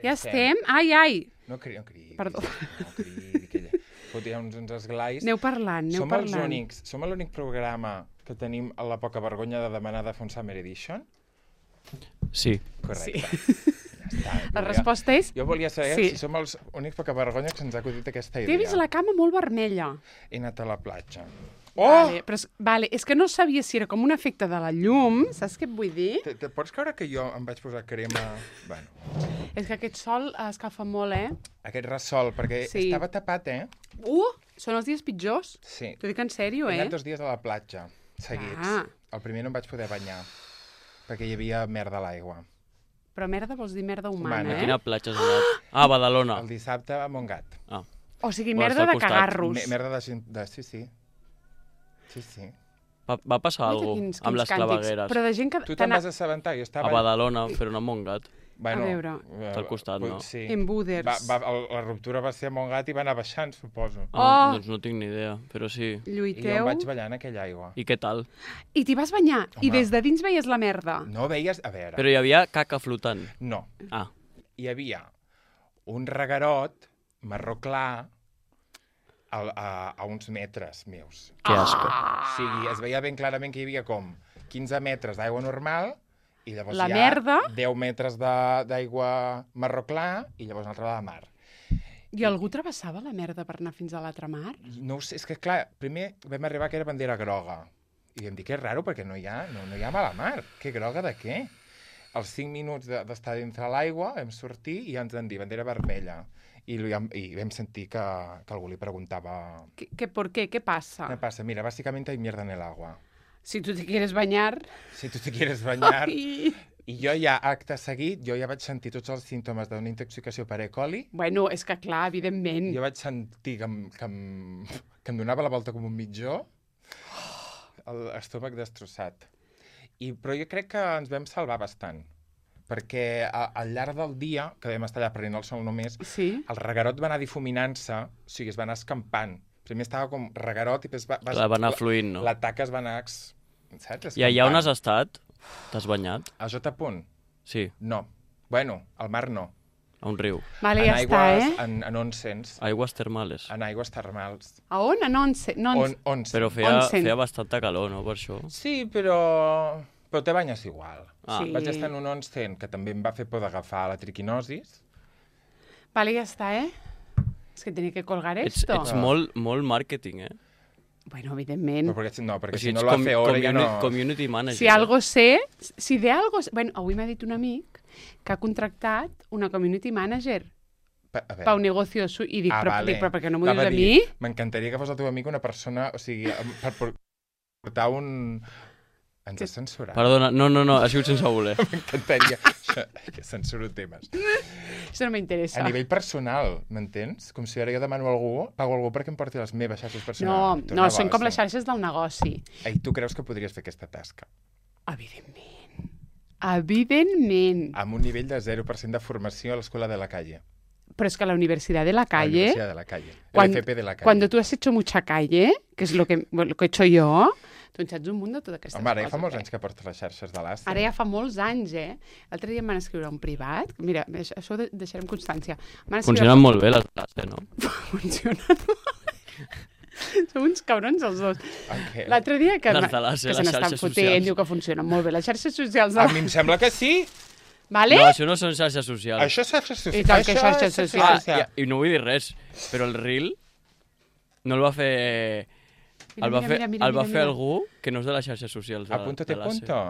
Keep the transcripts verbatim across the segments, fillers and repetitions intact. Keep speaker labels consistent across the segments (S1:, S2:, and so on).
S1: Ja estem? Ai, ai!
S2: No cridi, no cridi.
S1: Perdó.
S2: No cridi, que ella... Fotia uns, uns esglais.
S1: Aneu parlant, aneu
S2: som
S1: parlant.
S2: Els únics, som l'únic programa que tenim la poca vergonya de demanar de fer un Summer Edition?
S3: Sí.
S2: Correcte.
S1: Sí.
S2: Ja està.
S1: La resposta és...
S2: Jo volia saber
S1: sí.
S2: si som els únics poca vergonya que se'ns ha acudit aquesta idea.
S1: T'he vist la cama molt vermella.
S2: He anat a la platja. Oh!
S1: Vale, però és, vale, és que no sabia si era com un efecte de la llum, saps què et vull dir?
S2: Te, te pots creure que jo em vaig posar crema... Bueno.
S1: És que aquest sol escalfa molt, eh?
S2: Aquest ressol, perquè
S1: Sí.
S2: estava tapat, eh?
S1: Uh, són els dies pitjors.
S2: Sí.
S1: T'ho dic en sèrio,
S2: He
S1: eh?
S2: anat dos dies a la platja, seguits.
S1: Ah.
S2: El primer no em vaig poder banyar, perquè hi havia merda a l'aigua.
S1: Però merda vols dir merda humana,
S2: Humana.
S3: A
S1: eh?
S3: quina platja has anat? Ah, a Badalona.
S2: El dissabte a Montgat.
S3: Ah.
S1: O sigui,
S3: Bueno,
S1: merda
S3: està al
S1: de
S3: costat.
S1: cagarros.
S2: Me merda de, gent- de... Sí, sí. Sí, sí.
S3: Va, va passar
S1: Mira
S3: alguna
S1: quins-
S3: cosa amb
S1: quins
S3: les
S1: càntics.
S3: clavegueres.
S1: Però de gent que...
S2: Tu
S1: t'ha
S2: te'n
S1: anat-
S2: vas assabentar? Jo estava...
S3: A Badalona, però no a Montgat.
S2: Bueno,
S1: A veure.
S2: eh,
S3: Està al costat, no?
S2: Sí.
S1: En Buders.
S2: Va, va, el, la ruptura va ser a Montgat i va anar baixant, suposo.
S3: Ah,
S1: Oh!
S3: doncs no tinc ni idea, però sí.
S2: I jo
S1: Lluiteu.
S2: em vaig ballar en aquella aigua.
S3: I què tal?
S1: I t'hi vas banyar. I
S2: Home.
S1: des de dins veies la merda.
S2: No veies... A veure...
S3: Però hi havia caca flotant.
S2: No.
S3: Ah,
S2: Hi havia un reguerot marró clar a, a, a uns metres meus.
S3: que asco.
S2: O sigui, es veia ben clarament que hi havia com quinze metres d'aigua normal i llavors
S1: La
S2: hi ha
S1: merda.
S2: deu metres de- d'aigua marró clar i llavors una altra de mar.
S1: I algú travessava la merda per anar fins a l'altra mar?
S2: No ho sé, és que clar, primer vam arribar que era bandera groga. I vam dir que és raro perquè no hi ha, no, no hi ha mala mar. Què groga de què? Els cinc minuts de- d'estar dintre l'aigua vam sortir i ja ens van dir bandera vermella. I, li vam- i vam sentir que, que algú li preguntava
S1: ¿Qué, qué, ¿Por qué? ¿Qué pasa?
S2: ¿qué pasa? Mira, básicamente hay mierda en el agua.
S1: Si tú te quieres bañar...
S2: Si tu te quieres bañar...
S1: Ai.
S2: I jo ja, acte seguit, jo ja vaig sentir tots els símptomes d'una intoxicació per E. coli.
S1: Bueno, és que clar, evidentment.
S2: Jo vaig sentir que em, que em, que em donava la volta com un mitjó, l'estómac destrossat. I, però jo crec que ens vam salvar bastant, perquè a, al llarg del dia, que vam estar allà prenent el sol només,
S1: Sí?
S2: el reguerot va anar difuminant-se, o sigui, es va anar escampant. Primer estava com reguerot i després va, va,
S3: Clar, va anar fluint, no?
S2: la taca es va anar... ex- Saps?
S3: I allà on has
S2: Escampant.
S3: estat? T'has banyat?
S2: A J. Punt?
S3: Sí,
S2: No. Bueno, al mar no.
S3: a un riu.
S1: Vale,
S2: en
S1: ja està,
S2: aigües,
S1: eh?
S2: en, en onsens,
S3: Aigües termals.
S2: en aigües termals.
S1: A on? En once? No,
S2: On, onsen.
S3: Però feia,
S1: Onsen.
S3: feia bastanta calor, no, per això?
S2: Sí, però... Però te banyes igual.
S3: Ah.
S1: Sí.
S2: Vaig estar en un onsen que també em va fer por d'agafar la triquinosis.
S1: Vale, ja està, eh? És que tenia que colgar
S3: Ets,
S1: esto.
S3: ets molt, molt màrqueting, eh?
S1: Bueno, evidentment.
S2: Però perquè, no, perquè
S3: O sigui,
S2: si no
S3: ets
S2: lo
S3: com-
S2: hace hora ja no...
S3: communi- community manager.
S1: Si algo sé, si de algo... sé- Bueno, avui m'ha dit un amic que ha contractat una community manager
S2: Pa, a veure.
S1: pa un negocio su... I dic,
S2: Ah,
S1: però,
S2: vale.
S1: dic, però per què no m'ho
S2: Anava
S1: dius a
S2: dir,
S1: mi?
S2: M'encantaria que fos el teu amic una persona... O sigui, em- per por- portar un... Ens
S1: Que-
S2: has censurat.
S3: Perdona, no, no, no, ha sigut sense voler.
S2: M'encantaria. Això- que censuro temes.
S1: Això no m'interessa.
S2: A nivell personal, m'entens? Com si ara jo demano a algú, pago a algú perquè em porti les meves xarxes
S1: No,
S2: personals. Tu
S1: no, són com
S2: negoci.
S1: les xarxes del negoci.
S2: I tu creus que podries fer aquesta tasca?
S1: Evidentment. Evidentment.
S2: Amb un nivell de zero per cent de formació a l'Escola de la Calle.
S1: Pero es que la Universidad de la
S2: A la
S1: Calle,
S2: Universidad de la Calle.
S1: Cuando-
S2: el F P de la Calle.
S1: cuando tú has hecho mucha calle, que es lo que, bueno, lo que he hecho jo, tu en saps un munt de totes aquestes
S2: Home, ara ja
S1: coses.
S2: fa molts
S1: eh?
S2: anys que porta les xarxes de l'A C E.
S1: Ara ja fa molts anys, eh? L'altre dia em van escriure un privat. Mira, això això ho de- deixarem constància. Em van escriure-
S3: Funcionen molt bé les classes, no?
S1: Funcionen molt bé. Som uns cabrons els dos.
S2: Okay.
S1: L'altre dia que,
S3: Les de les-
S1: que
S3: les
S1: se n'estan
S3: xarxes
S1: fotent,
S3: socials.
S1: diu que funcionen molt bé. Les xarxes socials... De...
S2: A mi em sembla que sí.
S1: Vale?
S3: No, això no són xarxes socials.
S2: Això és xarxes socials.
S1: I tant que
S2: Això
S1: xarxes
S2: és xarxes
S1: socials.
S3: Ah, i, i no vull dir res, però el reel no el va fer...
S1: Mira,
S3: el va
S1: mira,
S3: fer,
S1: mira, mira,
S3: el va
S1: mira,
S3: fer
S1: mira.
S3: algú que no és de les xarxes socials. De,
S2: Apúntate
S3: de l'A C E.
S2: punto.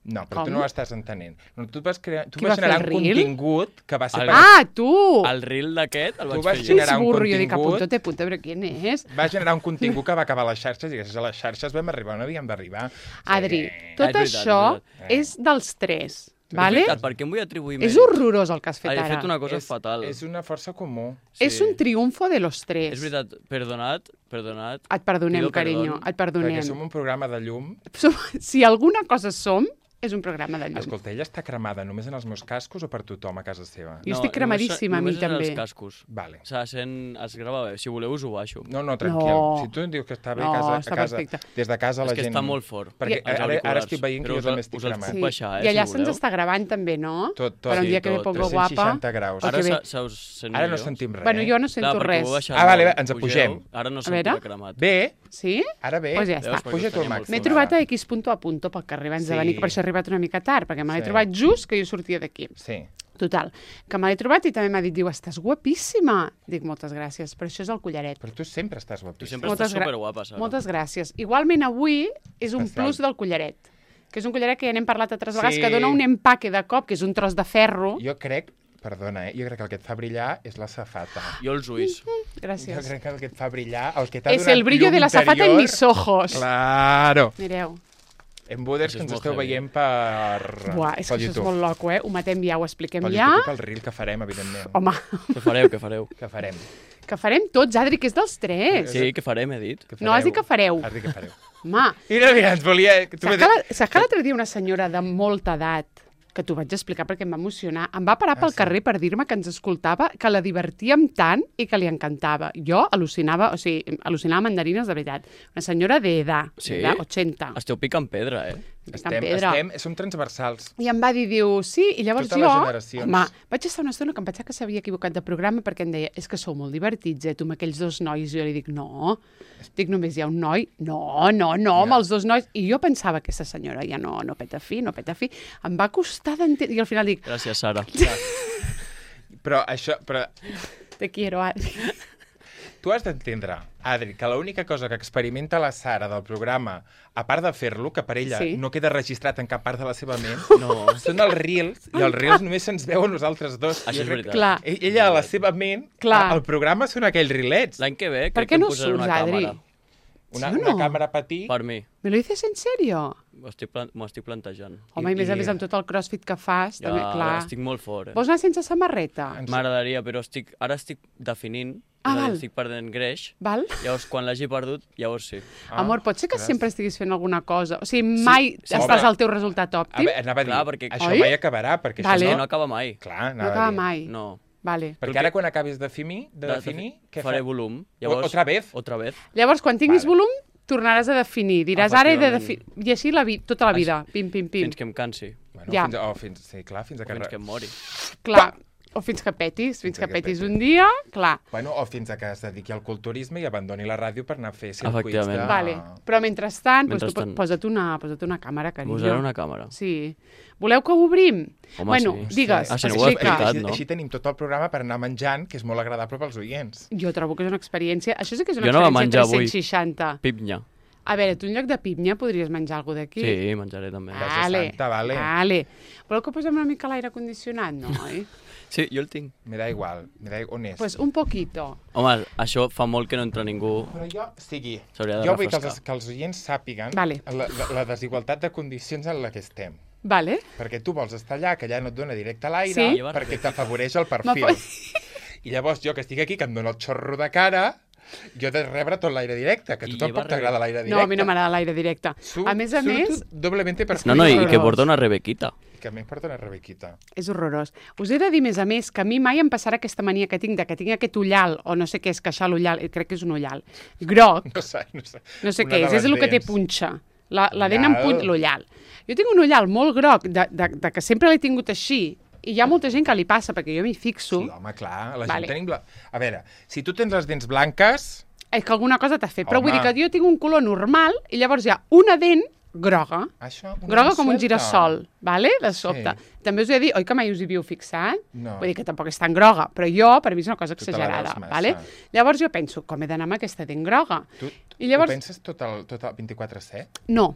S2: No, però
S1: Com?
S2: tu no ho estàs entenent. No, tu vas, crear, tu
S1: Qui
S2: vas
S1: va fer
S2: generar
S1: el
S2: un
S1: reel?
S2: contingut que va ser...
S3: El-
S2: per-
S1: Ah, tu!
S3: El reel d'aquest el
S2: Tu
S3: vaig
S2: vas
S3: fer jo.
S2: generar
S1: És
S2: un
S1: burro, jo dic,
S2: contingut.
S1: apunto, te punto, però quién és?
S2: Va generar un contingut que va acabar a les xarxes i gràcies a les xarxes vam arribar on havíem d'arribar.
S1: Adri,
S2: Sí.
S1: tot
S3: És veritat,
S1: això
S2: és veritat.
S1: és dels tres,
S3: És
S1: vale?
S3: veritat, per què em vull atribuir
S1: És
S3: mèrit?
S1: horrorós el que has fet
S3: He
S1: ara.
S3: fet una cosa
S2: és,
S3: fatal.
S2: És una força comú.
S1: És un triomfo de los tres.
S3: És veritat, perdonat, perdonat.
S1: Et perdonem,
S3: Pido
S1: carinyo,
S3: perdón.
S1: et perdonem.
S2: Perquè som un programa de llum.
S1: Som... Si alguna cosa som, és un programa de llum.
S2: Escolta, ella està cremada només en els meus cascos o per tothom a casa seva?
S1: Jo estic cremadíssima, a mi
S3: només
S1: també.
S3: Només els cascos.
S2: Vale.
S3: O sigui, sent, es grava bé. Si voleu us ho baixo.
S2: No, no, tranquil.
S1: No.
S2: Si tu em dius que està bé
S1: No,
S2: a casa,
S1: està
S2: a casa
S1: perfecte.
S2: des de casa
S3: És
S2: la
S3: que
S2: gent...
S3: està molt fort.
S2: Perquè
S3: Els
S2: ara, ara estic
S3: auriculars.
S2: veient que
S3: Però
S2: jo
S3: us-
S2: també estic
S3: us els
S2: cremat.
S3: puc baixar, eh,
S1: I allà
S3: si
S1: se'ns
S3: voleu.
S1: està gravant també, no?
S2: Tot, tot.
S1: Per un
S3: Sí,
S1: dia que ve
S3: tot.
S1: pongo
S2: tres cents seixanta
S1: guapa.
S2: graus.
S1: O
S3: Ara
S1: que bé.
S3: se, se us sent
S2: Ara no
S3: millor?
S2: sentim res.
S1: Bueno, jo no
S3: Clar,
S1: sento
S3: perquè
S1: res.
S3: ho heu baixat
S2: Ah, vale,
S3: molt.
S2: ens
S3: Pugeu.
S2: apugem.
S3: Ara no
S1: A
S3: sentim
S1: veure.
S3: cremat.
S2: Bé,
S1: Sí?
S2: ara bé.
S1: Pues ja
S3: Veus?
S1: està.
S3: Perquè
S2: Puja
S3: us
S2: tu el
S3: tenia molt
S2: màxim.
S1: M'he
S3: fort.
S1: trobat a X punto a punto pel carrer abans de
S2: Sí.
S1: venir, que per això he arribat una mica tard, perquè me l'he
S2: Sí.
S1: trobat just que jo sortia d'aquí.
S2: Sí.
S1: Total, que me l'he trobat i també m'ha dit, diu, estàs guapíssima. Dic, moltes gràcies, però això és el collaret.
S2: Però tu sempre estàs
S3: Tu
S2: guapíssima.
S3: sempre
S1: Moltes
S3: estàs
S1: gra-
S3: superguapa, Sara.
S1: Moltes gràcies. Igualment avui és un
S2: Especial.
S1: plus del collaret, que és un collaret que ja n'hem parlat altres vegades,
S2: Sí.
S1: que dona un empaque de cop, que és un tros de ferro.
S2: Jo crec, perdona, eh? jo crec que el que et fa brillar és la safata.
S3: Jo els ulls.
S2: Jo
S1: Gràcies.
S2: crec que el que et fa brillar, el que t'ha
S1: És
S2: donat
S1: el brillo
S2: llum
S1: de la zafata en
S2: interior-
S1: mis ojos.
S2: Claro.
S1: Mireu.
S2: En Buders,
S3: Això
S2: que
S3: és
S2: ens
S3: molt
S2: esteu
S3: heavy.
S2: veient per...
S1: Buah, és que
S2: pel
S1: això és
S2: YouTube.
S1: molt loco, eh? Ho matem ja, ho expliquem
S2: Pel
S1: ja.
S2: YouTube i pel reel que farem, evidentment.
S1: Home,
S3: Què fareu, què fareu?
S2: Que farem.
S1: que farem tots, Adri, que és dels tres.
S3: Sí, què farem, he dit.
S2: Que
S1: No, has dit que fareu.
S2: Has dit que fareu.
S1: Home,
S2: Mira, mira, ens volia... Tu
S1: saps que la- saps que l'altre dia una senyora de molta edat, que t'ho vaig explicar perquè em va emocionar, em va parar
S2: Ah,
S1: pel
S2: sí?
S1: carrer per dir-me que ens escoltava, que la divertíem tant i que li encantava. Jo al·lucinava, o sigui, al·lucinava mandarines de veritat. Una senyora d'edat,
S3: Sí?
S1: d'edat, ochenta.
S3: Esteu picant pedra, eh?
S1: Estem,
S2: Estem,
S1: pedra.
S2: estem, som transversals.
S1: I em va dir, diu, sí, i llavors
S2: Totes
S1: jo,
S2: les generacions.
S1: home, vaig estar una estona que em pensava que s'havia equivocat de programa perquè em deia, és que sou molt divertits, eh, tu amb aquells dos nois. I jo li dic, no, dic, només hi ha un noi. No, no, no, amb
S2: Ja.
S1: els dos nois. I jo pensava que aquesta senyora ja no, no peta fi, no peta fi. Em va costar d'entendre, i al final dic,
S3: Gràcies, Sara.
S2: Però això... Però
S1: te quiero, Adri.
S2: tu has d'entendre, Adri, que l'única cosa que experimenta la Sara del programa, a part de fer-lo, que per ella
S1: Sí.
S2: no queda registrat en cap part de la seva ment,
S3: No.
S2: són els reels, i els reels només se'ns veuen nosaltres dos.
S3: Això
S2: Jo
S3: és
S2: crec
S3: veritat.
S2: que
S1: Clar.
S2: e- Ella, a la seva ment,
S1: Clar.
S2: el programa són aquells rilets.
S3: L'any que ve
S1: Per
S3: crec
S1: què
S3: que em
S1: no
S3: posaré una
S1: surts, Adri?
S3: càmera.
S2: Una,
S1: Sí o
S2: una
S1: no?
S2: càmera petit.
S3: Per mi.
S1: ¿Me lo dices en serio?
S3: M'ho estic, plan m'ho estic plantejant.
S1: Home, i,
S2: I-
S1: més a
S2: i-
S1: més amb tot el crossfit que fas,
S3: Ja,
S1: també, clar.
S3: estic molt fort, eh?
S1: Vols anar sense samarreta?
S2: Ens-
S3: M'agradaria, però estic, ara estic definint,
S1: Ah,
S3: és a dir,
S1: val.
S3: estic perdent greix,
S1: Val?
S3: llavors quan l'hagi perdut, llavors sí.
S2: Ah,
S1: Amor, pot ser que
S2: gràcies.
S1: sempre estiguis fent alguna cosa? O sigui, mai
S3: sí,
S1: estàs
S2: home.
S1: al teu resultat
S2: A
S1: òptim?
S2: veure, anava a dir,
S3: Clar, perquè-
S2: això
S1: Oi?
S2: mai acabarà, perquè
S1: Vale.
S2: això
S3: No,
S2: no...
S3: no acaba mai.
S2: Clar,
S1: No
S2: anava
S1: acaba
S2: a dir.
S1: mai.
S3: No.
S1: Vale.
S2: Perquè
S3: Perquè-
S2: ara quan acabis de definir, de
S3: De-
S2: definir, què
S3: faré
S2: fa?
S3: volum.
S2: O- otra vez?
S3: Otra vez.
S1: Llavors, quan tinguis
S2: Vale.
S1: volum, tornaràs a definir. Diràs, ara he de definir...
S3: Efectivament.
S1: I així la vi... tota la vida. Pim, pim, pim.
S3: Fins que em cansi.
S2: Bueno,
S1: Ja.
S2: fins a, o fins, sí, clar, fins a
S3: O
S2: que...
S3: fins
S2: re-
S3: que em mori.
S1: Clar. O fins que petis. Fins
S2: Fins
S1: que
S2: que
S1: petis
S2: petis.
S1: un dia, clar.
S2: Bueno, o fins a que es dediqui al culturisme i abandoni la ràdio per anar a fer circuits de...
S3: Efectivament.
S1: Vale. Però mentrestant, doncs, tu
S3: Mentrestant.
S1: posa't una, posa't una càmera, carinyo.
S3: Posaré una càmera.
S1: Sí. Voleu que ho obrim?
S3: Home,
S1: bueno,
S3: sí.
S1: digues,
S3: Ah, si no ho he
S2: així,
S1: explica.
S3: explicat,
S2: així,
S3: no?
S2: així tenim tot el programa per anar menjant, que és molt agradable pels oients.
S1: Jo trobo que és una experiència... Això sí que és una
S3: Jo no va
S1: experiència
S3: menjar avui.
S1: tres-cents seixanta.
S3: Pipnya.
S1: A veure, tu en lloc de pipnya podries menjar alguna d'aquí?
S3: Sí, menjaré també.
S2: Ah.
S1: Vale,
S2: Santa, vale.
S1: vale. Voleu que posem una mica l'aire condicionat, no, oi?
S3: Sí, jo el tinc.
S2: Me da igual, me da igual. On és?
S1: pues un poquito.
S3: Home, això fa molt que no entra ningú.
S2: Però jo, o sigui,
S3: S'hauria de
S2: jo vull que
S3: refrescar.
S2: els, que els oients sàpiguen
S1: Vale.
S2: la, la, la desigualtat de condicions en la que estem.
S1: Vale?
S2: Perquè tu vols estar allà, que allà no et dona directe a l'aire,
S1: Sí.
S2: perquè t'afavoreix el
S1: Ma
S2: perfil.
S1: po-
S2: I llavors jo, que estic aquí, que em dona el xorro de cara, jo he de rebre tot l'aire directe, que a tu
S3: I
S2: tampoc
S3: lleva
S2: t'agrada l'aire directe.
S1: No, a mi no m'agrada l'aire directe.
S2: Su-
S1: A més a
S2: surto
S1: més,
S2: doblemente per
S3: No, no, i, i que
S1: horrorós.
S3: porta una rebequita.
S2: Que a mi em porta una Rebequita.
S1: és horrorós. Us he de dir, més a més, que a mi mai em passarà aquesta mania que tinc, de que tinc aquest ullal, o no sé què és, queixar l'ullal, eh, crec que és un ullal, groc,
S2: No sé, no sé.
S1: no sé
S2: Una
S1: què
S2: de
S1: és,
S2: les
S1: és el que té
S2: dents.
S1: punxa. La, la dent amb
S2: Ullal.
S1: punt, l'ullal. Jo tinc un ullal molt groc, de, de, de que sempre l'he tingut així, i hi ha molta gent que li passa, perquè jo m'hi fixo.
S2: Sí, home, clar, la
S1: Vale.
S2: gent tenim... La... A veure, si tu tens les dents blanques,
S1: És que alguna cosa t'ha fet. Però vull
S2: Home.
S1: dir que jo tinc un color normal i llavors hi ha una dent groga.
S2: això... una
S1: Groga com un
S2: suelta.
S1: girassol, vale? De sobte.
S2: Sí.
S1: També us he de dir, oi que mai us hi havíeu fixat?
S2: No.
S1: Vull dir que tampoc és tan groga, però jo, per mi és una cosa
S2: Tu te la
S1: exagerada,
S2: veus massa.
S1: vale? Llavors jo penso, com he d'anar amb aquesta dent groga?
S2: Tu,
S1: I llavors...
S2: ho penses tot el, tot el vint-i-quatre set?
S1: No,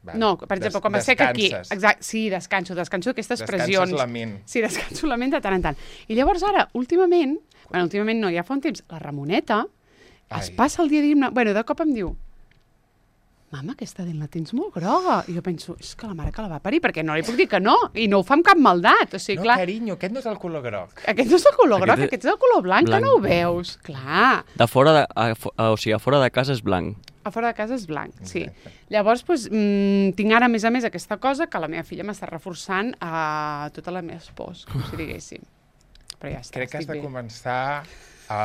S2: Vale.
S1: no, per exemple,
S2: Des-
S1: com a sec aquí.
S2: descanses.
S1: Exacte, sí, descanso, descanso d'aquestes
S2: Descanses
S1: pressions.
S2: la ment.
S1: Sí, descanso la ment de tant en tant. I llavors ara, últimament, bueno, últimament no, ja fa un temps, la Ramoneta es
S2: Ai.
S1: passa el dia dient-me... Bueno, de cop em diu, mama, aquesta dent la tens molt groga. I jo penso, és que la mare que la va parir, perquè no li puc dir que no, i no ho fa amb cap maldat. O sigui,
S2: No,
S1: clar,
S2: carinyo, aquest no és el color groc.
S1: aquest no és el color groc,
S3: Aquest és-
S1: aquest és el color blanc,
S3: blanc.
S1: que no ho veus. Clar,
S3: De fora de, a, fo- a, o sigui, a fora de casa és blanc.
S1: A fora de casa és blanc, sí.
S2: Exacte.
S1: Llavors, doncs, mmm, tinc ara, a més a més, aquesta cosa que la meva filla m'està reforçant a totes les meves pors, com si diguéssim. Però ja està,
S2: Crec que has
S1: estic
S2: de
S1: bé.
S2: començar a...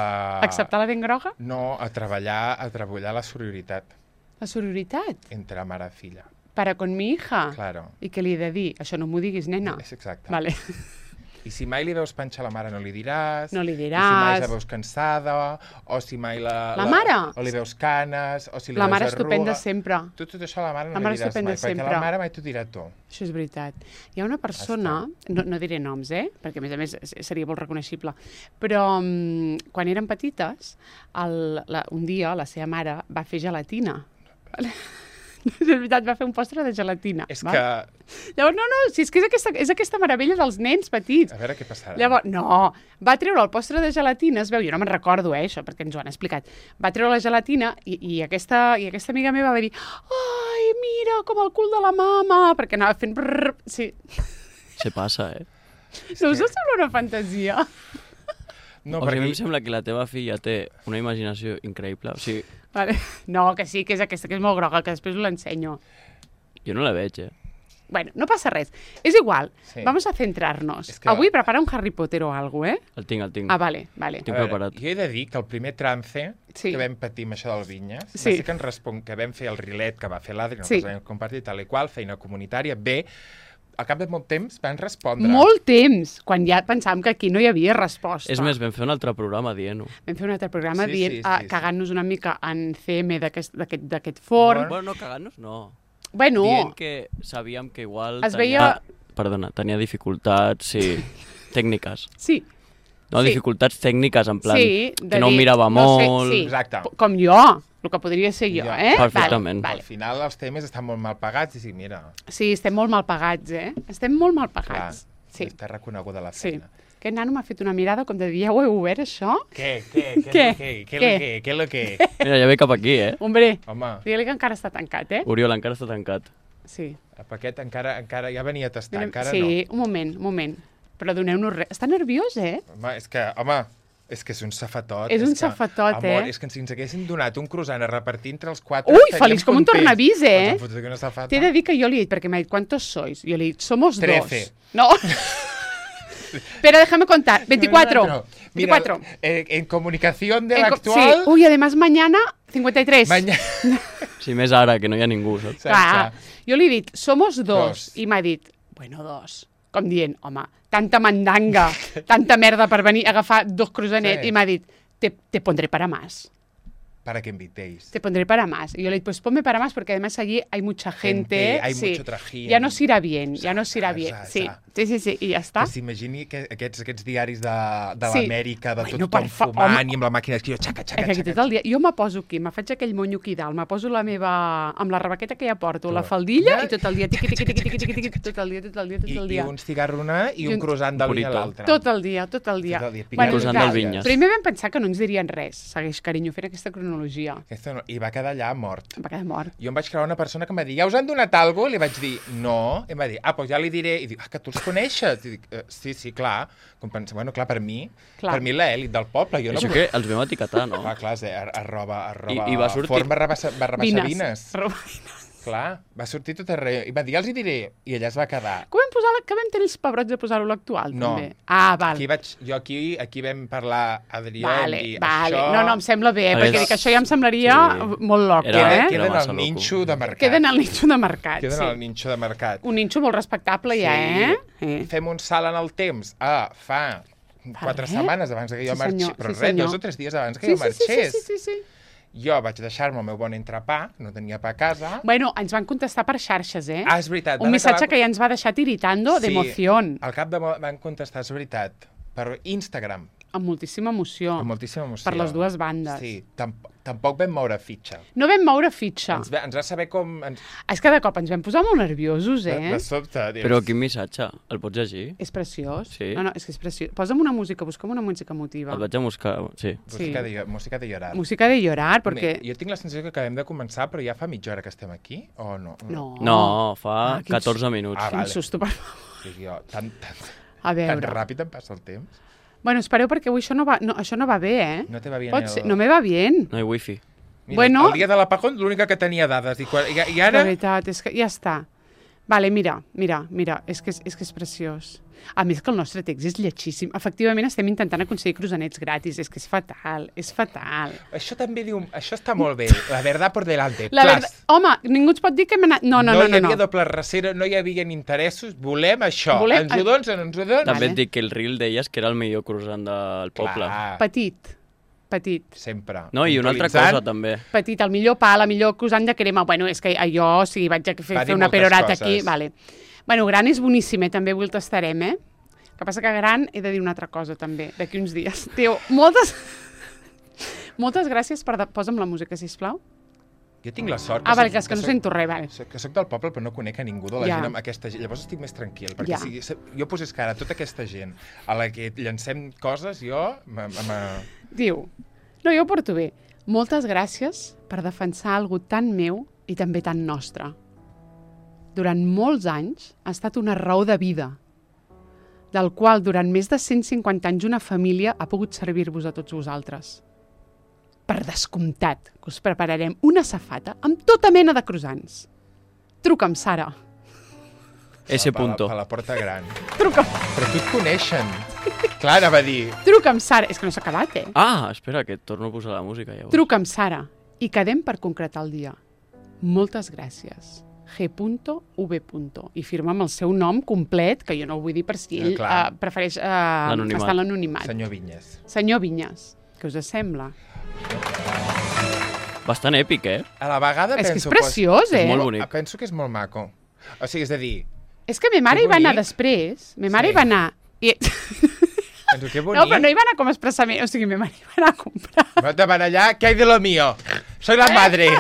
S1: Acceptar la dent groga?
S2: No, a treballar, a treballar la sororitat
S1: La sororitat?
S2: entre mare i filla.
S1: Para con mi hija?
S2: Claro.
S1: I què li he de dir? Això no m'ho diguis, nena.
S2: És exacte.
S1: Vale.
S2: I si mai li veus panxa a la mare no li diràs.
S1: No li
S2: I si mai
S1: diràs.
S2: la veus cansada, o si mai la...
S1: La mare?
S2: O li veus canes, o si li
S1: La
S2: veus
S1: mare
S2: arruga.
S1: estupenda sempre.
S2: Tu tot això a la mare no
S1: La mare
S2: li diràs
S1: estupenda
S2: mai, perquè
S1: sempre.
S2: la mare mai t'ho dirà tu.
S1: Això és veritat. Hi ha una persona, no, no diré noms, eh? Perquè a més a més seria molt reconeixible, però um, quan eren petites, el, la, un dia la seva mare va fer gelatina. És veritat, va fer un postre de gelatina.
S2: És
S1: val?
S2: que...
S1: Llavors, no, no, si és que és aquesta, és aquesta meravella dels nens petits.
S2: A veure què passarà.
S1: Llavors, no, va treure el postre de gelatina, es veu, jo no me'n recordo, eh, això, perquè ens ho han explicat. Va treure la gelatina i, i, aquesta, i aquesta amiga meva va dir ai, mira, com el cul de la mama, perquè anava fent brrr, sí.
S3: Se passa, eh?
S1: No us sembla una fantasia?
S2: No,
S3: O sigui, a mi
S2: perquè...
S3: em sembla que la teva filla té una imaginació increïble. O sigui,
S1: Vale. No, que sí, que és aquesta, que és molt groga, que després us l'ensenyo.
S3: jo no la veig, eh?
S1: Bueno, no passa res. És igual,
S2: Sí.
S1: vamos a centrarnos.
S2: És que-
S1: Avui prepara un Harry Potter o alguna cosa, eh?
S3: El tinc, el tinc.
S1: Ah, vale, vale.
S3: Tinc
S2: A veure,
S3: preparat.
S2: jo he de dir que el primer trance
S1: Sí.
S2: que vam patir amb això del Vinyes,
S1: Sí.
S2: va ser que ens respon que vam fer el rilet que va fer l'Adri, no
S1: Sí.
S2: sí. vam compartir tal i qual, feina comunitària, bé, al cap de molt temps van respondre.
S1: Molt temps, quan ja pensàvem que aquí no hi havia resposta.
S3: És més, vam fer un altre programa dient-ho.
S1: Vam fer un altre programa
S2: Sí,
S1: dient,
S2: sí,
S1: ah,
S2: sí, sí.
S1: cagant-nos una mica en C M d'aquest d'aquest- d'aquest forn.
S3: Bueno, no, cagant-nos, no.
S1: Bueno,
S3: Dient que sabíem que igual
S1: Es
S3: tenia...
S1: veia-
S3: Perdona, tenia dificultats, sí, tècniques.
S1: sí,
S3: No,
S1: Sí.
S3: dificultats tècniques, en plan,
S1: sí. de
S3: que no
S1: dir,
S3: mirava
S1: no sé,
S3: molt...
S1: sí,
S2: Exacte.
S1: p- com jo, el que podria ser jo,
S2: Ja.
S1: eh?
S3: Perfectament.
S1: Vale,
S2: Al
S1: vale.
S2: final els temes estan molt mal pagats i sí, mira,
S1: Sí, estem molt mal pagats, eh? Estem molt mal
S2: clar,
S1: pagats. Sí,
S2: està reconeguda la
S1: sí.
S2: feina.
S1: Aquest nano m'ha fet una mirada com de dir, ja ho he obert, això?
S2: Què, què, què,
S1: Què?
S2: què, què,
S1: Què?
S2: què, què, què, què, què?
S3: Mira, ja ve cap aquí, eh?
S1: Hombre,
S2: Home,
S1: digue-li que encara està tancat, eh?
S3: Oriol encara està tancat.
S1: Sí.
S2: el paquet encara, encara ja venia a tastar,
S1: Donem-
S2: encara
S1: sí, un moment, un moment. Però doneu-nos res. Està nerviós, eh?
S2: no. Home, és que, home, és que és un safatot.
S1: És un
S2: que,
S1: safatot,
S2: amor,
S1: eh?
S2: És que si ens haguessin donat un croissant a repartir entre els quatre...
S1: Ui,
S2: estaríem
S1: feliç com un
S2: contents.
S1: tornavís, eh?
S2: Ens han fotut aquí una safata.
S1: T'he de dir que jo li he dit, perquè m'ha dit, ¿cuántos sois? Jo li he dit, somos
S2: Trece.
S1: dos. No. Pero déjame contar, veinticuatro.
S2: Mira,
S1: veinticuatro.
S2: eh, en comunicación de
S1: En
S2: la
S1: co-
S2: actual...
S1: Sí. Uy, además mañana, cincuenta y tres.
S2: Mañana...
S3: Sí, més ara, que no hi ha ningú, saps?
S1: Clar, jo li he dit, somos dos.
S2: Dos.
S1: I m'ha dit, bueno, dos. Com dient, home, tanta mandanga, tanta merda per venir a agafar dos croissanets.
S2: Sí.
S1: I m'ha dit, te, te pondré para más.
S2: Para que invitéis.
S1: Te pondré para más. Y yo le dije, pues ponme para más, porque además allí hay mucha gente.
S2: Gente, hay
S1: sí.
S2: mucho trajín.
S1: Ya nos irá bien, ya nos irá
S2: Sa,
S1: bien.
S2: sa,
S1: Sí,
S2: sa.
S1: sí, sí, sí, i ja està.
S2: Que s'imagini que aquests, aquests diaris de, de
S1: Sí.
S2: l'Amèrica, de
S1: Bueno,
S2: tot
S1: per
S2: tothom
S1: fa-
S2: fumant
S1: home.
S2: i amb la màquina d'escriure, xaca, xaca,
S1: És que
S2: xaca.
S1: tot el dia, jo me poso aquí, me faig aquell monyo aquí dalt, me poso la meva, amb la rebaqueta que ja porto, la
S2: Tot.
S1: faldilla,
S2: Ja.
S1: i tot el dia, tiqui, tiqui, tiqui, tiqui, tiqui, tiqui, tot el dia, tot el dia, tot
S2: I,
S1: el
S2: I
S1: dia.
S2: un cigarro una i
S1: I
S2: un
S1: un-
S2: croissant de
S3: Un
S2: l'un a
S3: burrito.
S2: l'altre.
S1: Tot el dia, tot el dia.
S2: Tot el dia, picant
S1: Bueno,
S3: croissant
S1: clar,
S3: del Vinyes.
S1: primer vam pensar que no ens dirien res, segueix, carinyo, fent aquesta cronologia.
S2: Aquesta no, I va quedar allà mort.
S1: Em va quedar mort.
S2: Jo em vaig creure una persona que em va dir, ja us han donat alguna cosa? I li vaig dir, no. I em va dir, ah, doncs ja li diré. I dic, ah, que tu els coneixes? I dic, eh, sí, sí, clar. Com pensa, bueno, clar, per mi,
S1: Clar.
S2: per mi l'elit del poble. Jo no
S3: Això
S2: vull-
S3: que els vam etiquetar, no?
S2: Clar, clar, és, eh, arroba, arroba,
S3: I- i va sortir-
S2: forn barra, baixa- barra baixa
S1: Vines.
S2: vines.
S1: Robines.
S2: Clar, va sortir tot arreu. I va dir, ja els hi diré. I allà es va quedar.
S1: Com vam, posar la, que vam tenir els pebrots de posar-ho a l'actual,
S2: No.
S1: també? Ah, val.
S2: Aquí vaig, jo aquí, aquí vam parlar, Adrià,
S1: Vale,
S2: i
S1: vale.
S2: això...
S1: No, no, em sembla bé,
S3: A
S1: perquè
S3: veure,
S1: dic, això ja em semblaria
S3: sí.
S1: molt loc,
S3: Era-
S1: eh?
S3: era
S2: Queden
S3: massa
S2: al
S3: loco.
S2: ninxo de mercat.
S1: Queden al ninxo de mercat,
S2: Queden
S1: sí.
S2: al ninxo de mercat.
S1: Un ninxo molt respectable ja, eh? eh?
S2: Fem un salt en el temps. Ah, fa quatre
S1: res.
S2: setmanes abans que jo
S1: Sí,
S2: marxés.
S1: senyor,
S2: Però
S1: sí,
S2: res,
S1: senyor.
S2: dos o tres dies abans que
S1: Sí,
S2: jo
S1: sí, sí, sí,
S2: marxés.
S1: sí, sí, sí.
S2: Jo vaig deixar-me el meu bon entrepà, no tenia pa a casa.
S1: Bueno, ens van contestar per xarxes, eh?
S2: Ah, és veritat.
S1: Un
S2: van
S1: missatge
S2: acabar-
S1: que ja ens va deixar tiritando
S2: Sí,
S1: d'emoción,
S2: Al cap de mo- van contestar, és veritat, per Instagram,
S1: amb moltíssima emoció,
S2: amb moltíssima emoció.
S1: per les dues bandes.
S2: Sí, tamp tampoc vam moure fitxa.
S1: No vam moure fitxa.
S2: Ens, va, ens va saber com... Ens,
S1: És que de cop ens vam posar molt nerviosos,
S2: de,
S1: eh?
S2: de sobte, dius...
S3: Però quin missatge? El pots llegir?
S1: És preciós.
S3: Sí.
S1: No, no, és que és preciós. Posa'm una música, busca'm una música emotiva.
S3: El vaig a buscar, sí.
S2: Música,
S1: sí.
S2: de, música de llorar.
S1: Música de llorar, perquè...
S2: Jo tinc la sensació que acabem de començar, però ja fa mitja hora que estem aquí, o no?
S1: No.
S3: No, fa
S1: Ah, quin
S3: catorze minuts.
S2: Ah,
S1: Quin
S2: vale.
S1: susto, per favor.
S2: Dic jo, tan, tan,
S1: A
S2: tan
S1: veure.
S2: ràpid em passa el temps.
S1: Bueno, espereu, perquè avui això no va, no, això no va bé, eh?
S2: No te va bien
S1: Pot
S2: el...
S1: ser... No me va bien.
S3: No hi ha wifi.
S2: Mira,
S1: Bueno.
S2: El dia de l'apagón, l'única que tenia dades. I, quan, i, i
S1: De
S2: ara...
S1: veritat, és que ja està. Vale, mira, mira, mira, és que és, és que és preciós. A més que el nostre text és lletjíssim. Efectivament estem intentant aconseguir croissants gratis. És que és fatal, és fatal.
S2: Això també diu... Això està molt bé. La verdad por delante.
S1: La
S2: Plas.
S1: verdad... Home, ningú ens pot dir que hem anat... No, no, no,
S2: no
S1: no.
S2: hi havia
S1: no.
S2: doble rasera, no hi havia interessos. Volem això.
S1: Volem-
S2: Ens ho dones o no ens ho dones?
S3: També
S1: Vale.
S3: et dic que el reel deies que era el millor croissant del poble.
S2: Clar,
S1: Petit, petit.
S2: sempre.
S3: No, i una altra
S2: Puntualitzant.
S3: cosa també.
S1: Petit, el millor pa, la millor croissant de crema. Bueno, és que jo, o sigui, vaig a fer,
S2: Va dir
S1: fer una
S2: moltes
S1: perorata
S2: coses.
S1: aquí. Vale. Bueno, gran és boníssim, eh? També avui el tastarem, eh? El que passa que gran he de dir una altra cosa, també, d'aquí uns dies. Tio, moltes... moltes gràcies per... De... Posa'm la música, sisplau.
S2: Jo tinc la sort...
S1: Ah, vale, que
S2: soc-
S1: és que no
S2: soc-
S1: sento res, vale.
S2: soc- Que soc del poble, però no conec a ningú de la
S1: Ja.
S2: gent amb aquesta gent. Llavors estic més tranquil, perquè
S1: Ja.
S2: si se- jo posés cara a tota aquesta gent a la que llancem coses, jo... me- me-
S1: Diu, no, jo ho porto bé. Moltes gràcies per defensar algú tan meu i també tan nostre. Durant molts anys ha estat una raó de vida, del qual durant més de cent cinquanta anys una família ha pogut servir-vos a tots vosaltres. Per descomptat, que us prepararem una safata amb tota mena de croissants. Truca'm, Sara.
S3: Ese
S2: per la-
S3: punto.
S2: Per la porta gran.
S1: Truca'm,
S2: Però tu et coneixen. Clar, anava a dir...
S1: truca'm, Sara. És que no s'ha acabat, eh?
S3: Ah, espera, que et torno a posar la música llavors.
S1: Truca'm, Sara. I quedem per concretar el dia. Moltes gràcies. G V. I firma amb el seu nom complet, que jo no ho vull dir per si ell
S2: Eh, clar.
S1: uh, prefereix uh,
S3: L'anonimat.
S1: estar en l'anonimat.
S2: Senyor Vinyes.
S1: Senyor Vinyes, què us sembla?
S3: Bastant èpic, eh?
S2: A la vegada
S1: És que és
S2: penso...
S1: preciós,
S3: És
S1: eh?
S3: molt bonic.
S2: Penso que és molt maco. O sigui, és a dir...
S1: És que ma mare
S2: Que
S1: hi va anar
S2: bonic.
S1: després. Ma mare
S2: Sí.
S1: hi va anar... I...
S2: Penso que bonic.
S1: No, però no hi va anar com a expressament. O sigui, ma mare hi va anar a comprar.
S2: No te van allà, ¿qué hay de lo mío? Soy la madre.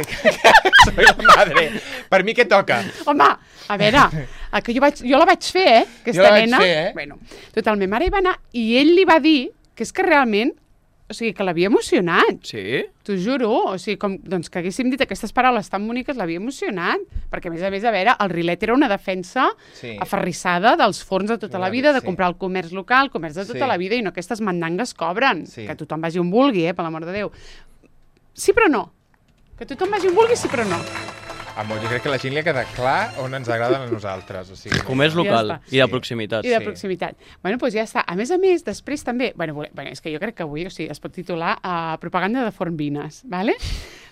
S2: Soy la madre. Per mi què toca?
S1: Home, a veure, el que jo, vaig, jo la vaig fer, eh? Aquesta
S2: Jo la vaig
S1: nena.
S2: fer, eh?
S1: Bueno, total, ma mare hi va anar i ell li va dir que és que realment, o sigui, que l'havia emocionat.
S3: Sí?
S1: T'ho juro, o sigui, com doncs, que haguéssim dit aquestes paraules tan boniques l'havia emocionat, perquè a més a més, a veure, el Rilet era una defensa
S2: Sí.
S1: aferrissada dels forns de tota
S2: Una
S1: la vida, de
S2: sí.
S1: comprar el comerç local, comerç de tota
S2: Sí.
S1: la vida, i no aquestes mandangues cobren,
S2: Sí.
S1: que tothom vagi on vulgui, eh, per l'amor de Déu. Sí, però no. Que tothom vagi on vulgui, sí, però no.
S2: Amor, jo crec que a la gent li ha quedat clar on ens agraden a nosaltres. O sigui,
S3: Comerç local
S1: Ja està.
S3: i de
S2: Sí.
S3: proximitat.
S1: I de
S2: Sí.
S1: proximitat. Bueno, doncs ja està. A més a més, després també... Bueno, vole- bueno és que jo crec que avui o sigui, es pot titular uh, Propaganda de Forn Vines, ¿vale?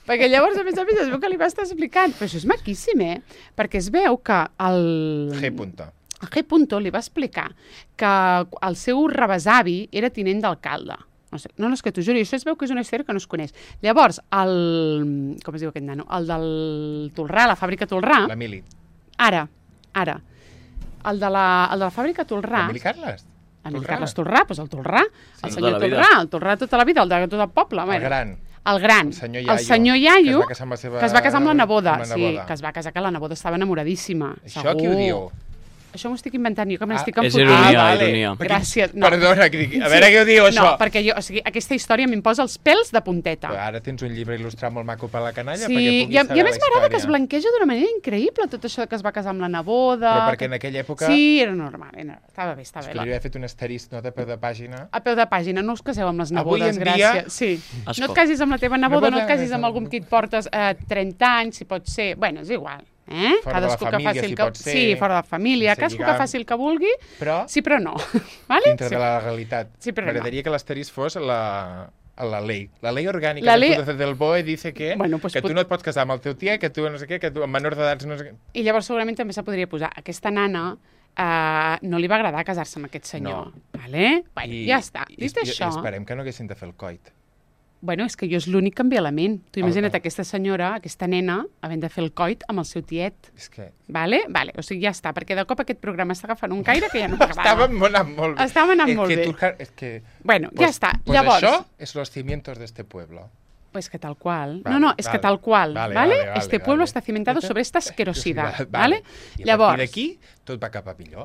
S1: Perquè llavors, a més a més, es veu que li va estar explicant. Però això és maquíssim, eh? Perquè es veu que el...
S2: G. Punto.
S1: El G. Punto li va explicar que el seu rebesavi era tinent d'alcalde. No sé, no, no, és que t'ho juro, i això es veu que és una història que no es coneix. Llavors, el... Com es diu aquest nano? El del Tolrà, la fàbrica Tolrà...
S2: L'Emili.
S1: Ara, ara. El de la, el de la fàbrica Tolrà...
S2: L'Emili Carles?
S1: L'Emili
S2: Tolrà?
S1: Carles Tolrà, doncs el Tolrà, el
S3: Tota
S1: senyor
S3: la vida.
S1: Tolrà, el Tolrà tota la vida, el de tot el poble.
S2: El
S1: bueno.
S2: gran.
S1: El gran,
S2: El senyor
S1: el
S2: Iaio,
S1: senyor
S2: que
S1: Iaio,
S2: es va casar amb la seva-
S1: que es va casar amb la neboda,
S2: amb la
S1: sí,
S2: neboda.
S1: que es va casar, que la neboda estava enamoradíssima.
S2: Això
S1: segur.
S2: qui ho diu?
S1: Això m'ho estic inventant jo, que me
S2: Ah,
S1: l'estic
S3: és
S1: enfotent.
S3: ironia,
S2: vale.
S3: ironia.
S2: Perquè-
S1: Gràcies. No.
S2: Perdona, que dic- a veure què ho diu, això.
S1: No, perquè jo, o sigui, aquesta història m'im posa els pèls de punteta.
S2: Però ara tens un llibre il·lustrat molt maco per la canalla perquè
S1: Sí,
S2: puguis
S1: i a,
S2: saber
S1: i a més
S2: la
S1: m'agrada que es
S2: història.
S1: blanqueja d'una manera increïble tot això que es va casar amb la neboda.
S2: Però perquè
S1: que-
S2: en aquella època
S1: Sí, era normal, era... estava bé, estava
S2: es
S1: bé.
S2: podria haver fet un asterisc, no, de peu de pàgina.
S1: A peu de pàgina, no us caseu amb les
S2: Avui
S1: nebodes,
S2: en dia-
S1: gràcies. Sí.
S3: Escolta.
S1: No et casis amb la teva neboda, no et
S2: Neboda,
S1: casis amb
S2: eh,
S1: algú amb qui et portes eh, trenta anys, si pot ser. Bueno, és igual. Eh?
S2: Fora de la família,
S1: el
S2: si
S1: que...
S2: pot ser.
S1: Sí, fora de la família.
S2: Sense
S1: Cadascú que
S2: lligam.
S1: faci el que vulgui,
S2: Però
S1: sí, però no. vale?
S2: dintre
S1: sí.
S2: de la legalitat.
S1: Sí, però no.
S2: M'agradaria que l'asterisc fos la, la ley. La ley orgànica
S1: La
S2: la
S1: ley-
S2: ley... del B O E dice que,
S1: Bueno, pues
S2: que
S1: pot-
S2: tu no et pots casar amb el teu tiet, que tu no sé què, que tu amb menors d'edats no sé què.
S1: I llavors segurament també se podria posar aquesta nana eh, no li va agradar casar-se amb aquest senyor. Vale? Bueno, ja està.
S2: I,
S1: Dit
S2: i,
S1: això...
S2: I esperem que no haguessin de fer el coit.
S1: Bueno, és que jo és l'únic que em ve a la ment. Tu
S2: El-
S1: imagina't
S2: el-
S1: aquesta senyora, aquesta nena, havent de fer el coit amb el seu tiet.
S2: És que
S1: Vale? Vale, o sigui, ja està, perquè de cop aquest programa està agafant un caire que ja no m'agrada.
S2: estàvem anant molt bé.
S1: Estàvem anant
S2: és
S1: molt
S2: que
S1: bé.
S2: Tu, és que...
S1: Bueno,
S2: pues,
S1: ja està.
S2: Pues
S1: Llavors...
S2: això és los cimientos de este pueblo.
S1: Pues que tal cual.
S2: Vale,
S1: no, no, es
S2: vale.
S1: que tal cual.
S2: Vale,
S1: Vale,
S2: vale, vale,
S1: este
S2: vale.
S1: pueblo está cimentado sobre esta asquerosidad.
S2: Vale.
S1: ¿Vale?
S2: I a
S1: Llavors...
S2: partir d'aquí tot va cap a millor.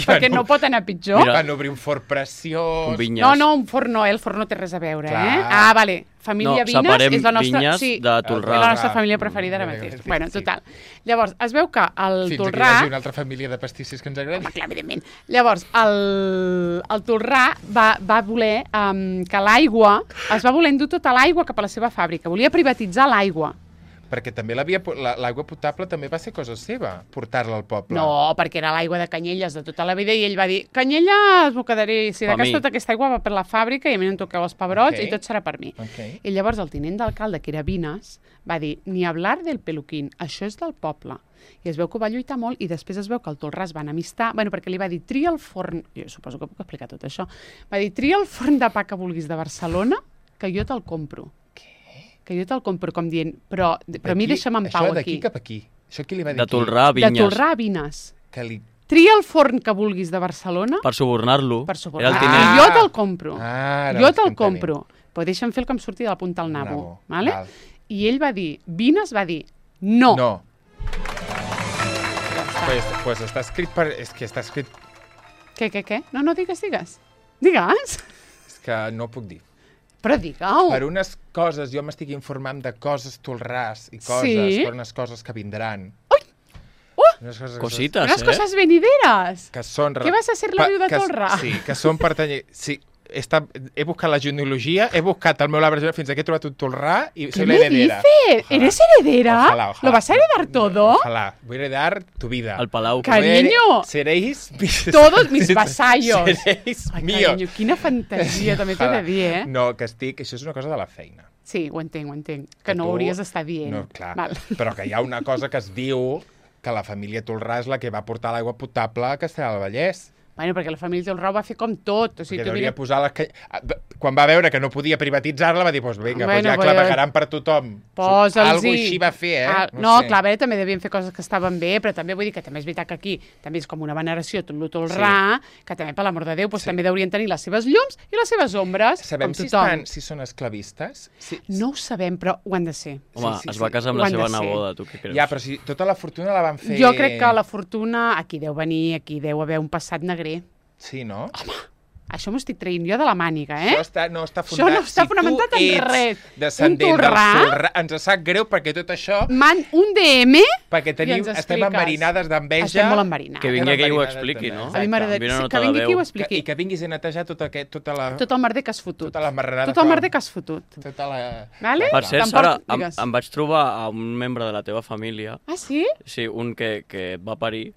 S1: perquè no pot anar pitjor.
S3: Mira.
S2: Van obrir un forn preciós.
S3: Un vinyes.
S1: No, no, un forn no, eh? El forn no té res a veure,
S2: Clar.
S1: eh? Ah, vale. Família
S3: No,
S1: Vines
S3: separem
S1: és la nostra...
S3: vinyes
S1: sí,
S3: de Tolrà.
S1: és la nostra
S2: Ah,
S1: família preferida ara
S2: mm,
S1: mateix.
S2: sí,
S1: Bueno,
S2: sí.
S1: total. Llavors, es veu que el
S2: Fins
S1: Tolrà...
S2: aquí hi hagi una altra família de pastissos que ens agradi.
S1: Home, clar, evidentment. Llavors, el, el Tolrà va, va voler um, que l'aigua... Es va voler endur tota l'aigua cap a la seva fàbrica. Volia privatitzar l'aigua.
S2: Perquè també l'havia po- la- l'aigua potable també va ser cosa seva, portar-la al poble.
S1: No, perquè era l'aigua de Canyelles de tota la vida i ell va dir, Canyelles m'ho quedaré, si de
S3: Per
S1: cas
S3: mi.
S1: tota aquesta aigua va per la fàbrica i a mi no em toqueu els pebrots
S2: Ok.
S1: i tot serà per mi.
S2: Okay.
S1: I llavors el tinent d'alcalde, que era Vines, va dir, ni hablar del peluquín, això és del poble. I es veu que ho va lluitar molt i després es veu que el Tolrà es van amistar, bueno, perquè li va dir, tria el forn, jo suposo que puc explicar tot això, va dir, tria el forn de pa que vulguis de Barcelona, que jo te'l compro. Que jo te'l compro, com dient, però, però a mi
S2: D'aquí-
S1: deixa'm en pau
S2: Això
S1: aquí.
S2: d'aquí cap aquí. Això qui li va dir
S3: De
S2: aquí?
S3: Tolrà a
S1: De
S3: Vinyes.
S1: Tolrà a Vines.
S2: Que li...
S1: Tria el forn que vulguis de Barcelona
S3: Per subornar-lo.
S1: per
S3: Era
S1: subornar.
S3: el
S2: Ah.
S3: tinent.
S1: I jo te'l compro.
S2: Ah, ara
S1: jo
S2: ho estic
S1: te'l
S2: entenent.
S1: compro. Però deixa'm fer el que em surti de la punta al nabo.
S2: Nabo,
S1: Vale?
S2: val.
S1: I ell va dir, Vines va dir, no.
S2: No.
S1: Ja està.
S2: Pues, pues està escrit per... És que està escrit...
S1: Què, què, què? No, no, digues, digues. Digues.
S2: És que no puc dir.
S1: Però digue-ho.
S2: Per unes coses, jo m'estic informant de coses tolràs i coses,
S1: Sí?
S2: per unes coses que vindran.
S1: Ui! Uh!
S2: Unes coses
S3: Cosites,
S1: Unes
S3: eh?
S1: coses venideres.
S2: que són...
S1: Què vas a ser la
S2: pa-
S1: viu de
S2: que-
S1: Tolrà?
S2: Sí, que són pertany... Sí, he, estat, he buscat la genealogia, he buscat el meu arbre genealògic fins que he trobat un Tolrà i
S1: ¿Qué
S2: soy
S1: me
S2: la heredera.
S1: dices?
S2: Ojalá.
S1: ¿Eres heredera?
S2: Ojalá, ojalá.
S1: ¿Lo vas a heredar todo?
S2: Ojalá. Voy a heredar tu vida.
S3: El Palau.
S1: Cariño.
S2: Seréis mis...
S1: Todos mis vasallos.
S2: Seréis
S1: Ai,
S2: míos.
S1: carinyo, quina fantasia, també t'he de dir, eh?
S2: No, que estic... Això és una cosa de la feina.
S1: Sí, ho entenc, ho entenc. Que no
S2: tu-
S1: ho hauries d'estar dient.
S2: No, clar.
S1: Val.
S2: Però que hi ha una cosa que es diu que la família Tolrà és la que va portar l'aigua potable a Castellar del Vallès.
S1: Bueno, perquè la família del Rau va fer com tot. O sigui,
S2: Perquè
S1: tu
S2: hauria
S1: mira...
S2: posar les ca... Quan va veure que no podia privatitzar-la, va dir, doncs pues vinga,
S1: Bueno,
S2: pues ja
S1: pues-
S2: clavegaran per tothom.
S1: Posa'ls-hi.
S2: Algo així va fer, eh?
S1: Ah, no,
S2: sé.
S1: clar, a veure, també devien fer coses que estaven bé, però també vull dir que també és veritat que aquí també és com una veneració tot lo Tolrà, que també, per l'amor de Déu, doncs,
S2: Sí.
S1: també deurien tenir les seves llums i les seves ombres,
S2: Sabem
S1: com
S2: si,
S1: tothom.
S2: estan, si són esclavistes? Si...
S1: No ho sabem, però ho han de ser.
S3: Home,
S2: Sí, sí,
S3: es va
S2: sí.
S3: casar
S1: Ho
S3: amb la
S1: han
S3: seva
S1: de ser.
S3: neboda, tu què creus?
S2: Ja, però si tota la fortuna la van fer...
S1: Jo crec que la fortuna, aquí deu venir, aquí deu haver un passat negrer.
S2: Sí, no?
S1: Això m'ho estic traient jo de la màniga, eh?
S2: Això està, no està
S1: Això
S2: fonamentat.
S1: no està fonamentat en
S2: si tu
S1: res.
S2: ets descendent
S1: Un
S2: del
S1: Tolrà?
S2: Tolrà, ens sap greu perquè tot això...
S1: Man, un D M
S2: Perquè tenim,
S1: ens
S2: estem
S1: expliques.
S2: enverinades d'enveja.
S1: estem molt enverinats.
S3: Que vingui aquí i ho
S2: Enverinades
S3: expliqui,
S2: també.
S3: no?
S1: A mi m'agrada
S3: Vine una
S1: sí,
S3: nota
S1: que
S3: de
S1: vingui aquí i ho
S3: veu.
S1: expliqui.
S2: I que vinguis a netejar tot aquest, tota la...
S1: Tot el merder que has fotut.
S2: Tota la marrada
S1: Tot el
S2: que-
S1: merder que has fotut.
S2: Tota la...
S1: Vale?
S3: Per cert,
S1: Tampoc-
S3: Sara, em,
S1: digues.
S3: em vaig trobar a un membre de la teva família,
S1: Ah, sí?
S3: sí, un que, que et va parir,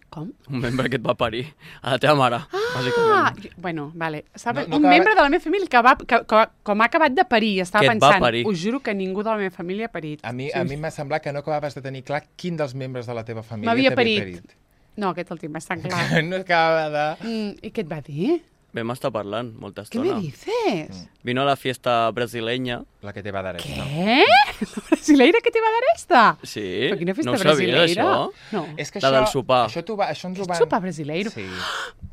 S1: Com?
S3: un membre que et va parir, a la teva mare,
S1: Ah,
S3: bàsicament.
S1: jo- bueno, vale. Sabe,
S2: No- no
S1: un
S2: acaba-
S1: membre de la meva família que, va, que, que com ha acabat de parir, estava
S3: Que et va
S1: pensant,
S3: parir.
S1: us juro que ningú de la meva família ha parit.
S2: A mi,
S1: Sí.
S2: a mi m'ha semblat que no acabaves de tenir clar quin dels membres de la teva família
S1: M'havia
S2: t'havia
S1: parit. No, aquest el tinc bastant clar.
S2: No acabava de...
S1: mm, I què et va dir?
S3: Vam estar parlant molta
S1: Què me
S3: estona.
S1: dices?
S3: Vino a la fiesta brasileña.
S2: La que te va dar esta.
S1: Què? La brasileira que te va dar esta?
S3: Sí,
S1: Però quina festa
S3: no ho sabies,
S1: brasileira?
S3: això?
S1: No.
S2: És que
S3: La
S2: això,
S3: del sopar.
S2: Això, t'ho va, això ens ho
S1: Aquest
S2: van...
S1: sopar brasileiro.
S2: Sí.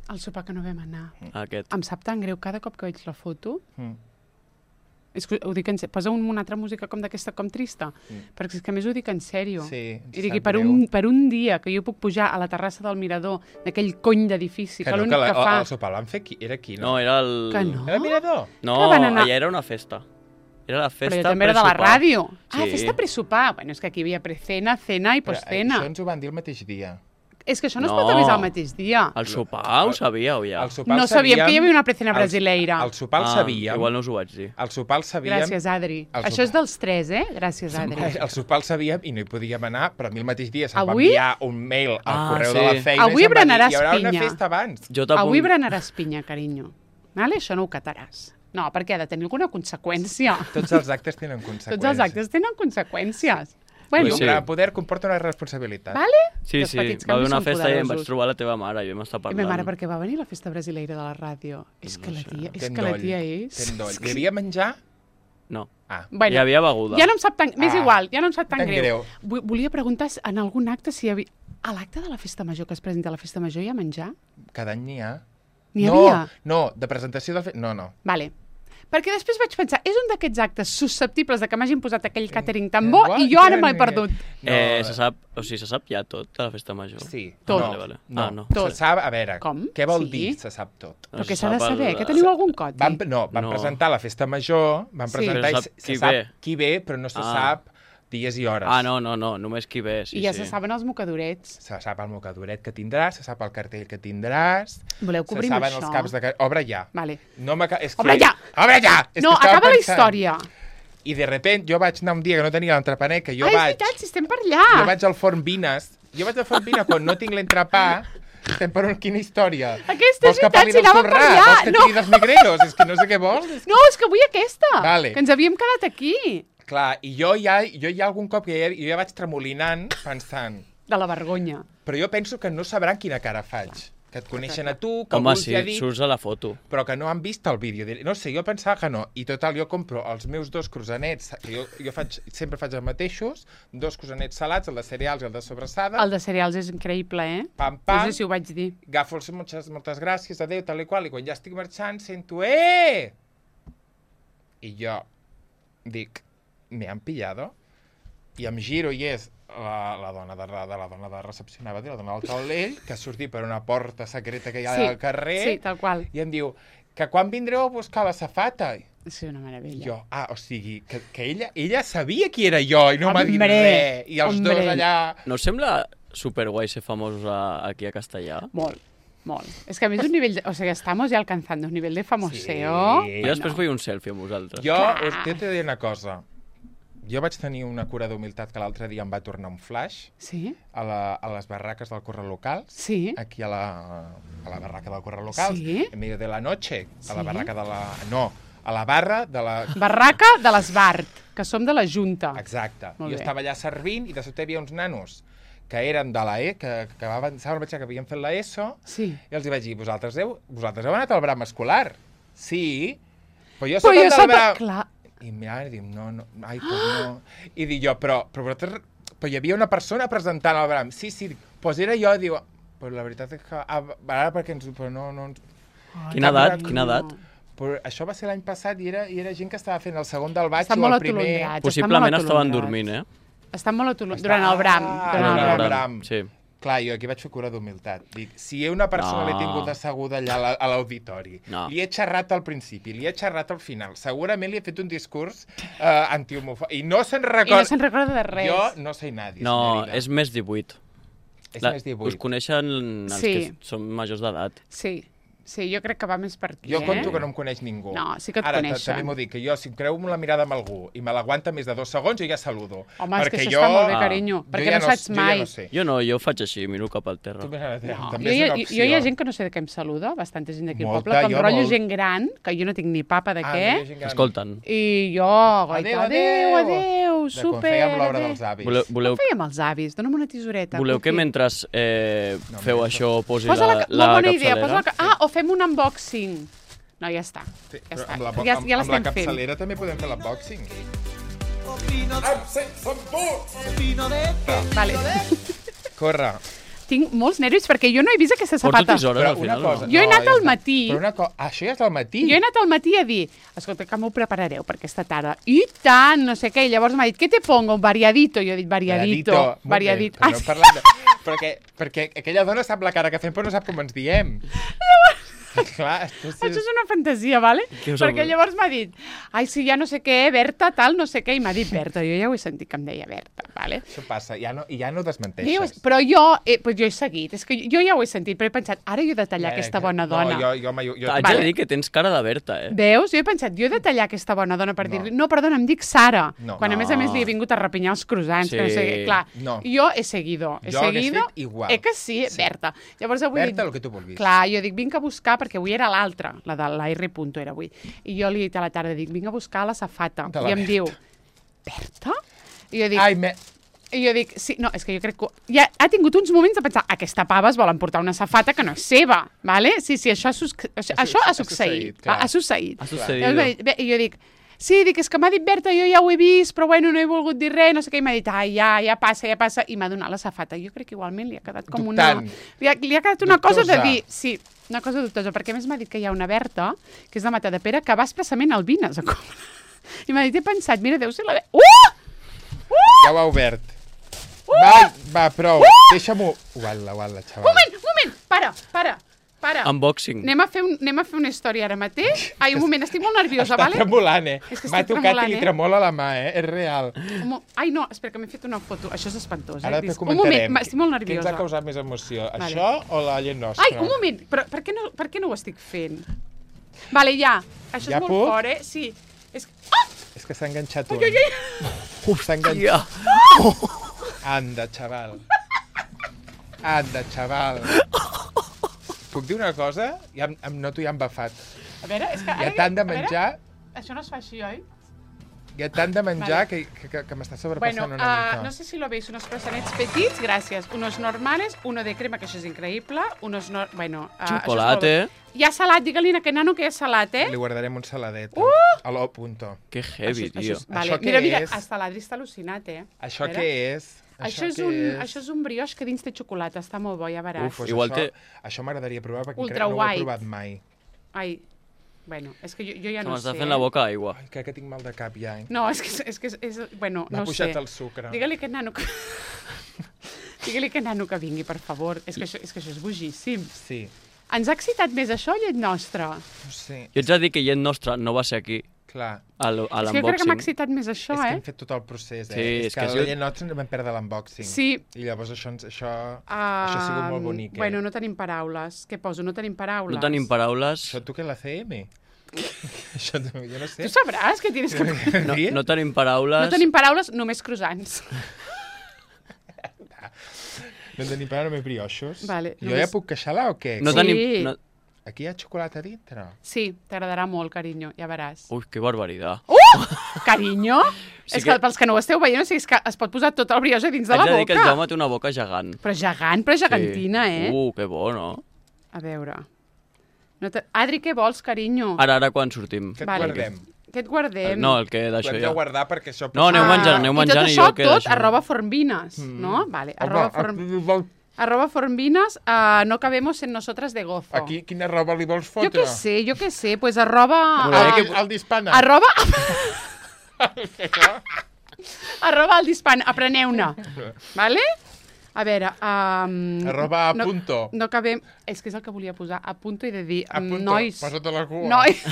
S1: El sopar que no vam anar.
S3: Aquest.
S1: Em sap tan greu cada cop que veig la foto.
S2: Mm.
S1: És que ho dic en sèrio. Posa un, una altra música com d'aquesta, com trista.
S2: Mm.
S1: Perquè és que a més ho dic en sèrio.
S2: Sí, ens
S1: I dic,
S2: sap
S1: i per
S2: greu.
S1: un, per un dia que jo puc pujar a la terrassa del mirador d'aquell cony d'edifici, que,
S2: Que no,
S1: l'únic
S2: que, la,
S1: que fa...
S2: el sopar el van fer aquí. Era aquí, no?
S3: No, era el...
S1: Que no?
S2: Era el mirador?
S3: No,
S1: Que van anar-
S3: allà era una festa. Era la
S1: Però
S3: festa
S1: jo també era de la
S3: presopar.
S1: ràdio. Ah,
S3: Sí.
S1: festa presopar. Bueno, és que aquí hi havia precena, cena i
S2: Però, eh,
S1: postcena.
S2: Això ens ho van dir el mateix dia.
S1: És que això no, es
S3: No.
S1: pot avisar el mateix dia.
S3: El sopar ho sabíeu ja?
S2: El sopar
S1: No
S2: el
S1: sabíem que hi havia una precena
S2: el-
S1: brasileira.
S2: El sopar el
S3: Ah,
S2: sabíem.
S3: igual no us ho vaig dir.
S2: El sopar el sabíem.
S1: Gràcies, Adri.
S2: El
S1: Això
S2: sopar.
S1: és dels tres, eh? Gràcies, Adri.
S2: El sopar el sabíem i no hi podíem anar, però a mi el mateix dia se'm va
S1: Avui?
S2: enviar un mail al
S3: Ah,
S2: correu
S3: sí.
S2: de la feina
S1: Avui
S2: i se'm va dir,
S1: berenaràs
S2: hi haurà una
S1: pinya."
S2: festa abans.
S3: Jo t'apunt-
S1: Avui berenaràs pinya, carinyo. Vale? Això no ho cataràs. No, perquè ha de tenir alguna conseqüència.
S2: Tots els actes tenen conseqüències.
S1: Tots els actes tenen conseqüències. Bueno,
S2: Pues
S3: Sí.
S2: sí. El poder comporta una responsabilitat.
S1: vale?
S3: Sí,
S1: Els
S3: sí,
S1: petits
S3: va haver
S1: canvis
S3: una
S1: són
S3: festa i em vaig
S1: poderosos.
S3: trobar la teva mare i vam estar
S1: I
S3: parlant.
S1: ma mare, perquè va venir la festa brasileira de la ràdio. És que la tia, és
S2: Ten
S1: que la
S2: doll,
S1: tia és...
S2: ten doll. Hi havia menjar?
S3: No,
S2: Ah.
S1: Bueno,
S3: hi havia beguda.
S1: ja no em sap tan... M'és
S2: Ah,
S1: igual, ja no em sap tan,
S2: tan
S1: greu.
S2: greu.
S1: Vu- Volia preguntar si en algun acte si hi havia... A l'acte de la festa major que es presenta a la festa major hi ha menjar?
S2: Cada any n'hi ha.
S1: N'hi
S2: no,
S1: havia?
S2: No, de presentació del... Fe... No, no.
S1: Vale. Perquè després vaig pensar, és un d'aquests actes susceptibles de que m'hagin posat aquell catering tan bo i jo ara m'he perdut.
S3: No. Eh, se sap, o sigui, se sap ja tot de la festa major?
S2: Sí.
S1: Tot.
S2: No,
S3: Vale, vale.
S2: no.
S3: Ah, no.
S1: Tot.
S2: Se sap, a veure,
S1: Com?
S2: què vol
S1: Sí.
S2: dir se sap tot?
S1: Però
S3: No
S1: què
S3: se
S1: s'ha de
S3: sap
S1: saber?
S3: el-
S1: Que teniu algun codi?
S2: Van, no, van
S3: No.
S2: presentar la festa major, van
S1: Sí.
S2: presentar
S3: Però
S2: i
S3: sap
S2: se,
S3: qui
S2: se sap
S3: ve.
S2: qui ve, però no se
S3: Ah.
S2: sap dies i hores.
S3: Ah, no, no, no, només qui ve, sí,
S1: I ja
S3: sí.
S1: se saben els mocadorets.
S2: Se sap el mocadoret que tindràs, se sap el cartell que tindràs,
S1: Voleu que obrim
S2: se saben
S1: això?
S2: els caps de... ca- Obre ja.
S1: Vale.
S2: No m'aca- és que...
S1: Obre ja!
S2: Obre ja! És
S1: No,
S2: que estava
S1: acaba la
S2: pensant.
S1: història.
S2: I de repent jo vaig anar un dia que no tenia l'entrepaner, que jo
S1: Ah, és
S2: vaig...
S1: veritat, si estem per allà.
S2: Jo vaig al forn Vines. Jo vaig al forn Vines quan no tinc l'entrepà. Estem per on, quina història?
S1: Aquesta és
S2: Vols que
S1: veritat,
S2: parli
S1: si
S2: del
S1: anàvem per
S2: sorrà?
S1: allà.
S2: Vols que
S1: No.
S2: tingui dels negreros? És que no sé què vols.
S1: No, és que vull aquesta.
S2: Vale.
S1: Que ens havíem quedat aquí.
S2: Clar, i jo ja, jo ja algun cop que ja, jo ja vaig tremolinant pensant...
S1: De la vergonya.
S2: Però jo penso que no sabran quina cara faig. Que et coneixen a tu, que
S3: Home,
S2: algú els
S3: sí,
S2: ha dit,
S3: surts a la foto.
S2: però que no han vist el vídeo. No sé, jo pensava que no. I total, jo compro els meus dos croissanets, que jo, jo faig, sempre faig els mateixos, dos croissanets salats, el de cereals i el de sobrassada,
S1: El de cereals és increïble, eh?
S2: pam,
S1: No
S2: pam,
S1: sé si ho vaig dir.
S2: agafo els moltes, moltes gràcies, adéu, tal i qual, i quan ja estic marxant sento, eh! I jo dic, me han pillado? I em giro i és la, la dona de, de la dona de recepcionar, la dona del taulell, que ha sortit per una porta secreta que hi ha
S1: Sí,
S2: al carrer,
S1: Sí, tal qual.
S2: i em diu, que quan vindreu a buscar la safata?
S1: Sí, una meravella.
S2: Jo, ah, o sigui, que, que ella, ella sabia qui era jo i no m'ha dit
S1: Hombre,
S2: res. I els
S1: hombre.
S2: dos allà...
S3: No us sembla superguai ser famosos a, aquí a Castellà?
S1: Molt, molt. És que a més un nivell... De, o sigui, estamos ya alcanzando un nivell de famoseo.
S2: Sí.
S3: Jo després vull un selfie amb vosaltres.
S2: Jo,
S1: Clar.
S2: us t'he de dir una cosa. Jo vaig tenir una cura d'humilitat que l'altre dia em va tornar un flash
S1: Sí?
S2: a, la, a les barraques del Corre Local.
S1: Sí?
S2: Aquí a la, a la barraca del Corre Local.
S1: Sí?
S2: En medio de la noche. A
S1: Sí?
S2: la barraca de la... No, a la barra de la...
S1: Barraca de l'Esbart, que som de la Junta.
S2: Exacte.
S1: Molt
S2: Jo
S1: bé.
S2: estava allà servint i de sobte hi havia uns nanos que eren de la E, que, que acabaven, saben, que havien fet la ESO,
S1: Sí.
S2: i els hi vaig dir, vosaltres heu, vosaltres heu anat al Bram escolar? Sí. Però jo
S1: Però
S2: soc
S1: jo
S2: el del
S1: soc...
S2: Bram...
S1: Clar,
S2: I mira, i diu, no, no, ai, pues no. I dic jo, però, però, vosaltres... però hi havia una persona presentant el Bram. Sí, sí, dic, pues era jo, diu, però la veritat és que... Ah, ara perquè ens... Però no, no ens...
S3: Quina
S2: Cap
S3: edat?
S2: de-
S3: Quina edat?
S2: Però això va ser l'any passat i era, i era gent que estava fent el segon del baix
S1: estan
S2: o
S1: molt
S2: el primer...
S1: atolondrats.
S3: Possiblement
S1: estan
S3: estaven
S1: molt
S3: dormint, eh?
S1: atolondrats. Estan molt atolondrats. Durant el Bram.
S2: Ah,
S1: Durant el
S2: durant
S1: Bram.
S2: el Bram.
S3: Sí.
S2: Clar, jo aquí vaig fer cura d'humilitat. Dic, si una persona
S3: No.
S2: l'he tingut asseguda allà a la- a l'auditori,
S3: No.
S2: li he xerrat al principi, li he xerrat al final, segurament li he fet un discurs eh, antihomofòbic. I no se'n
S1: I no
S2: recorda...
S1: se'n recorda de res.
S2: Jo no sé nadie,
S3: No,
S2: senyora.
S3: és més divuit.
S2: és
S3: La-
S2: més divuit.
S3: Us coneixen els
S1: Sí.
S3: que són majors d'edat.
S1: Sí, sí, jo crec que va més per aquí,
S2: Jo
S1: eh?
S2: conto que no em coneix ningú.
S1: No, sí que et
S2: Ara, ta-
S1: coneixen.
S2: també m'ho dic, que jo, si em creu la mirada amb algú i me l'aguanta més de dos segons, jo ja saludo.
S1: Home, és que
S2: Perquè
S1: això
S2: jo...
S1: està molt bé,
S3: Ah.
S1: carinyo,
S2: jo
S1: perquè
S2: ja
S1: no saps
S2: jo
S1: mai.
S2: Ja no sé.
S3: Jo no, jo faig així, miro cap al terra.
S2: Tu més ara,
S1: No,
S2: també
S1: jo,
S2: és
S1: hi
S2: una
S1: ha-
S2: opció.
S1: jo hi ha gent que no sé de què em saluda, bastanta gent d'aquí al
S2: Molta,
S1: poble, com
S2: jo
S1: rotllo
S2: molt.
S1: gent gran, que jo no tinc ni papa de
S2: Ah,
S1: què,
S2: no hi ha gent gran.
S3: Escolten,
S1: i jo,
S2: Adéu,
S1: goita, adéu,
S2: adéu.
S1: adéu,
S2: De quan
S1: super,
S2: fèiem l'obra
S1: adéu.
S2: dels avis.
S3: voleu, voleu,
S1: Com fèiem els avis? Dóna'm una tisoreta.
S3: voleu que
S1: Cuqui.
S3: mentre eh,
S2: No,
S3: feu
S2: mira,
S3: això posi
S1: Posa la,
S3: la,
S1: ca-
S3: la
S1: molt bona idea,
S3: capçalera?
S1: posa la, ca- ah, o fem un unboxing. No, ja està.
S2: Sí,
S1: Ja
S2: però
S1: està.
S2: amb la,
S1: Ja-
S2: amb,
S1: ja
S2: amb la
S1: l'estem fent.
S2: capçalera també podem fer l'unboxing.
S4: Opino,
S2: Amb sense embuts!
S4: opino de te.
S1: Vale.
S2: Corre.
S1: Tinc molts nervis perquè jo no he vist aquesta
S3: Porto
S1: safata.
S3: tisores
S2: Però
S3: al
S2: una
S3: final,
S2: cosa...
S3: no?
S1: Jo he anat
S2: ja
S1: al
S2: està.
S1: matí.
S2: Però una cosa... Ah, això ja és al matí?
S1: Jo he anat al matí a dir, escolta, que m'ho preparareu per aquesta tarda. I tant, no sé què. I llavors m'ha dit, què te pongo? Variadito. Jo he dit, variadito.
S2: Molt bé,
S1: Variadito.
S2: però
S1: Ah,
S2: no
S1: sí.
S2: parlem de... perquè, perquè aquella dona sap la cara que fem, però no sap com ens diem. Clar, tu sí...
S1: Això és una fantasia, vale?
S3: Què us
S1: Perquè
S3: ha-
S1: llavors m'ha dit, ai, sí, ja no sé què, Berta, tal, no sé què, i m'ha dit Berta. Jo ja ho he sentit que em deia Berta, vale?
S2: Això passa, ja no, i ja no
S1: Dius,
S2: desmenteixes.
S1: però jo, eh, pues jo he seguit, és que jo ja ho he sentit, però he pensat, ara jo he de tallar
S2: Eh,
S1: aquesta
S2: que-
S1: bona dona.
S2: No, jo, jo, jo, jo,
S3: Haig
S1: Vale.
S3: de dir que tens cara de Berta, eh?
S1: Veus? Jo he pensat, jo he de tallar aquesta bona dona per
S2: No.
S1: dir-li, no, perdona, em dic Sara.
S2: No.
S1: Quan a més a més li he vingut a repinyar els croissants, que no sé què.
S3: Sí.
S1: Clar,
S2: No.
S1: jo he seguido, he
S2: Jo hagués
S1: seguido.
S2: fet igual.
S1: Eh que sí,
S2: Sí.
S1: Berta. Llavors avui
S2: Berta,
S1: dic,
S2: el que tu vulguis.
S1: clar, jo dic, vinc a buscar, perquè avui era l'altra, la de la R. Punto era avui. I jo li he dit a la tarda, dic, vinc a buscar la safata.
S2: De la
S1: I em
S2: Berta.
S1: diu, Berta? I jo dic,
S2: Ai, me...
S1: i jo dic, sí, no, és que jo crec que ja ha tingut uns moments de pensar, aquesta pava es vol emportar una safata que no és seva, vale? Sí, sí, això ha, sus... això,
S2: Ha
S1: això ha
S2: su- ha
S1: succeït,
S2: succeït, clar.
S1: ha succeït.
S3: Ha
S1: Llavors
S3: sucedido.
S1: m'ha dit, bé, I jo dic, Sí, dic, és que m'ha dit Berta, jo ja ho he vist, però bueno, no he volgut dir res, no sé què, i m'ha dit, ai, ja, ja passa, ja passa, i m'ha donat la safata. Jo crec que igualment li ha quedat com
S2: Dubtant.
S1: una... Li ha, li ha quedat una cosa de
S2: Dubtosa.
S1: dir... Sí, una cosa dubtosa, perquè a més m'ha dit que hi ha una Berta, que és de Matadepera, que va expressament al Vines a comprar. I m'ha dit, he pensat, mira, deu ser la... Uh!
S2: Ja ho ha obert. Va, va, prou. Deixa-m'ho... Uala, uala, xaval.
S1: Moment, moment, para, para, para.
S3: Unboxing.
S1: Anem a, fer un, anem a fer una història ara mateix. Ai, un moment, estic molt nerviosa,
S2: Està
S1: vale?
S2: tremolant, eh?
S1: És que
S2: M'ha
S1: estic
S2: tocat
S1: tremolant,
S2: i li
S1: eh?
S2: tremola la mà, eh? És real.
S1: Un mo- Ai, no, espera, que m'he fet una foto. Això és espantós, eh?
S2: Ara
S1: Dis-
S2: te
S1: Un moment,
S2: comentarem.
S1: ma- estic molt
S2: Què ens
S1: nerviosa.
S2: ha causat més emoció?
S1: Vale.
S2: Això o la llet nostra?
S1: Ai, un moment, però per què no, per què no ho estic fent? Vale, ja. Això
S2: Ja
S1: és molt
S2: puc?
S1: fort, eh? Sí. És... Ah!
S2: És que s'ha enganxat un.
S1: Ai, ai, ai.
S2: Uf, s'ha enganxat.
S3: Ja.
S2: Anda, xaval. Anda, xaval. Puc dir una cosa? Ja em, em noto ja embafat.
S1: A veure, és que...
S2: Hi ha
S1: ara-
S2: tant de
S1: a veure,
S2: menjar,
S1: Això no es fa així, oi?
S2: hi ha tant de menjar
S1: Vale.
S2: que, que, que m'està
S1: Bueno,
S2: sobrepassant una
S1: uh,
S2: mica.
S1: no sé si lo veis, unos croissants petits, gràcies. Unos normales, uno de crema, que això és increïble. Unos no... Bueno, uh,
S3: Chocolate.
S1: Hi ha salat, digue-li a aquest nano que hi ha salat, eh?
S2: Li guardarem un saladet. Uh! A l'O punto.
S3: Que heavy,
S1: això,
S3: tio.
S1: Això, és- vale.
S2: Això què
S1: Mira, mira,
S2: és?
S1: hasta l'Adri està al·lucinat, eh?
S2: Això
S1: A veure.
S2: què és?
S1: Això, és
S2: què
S1: un,
S2: és?
S1: això és un brioix que dins té xocolata, està molt bo, ja veuràs.
S3: Uf,
S2: Pues
S3: Igual
S2: això,
S3: té-
S2: Això m'agradaria provar perquè
S1: Ultra
S2: crec que no ho he
S1: white.
S2: provat mai.
S1: Ai, bueno, és que jo, jo ja
S3: Se
S1: no
S3: m'està
S1: sé.
S3: fent la boca aigua.
S2: Ai, crec que tinc mal de cap ja, eh?
S1: No, és que, és, que és, és bueno,
S2: M'ha
S1: no ho sé.
S2: pujat el sucre.
S1: Digue-li a aquest nano que... Digue-li a aquest nano que vingui, per favor. És que, això, és que això és bojíssim.
S2: Sí,
S1: Ens ha excitat més això, llet nostra?
S2: no sé,
S3: Jo ets a dir que llet nostra no va ser aquí,
S2: clar.
S3: a l- a
S1: És que jo crec que m'ha
S3: l'unboxing.
S1: excitat més això,
S2: és que
S1: eh?
S2: hem fet tot el procés, eh?
S3: Sí,
S2: és,
S3: és
S2: que,
S3: que
S2: a
S3: si
S2: la
S3: jo-
S2: llet nostra ens vam perdre l'unboxing.
S1: Sí.
S2: I llavors això, ens- això,
S1: Uh,
S2: això ha sigut molt bonic, eh?
S1: Bueno, no tenim paraules. Què poso? No tenim paraules.
S3: No tenim paraules.
S2: Això tu què, la C M? Això tu- jo no sé.
S1: Tu sabràs que tienes que...
S3: No,
S2: Sí?
S3: no tenim paraules.
S1: No tenim paraules, només croissants.
S2: No tenim paraules més brioixos?
S1: Vale,
S2: jo
S1: només-
S2: ja puc queixar-la o què?
S3: No
S1: Sí.
S3: tenim... No...
S2: Aquí hi ha xocolata dintre.
S1: Sí, t'agradarà molt, carinyo, ja veràs.
S3: Ui, que barbaritat.
S1: Carinyo?
S3: Sí
S1: és que,
S3: que-
S1: pels que no ho esteu veient, o sigui, és que es pot posar tot el brioix a dins de
S3: Haig
S1: la
S3: de dir que el
S1: boca.
S3: Jaume té una boca gegant.
S1: Però gegant, però gegantina,
S3: sí.
S1: eh?
S3: Uh, que bo, no?
S1: A veure... No te... Adri, què vols, carinyo?
S3: Ara, ara, quan sortim?
S2: Que et
S1: Vale.
S2: guardem.
S1: Què et guardem?
S3: No, el que
S2: Ho
S3: d'això
S2: hem de
S3: ja.
S2: guardar perquè això...
S3: No, aneu
S1: Ah,
S3: menjant, aneu menjant
S1: i
S3: i
S1: tot
S3: jo
S1: això,
S3: quedo
S1: tot,
S3: així.
S1: arroba formbines,
S2: Mm.
S1: no? Vale, arroba, form...
S2: Home,
S1: arroba formbines, uh, no cabemos en nosotras de gozo.
S2: aquí quina roba li vols fotre?
S1: Jo què sé, jo què sé, pues arroba...
S2: Ah,
S1: uh,
S2: que... El dispana.
S1: arroba... arroba el dispana, apreneu-ne, vale? A veure... Um,
S2: Arroba a
S1: no,
S2: punto.
S1: No acabem... És que és el que volia posar, a punto i de dir...
S2: A punto,
S1: Nois,
S2: posa't a la cua.
S1: nois,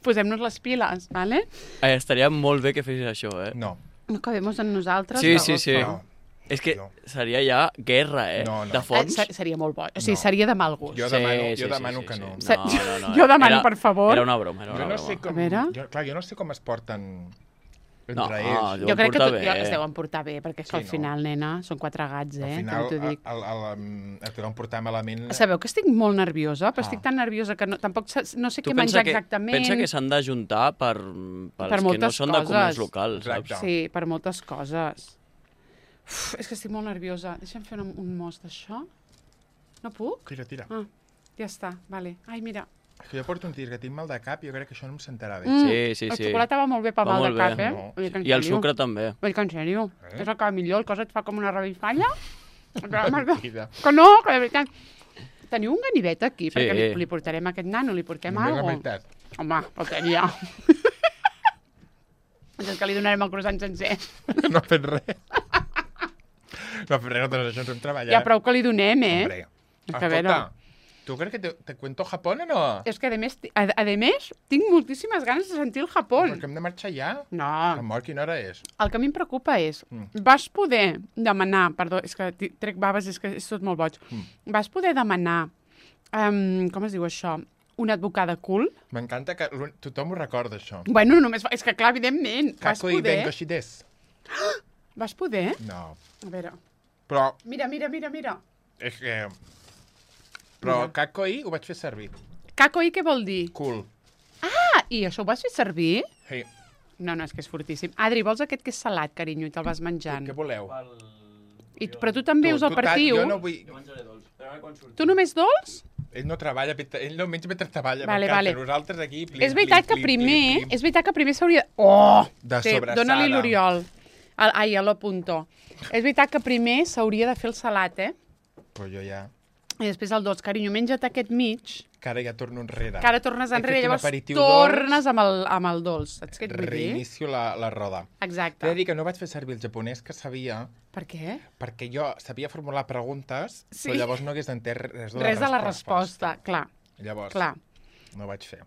S1: posem-nos les piles, vale?
S3: Eh, estaria molt bé que fessis això, eh?
S2: No.
S1: No acabemos en nosaltres.
S3: Sí,
S1: de
S3: sí, sí.
S1: gozo.
S2: No.
S3: És que
S2: No.
S3: seria ja guerra, eh?
S2: No, no.
S3: De
S1: Eh,
S3: fons.
S1: ser- seria molt bo. O sigui,
S2: No.
S1: seria de mal gust.
S2: Jo demano, jo demano que no.
S1: sí.
S3: No, no, no.
S1: Jo demano,
S3: era,
S1: per favor.
S3: Era una broma, era
S2: Jo
S3: una
S2: no
S3: broma.
S2: sé com...
S1: A veure.
S2: Jo, clar, jo no sé com es porten entre
S3: No,
S2: ells.
S3: jo-
S1: Jo crec que
S3: portar
S1: tot,
S3: bé.
S1: jo, es deuen portar bé, perquè és que
S2: Sí,
S1: al
S2: no.
S1: final, nena, són quatre gats, eh?
S2: Al final,
S1: També t'ho dic.
S2: el, el, el, el que vam portar malament...
S1: Sabeu que estic molt nerviosa, però
S2: Ah.
S1: estic tan nerviosa que no, tampoc sa- no sé
S3: Tu
S1: què
S3: pensa
S1: menjar
S3: que,
S1: exactament.
S3: pensa que s'han d'ajuntar per, pels
S1: Per
S3: que no
S1: moltes
S3: són de comerç
S1: coses.
S3: local,
S2: Exacte.
S3: saps?
S1: Sí, per moltes coses. Uf, és que estic molt nerviosa. Deixa'm fer un, un mos d'això. No puc?
S2: Tira, tira.
S1: Ah, ja està, vale. Ai, mira.
S2: És que jo porto un tir que tinc mal de cap i jo crec que això no em sentarà bé.
S1: Mm,
S3: Sí, sí,
S1: la
S3: sí.
S1: xocolata va molt bé pel
S3: Va
S1: mal de
S3: molt
S1: cap,
S3: bé.
S1: eh?
S2: No.
S1: Vull dir que en
S3: I el
S1: sèrio.
S3: sucre també.
S1: Vull dir que en sèrio.
S2: Eh?
S1: És el que va millor, el cosa et fa com una revifalla. Que
S2: Mentida.
S1: no, que de veritat. Teniu un ganivet aquí,
S3: Sí.
S1: perquè li, li portarem a aquest nano, li portem
S2: Només la
S1: alguna
S2: meitat.
S1: Home, faltaria. És que li donarem el croissant sencer.
S2: No ha fet res. No ha fet res, nosaltres això ens hem treballat.
S1: Ja prou que li donem, eh?
S2: Hombre.
S1: És que a veure-
S2: Escolta, ¿tú crees que te, te cuento Japón o no?
S1: És que, a més, ti- a, a més, tinc moltíssimes ganes de sentir el Japó.
S2: Perquè hem de marxar ja.
S1: No,
S2: Amor, quina hora és?
S1: el que a mi em preocupa és,
S2: Mm.
S1: vas poder demanar, perdó, és que ti- trec baves, és que és tot molt boig,
S2: Mm.
S1: vas poder demanar, um, com es diu això, una advocada cool?
S2: M'encanta que l'un- tothom ho recorda, això.
S1: Bueno, només, va- és que clar, evidentment, vas
S2: Kako i
S1: poder,
S2: Bengoshi des.
S1: vas poder,
S2: No.
S1: a veure,
S2: Però
S1: mira, mira, mira, mira,
S2: és que... Però
S1: Mira.
S2: Kakoi ho vaig fer servir.
S1: Kakoi què vol dir?
S2: Cool.
S1: Ah, i això ho vas fer servir?
S2: Sí.
S1: No, no, és que és fortíssim. Adri, vols aquest que és salat, carinyo, i te'l vas menjant?
S2: Què voleu?
S1: I, però tu també
S2: Tu-
S1: us el
S2: tu tal-
S1: partiu?
S2: Jo no vull...
S3: Jo menjaré dolç, però ara quan surti.
S1: Tu només dolç?
S2: Ell no treballa, ell no menja mentre treballa.
S1: Vale,
S2: M'encanta.
S1: vale.
S2: Nosaltres aquí... Plim,
S1: És veritat
S2: plim,
S1: que
S2: plim,
S1: primer,
S2: plim, plim.
S1: és veritat que primer s'hauria... Oh!
S2: De
S1: Sí,
S2: sobrassada.
S1: dóna-li l'Oriol. Al- Ai, a l'apunto. És veritat que primer s'hauria de fer el salat, eh?
S2: Però jo ja...
S1: I després el dolç. Carinyo, menja't aquest mig,
S2: Que ara ja torno enrere.
S1: que ara tornes
S2: He
S1: enrere,
S2: fet un
S1: llavors
S2: aperitiu
S1: tornes amb el, amb el dolç. Saps què et vull dir?
S2: Reinicio la, la roda. T'he
S1: Exacte.
S2: de dir que no vaig fer servir el japonès que sabia,
S1: Per què?
S2: perquè jo sabia formular preguntes,
S1: Sí.
S2: però llavors no hagués entès res de la
S1: Res de la
S2: resposta.
S1: resposta, clar.
S2: Llavors,
S1: Clar.
S2: no vaig fer.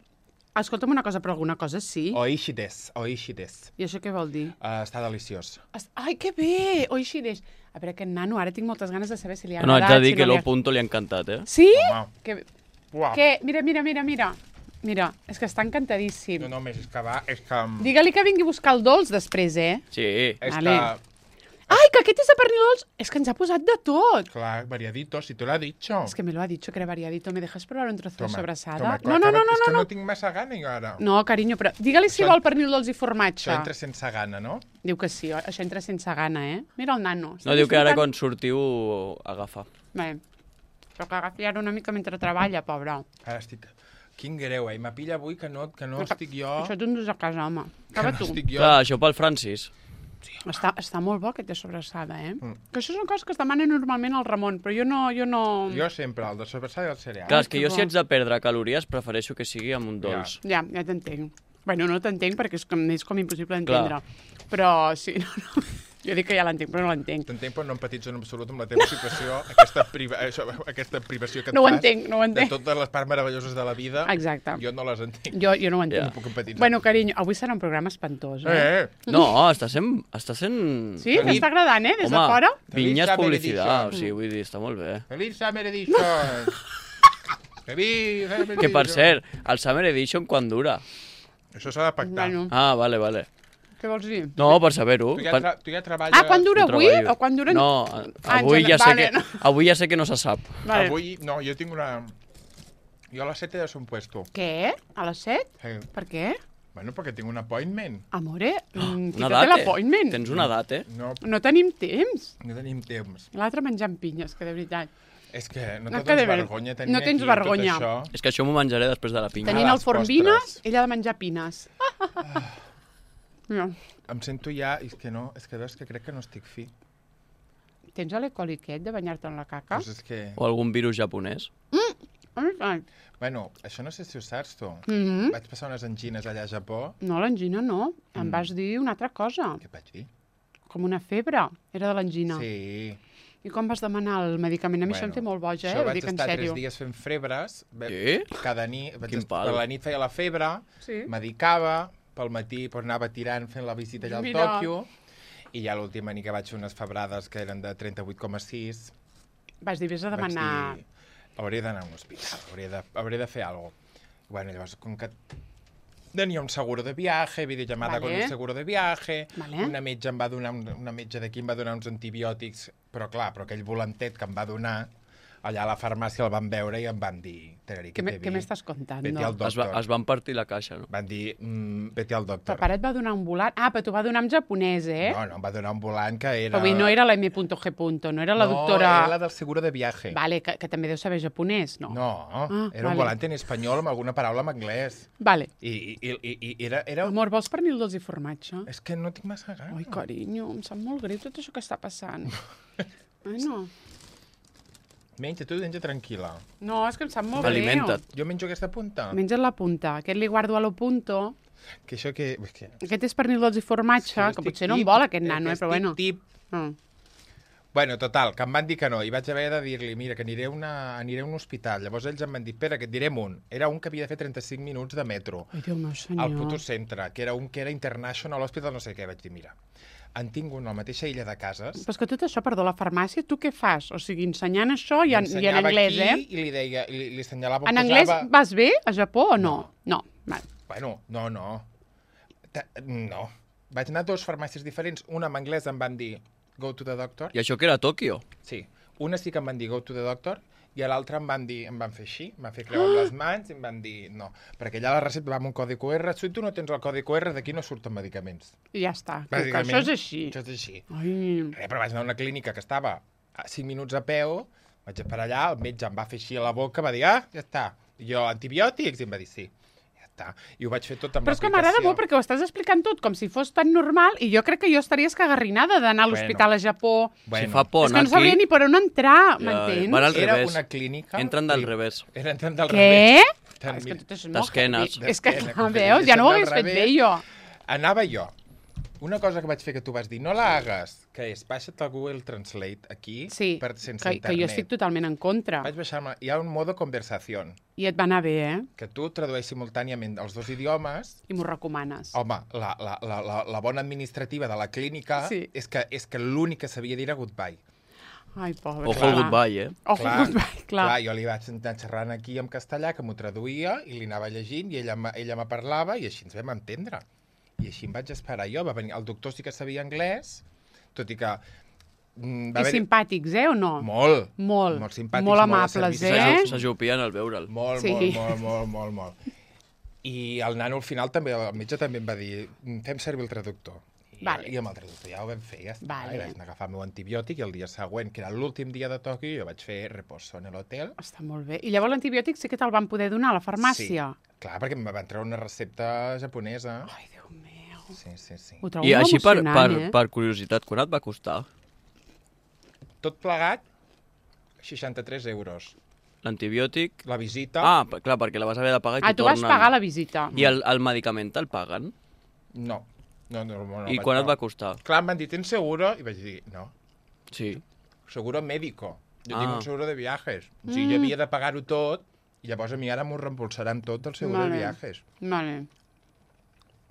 S1: Escolta'm una cosa, però alguna cosa sí.
S2: Oishi des, oishi des.
S1: I això què vol dir?
S2: Uh, està deliciós.
S1: Es- Ai, que bé! Oixireix. A veure, aquest nano, ara tinc moltes ganes de saber si li ha
S3: No, haig
S1: agradat.
S3: de dir
S1: si
S3: que
S1: no li
S3: lo
S1: ha-
S3: punto li ha encantat, eh?
S1: Sí?
S2: Home,
S1: Que...
S2: uah.
S1: que... Mira, mira, mira, mira. Mira, és que està encantadíssim.
S2: No, només és que va, és que...
S1: Digue-li que vingui a buscar el dolç després, eh?
S3: Sí.
S2: És
S1: Vale.
S2: que,
S1: Ai, que aquest és de pernil dolç! És que ens ha posat de tot.
S2: clar, variadito, si te lo ha dicho.
S1: Es que me lo ha dicho que era variadito. ¿Me dejas probar un trozo de
S2: Toma,
S1: sobrasada?
S2: toma,
S1: no,
S2: clar,
S1: no,
S2: que
S1: no,
S2: ara-
S1: no,
S2: És que
S1: no,
S2: no
S1: no.
S2: tinc massa gana jo ara.
S1: No, carinyo, però digue-li si
S2: Això-
S1: vol pernil dolç i formatge.
S2: Això entra sense gana, no?
S1: Diu que sí, oi? Això entra sense gana, eh? Mira el nano.
S3: No, diu que ara quan sortiu agafa.
S1: Bé, però que agafi ara una mica mentre treballa, pobre.
S2: Ara estic... Quin greu, eh? M'apilla avui que no, que no
S1: Això-
S2: estic jo...
S1: Això t'ho endús a casa, home.
S2: Que
S1: Acaba
S2: no
S1: tu.
S2: estic jo...
S3: Clar, això pel Francis.
S1: Està, està molt bo aquest de sobrassada, eh?
S2: Mm.
S1: Que això són coses que es demanen normalment al Ramon, però jo no... Jo no...
S2: Jo sempre, el de sobrassada i el cereal.
S3: Clar, és que
S1: que
S3: jo
S1: bo.
S3: si haig de perdre calories prefereixo que sigui amb un dolç.
S1: Ja, ja t'entenc. Bueno, no t'entenc perquè és com, és com impossible
S3: Clar.
S1: d'entendre. Però sí, no, no. Jo dic que ja l'entenc, però no l'entenc.
S2: T'entenc, però no empatitzo en absolut amb la teva situació, aquesta, priva... això, aquesta privació que et
S1: No ho
S2: fas
S1: entenc, no ho
S2: de
S1: entenc.
S2: totes les parts meravelloses de la vida.
S1: Exacte.
S2: Jo no les entenc.
S1: Jo, jo no ho entenc.
S3: Ja.
S2: No puc empatitzar.
S1: Bueno, carinyo, avui serà un programa espantós, eh?
S2: Eh, eh.
S3: No, està sent... Està sent...
S1: Sí? T'està agradant, eh? Des de
S3: Home,
S1: fora?
S3: vinyes
S2: Feliç
S3: publicitat,
S2: Summer
S3: o sigui, vull dir, està molt bé.
S2: Feliç Summer Edition! Feliç Summer Edition!
S3: Que, per cert, el Summer Edition quan dura?
S2: Això s'ha de pactar.
S1: Bueno,
S3: Ah, vale, vale.
S1: què vols dir?
S3: No, per saber-ho.
S2: Tu ja,
S3: Per-
S2: tra tu ja treballes...
S1: Ah, quan dura
S3: Jo
S1: avui?
S3: treballo.
S1: O quan dura...
S3: No,
S1: Ah,
S3: avui
S1: en
S3: ja, sé
S1: vale,
S3: que,
S1: no.
S3: avui ja sé que no se sap.
S1: Vale.
S2: Avui... No, jo tinc una... Jo a les set he de ser un puesto.
S1: Què? A les set?
S2: Sí.
S1: Per què?
S2: Bueno, perquè tinc un appointment.
S1: Amore, mm,
S3: Una
S1: fica't
S3: data.
S1: l'appointment.
S3: Tens una data, eh?
S2: No,
S1: No tenim temps.
S2: no tenim temps.
S1: L'altre menjant pinyes, que de veritat.
S2: És que no,
S1: No,
S2: no
S1: que de
S2: tens
S1: ver-
S2: vergonya tenir
S1: no tens
S2: aquí
S1: vergonya.
S2: tot això.
S3: És que això m'ho menjaré després de la pinya.
S1: Tenint
S2: les
S1: el forn vines,
S2: postres.
S1: ella ha de menjar pines. Mira,
S2: Em sento ja... És que no, és que veus que crec que no estic fi.
S1: tens l'ecoliquet de banyar-te en la caca?
S2: Doncs és que...
S3: O algun virus japonès.
S1: Ai.
S2: Bueno, això no sé si ho saps, tu.
S1: Mhm.
S2: Vaig passar unes angines allà a Japó.
S1: No, l'angina no.
S2: Mm.
S1: Em vas dir una altra cosa.
S2: Què et vaig dir?
S1: Com una febre. Era de l'angina.
S2: Sí.
S1: I com vas demanar el medicament? A mi això em té molt boja, eh?
S2: Això
S1: Ho
S2: vaig
S1: dic en
S2: estar
S1: sèrio.
S2: tres dies fent febres. Ve-
S3: Sí?
S2: Cada nit... Vaig
S3: Quin
S2: est-
S3: pal.
S2: Per la nit feia la febre,
S1: Sí.
S2: medicava, pel matí pues, anava tirant fent la visita allà al
S1: Mira.
S2: Tòquio, i ja l'última nit que vaig fer unes febrades que eren de trenta-vuit coma sis,
S1: Vas dir, vés a
S2: vaig
S1: demanar...
S2: dir, hauré d'anar a un hospital, hauré de, hauré de fer alguna cosa. Bueno, llavors, com que tenia un seguro de viaje, videollamada
S1: Vale.
S2: con un seguro de viaje,
S1: Vale.
S2: una metge em va donar, un, una metge d'aquí em va donar uns antibiòtics, però clar, però aquell volantet que em va donar, allà a la farmàcia el van veure i em van dir, Teneri,
S1: Què
S2: què
S1: me-
S2: te
S1: què
S2: vi?
S1: m'estàs contant?
S2: Vete al
S3: Es, va,
S2: doctor.
S3: es van partir la caixa, no?
S2: Van dir, mm, vete al
S1: El
S2: doctor.
S1: pare et va donar un volant... Ah, però t'ho va donar en japonès, eh?
S2: No, no, em va donar un volant que era...
S1: Però vull dir, no era la eme punto ge punto, no era la
S2: no,
S1: doctora...
S2: era la del seguro de viaje.
S1: Vale, que, que també deu saber japonès, no?
S2: No,
S1: Ah,
S2: era un
S1: vale.
S2: volant en espanyol amb alguna paraula en anglès.
S1: Vale.
S2: I, i, i, i era... era...
S1: Amor, vols pernil dolç i formatge?
S2: És que no tinc massa gana.
S1: Ai, carinyo, em sap molt greu tot això que està passant. Ai, no.
S2: Menja, tu menja tranquil·la.
S1: No, és que em sap molt greu.
S3: Alimenta't.
S2: Jo menjo aquesta punta.
S1: Menja't la punta. Aquest li guardo a lo punto.
S2: Que això que... És que...
S1: Aquest és pernil dolç i formatge,
S2: jo
S1: que
S2: estic
S1: potser no en
S2: tip,
S1: vol aquest
S2: eh,
S1: nano,
S2: que
S1: eh, però
S2: estic
S1: bueno.
S2: Tip.
S1: Mm.
S2: Bueno, total, que em van dir que no, i vaig haver de dir-li, mira, que aniré a, una, aniré a un hospital. Llavors ells em van dir, espera, que et direm un. Era un que havia de fer trenta-cinc minuts de metro.
S1: Ai, Déu meu senyor.
S2: Al puto centre, que era un que era International Hospital, no sé què. Vaig dir, mira, en tinc un a la mateixa illa de cases.
S1: Però és que tot això, perdó, la farmàcia, tu què fas? O sigui, ensenyant això i en, i en
S2: M'ensenyava
S1: anglès,
S2: aquí
S1: eh?
S2: I li deia, i li, li assenyalava...
S1: En
S2: posava...
S1: anglès vas bé a Japó o no? No. Vale.
S2: Bueno, no, no. Ta- No. Vaig anar a dues farmàcies diferents. Una en anglès em van dir, go to the doctor.
S3: I això que era a Tòquio.
S2: Sí. Una sí que em van dir, go to the doctor, i a l'altra em van dir, em van fer així, em van fer creu amb les mans i em van dir, no. Perquè allà la recepta va amb un codi cu erre, si tu no tens el codi cu erre, d'aquí no surten medicaments.
S1: I ja està. Que
S2: Bàsicament,
S1: això és així.
S2: Això és així.
S1: Ai,
S2: Res, però vaig anar a una clínica que estava a cinc minuts a peu, Vaig esperar allà, el metge em va fer així a la boca, va dir, ah, ja està. I jo, antibiòtics? I em va dir, sí. Ja està. I ho vaig fer tot amb
S1: Però és que
S2: l'aplicació.
S1: m'agrada molt perquè ho estàs explicant tot com si fos tan normal i jo crec que jo estaria escagarrinada d'anar a l'hospital a Japó.
S3: Si fa por
S1: És que
S3: anar
S1: no sabria
S3: aquí...
S1: ni per on entrar,
S3: Ja,
S1: m'entens?
S3: van al
S2: Era
S3: revés.
S2: una clínica...
S3: Entren del
S2: Sí.
S3: revés.
S2: Era entrant del
S1: Què?
S2: revés.
S1: Ah, és que tot això és molt
S3: D'esquenes.
S1: heavy. És que,
S2: D'esquenes,
S1: clar,
S2: que
S1: veus, ja no ho hagués
S2: del
S1: fet
S2: revés.
S1: bé jo.
S2: Anava jo. Una cosa que vaig fer que tu vas dir, no la hagas, que és baixa't el Google Translate aquí
S1: Sí,
S2: per, sense
S1: que, que
S2: internet.
S1: jo estic totalment en contra.
S2: Vaig baixar-me... Hi ha un modo conversació,
S1: I et va anar bé, eh?
S2: que tu tradueix simultàniament els dos idiomes.
S1: I m'ho recomanes.
S2: Home, la, la, la, la, la bona administrativa de la clínica
S1: Sí.
S2: és que, és que l'únic que sabia dir era goodbye.
S1: Ai, pobre.
S3: Ojo
S1: clar.
S3: el goodbye, eh?
S1: Ojo el goodbye, clar.
S2: clar. Jo li vaig anar xerrant aquí en castellà, que m'ho traduïa, i li anava llegint, i ella, me- ella me parlava, i així ens vam entendre. I així em vaig esperar jo. Va venir, el doctor sí que sabia anglès, tot i que... Mm, va
S1: I
S2: haver-hi-
S1: simpàtics, eh, o no?
S2: Molt.
S1: Molt.
S2: Molt simpàtics,
S1: Molt
S2: molt de
S1: amables,
S2: servici.
S1: eh?
S3: S'aju- S'ajupien al veure'l.
S2: Molt,
S1: Sí.
S2: molt, molt, molt, molt, molt. I el nano al final també, el metge també em va dir, fem servir el traductor. I,
S1: Vale.
S2: I amb el traductor ja ho vam fer, ja està.
S1: Vale.
S2: I vaig anar a agafar el meu antibiòtic i el dia següent, que era l'últim dia de Tòquio, jo vaig fer reposo en l'hotel.
S1: Està molt bé. I llavors l'antibiòtic sí que te'l van poder donar a la farmàcia.
S2: Sí, clar, perquè em va entrar una recepta japonesa.
S1: Ai, Déu meu.
S2: Sí, sí, sí.
S1: Ho trobo
S3: I
S1: molt
S3: així, per, per,
S1: emocionant, eh?
S3: per curiositat, quan et va costar
S2: Tot plegat, seixanta-tres euros.
S3: l'antibiòtic?
S2: La visita,
S3: Ah, per- clar, perquè la vas haver de pagar i
S1: Ah,
S3: t'ho
S1: tu vas
S3: tornen.
S1: pagar la visita.
S3: I el, el medicament te'l paguen?
S2: no. no, no, no, no
S3: I
S2: vaig
S3: quan et
S2: pagar.
S3: va costar?
S2: Clar, em van dir, tens seguro? I vaig dir, no.
S3: Sí.
S2: Seguro médico. Jo
S3: Ah.
S2: tinc un seguro de viajes. O sigui, jo havia de pagar-ho tot i llavors a mi ara m'ho reembolsaran tot el seguro
S1: Vale.
S2: de viajes.
S1: Vale.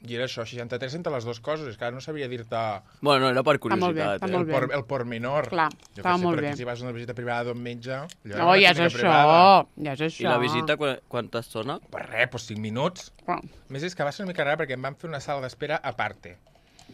S2: I era això, seixanta-tres entre les dues coses. És que ara no sabria dir-te
S3: Bueno, no, era per
S1: Està molt bé,
S3: curiositat,
S1: està
S3: eh?
S1: molt
S2: el,
S1: bé.
S2: por, el pormenor.
S1: Clar,
S2: jo
S1: estava
S2: que sé,
S1: molt
S2: però
S1: bé.
S2: aquí si vas a una visita privada d'un metge... allò era
S1: No,
S2: una
S1: ja és
S2: clínica
S1: això,
S2: privada.
S1: ja és això.
S3: I la visita, quan, quanta estona?
S2: Per res, doncs cinc minuts.
S1: Però-
S2: A més, és que va ser una mica rara perquè em van fer una sala d'espera a parte.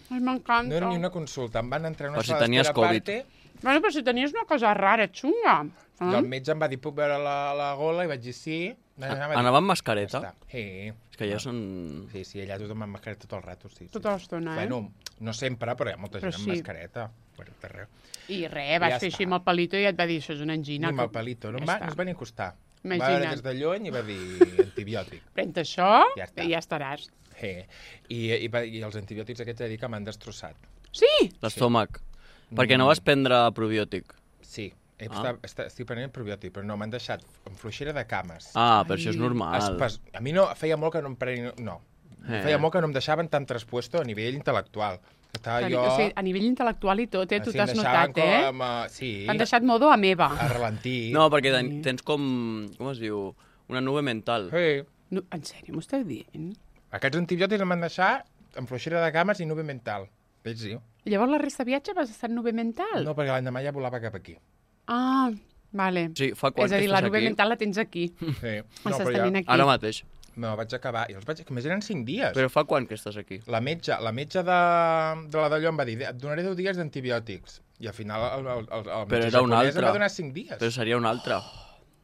S1: Ai, m'encanta.
S2: No era ni una consulta, em van entrar en una
S3: Per si
S2: sala
S3: tenies
S2: d'espera a
S3: Covid.
S2: parte
S1: Bueno, però si tenies una cosa rara, xunga.
S2: i
S1: Eh?
S2: el metge em va dir, puc veure la, la gola? I vaig dir sí. Anava,
S3: Anava amb
S2: Ja
S3: mascareta?
S2: està. Sí.
S3: És que ja són...
S2: Sí, sí, allà tothom amb mascareta tot el rato, sí. sí.
S1: Tota l'estona, eh?
S2: Bueno, no sempre, però hi ha molta
S1: Però
S2: gent amb
S1: sí.
S2: mascareta. Per tot arreu.
S1: I res, vas
S2: Ja
S1: fer
S2: està.
S1: així amb el palito i et va dir, això és una angina.
S2: Ni amb
S1: que-
S2: el palito. No,
S1: Ja
S2: em va,
S1: està.
S2: no es va ni acostar. Va
S1: Imagina't.
S2: veure des de lluny i va dir antibiòtic.
S1: Pren això
S2: Ja està.
S1: i ja estaràs.
S2: Sí. I, i, va- I els antibiòtics aquests he de dir que m'han destrossat.
S1: Sí!
S3: L'estómac. Perquè no vas prendre probiòtic.
S2: Sí. He
S3: Ah.
S2: estat, estat, estic prenent probiòtic, però no, m'han deixat amb fluixera de cames.
S3: Ah, però això és
S1: Ai.
S3: normal.
S2: Espas... A mi no, feia molt que no em prenien... No.
S3: Eh.
S2: Feia molt que no em deixaven tan traspuesto a nivell intel·lectual. Estava jo...
S1: O sigui, a nivell intel·lectual i tot, eh? Tu
S2: Així
S1: t'has
S2: em deixaven
S1: notat, eh?
S2: Com, uh, sí,
S1: T'han deixat modo a meva.
S2: a ralentir.
S3: No, perquè ten, tens com... Com es diu? Una nube mental.
S2: Sí.
S1: No, en sèrio, m'ho estàs dient?
S2: Aquests antibiòtics em van deixar amb fluixera de cames i nube mental. Veig, sí.
S1: Llavors la resta de viatge vas estar en nube mental?
S2: No, perquè l'endemà ja volava cap aquí.
S1: Ah, vale.
S3: Sí, fa quan
S1: És a
S3: que
S1: dir, la
S3: estàs
S1: nube
S3: aquí?
S1: mental la tens aquí.
S2: Sí.
S1: No,
S2: però
S1: tenint aquí.
S3: Ara mateix.
S2: No, vaig acabar. I els vaig... Que més eren cinc dies.
S3: Però fa quan que estàs aquí?
S2: La metge, la metge de, de la d'allò em va dir et donaré deu dies d'antibiòtics. I al final el, el, el, el
S3: Però
S2: metge
S3: era un
S2: japonès
S3: altre.
S2: em va donar cinc dies.
S3: Però seria un altre.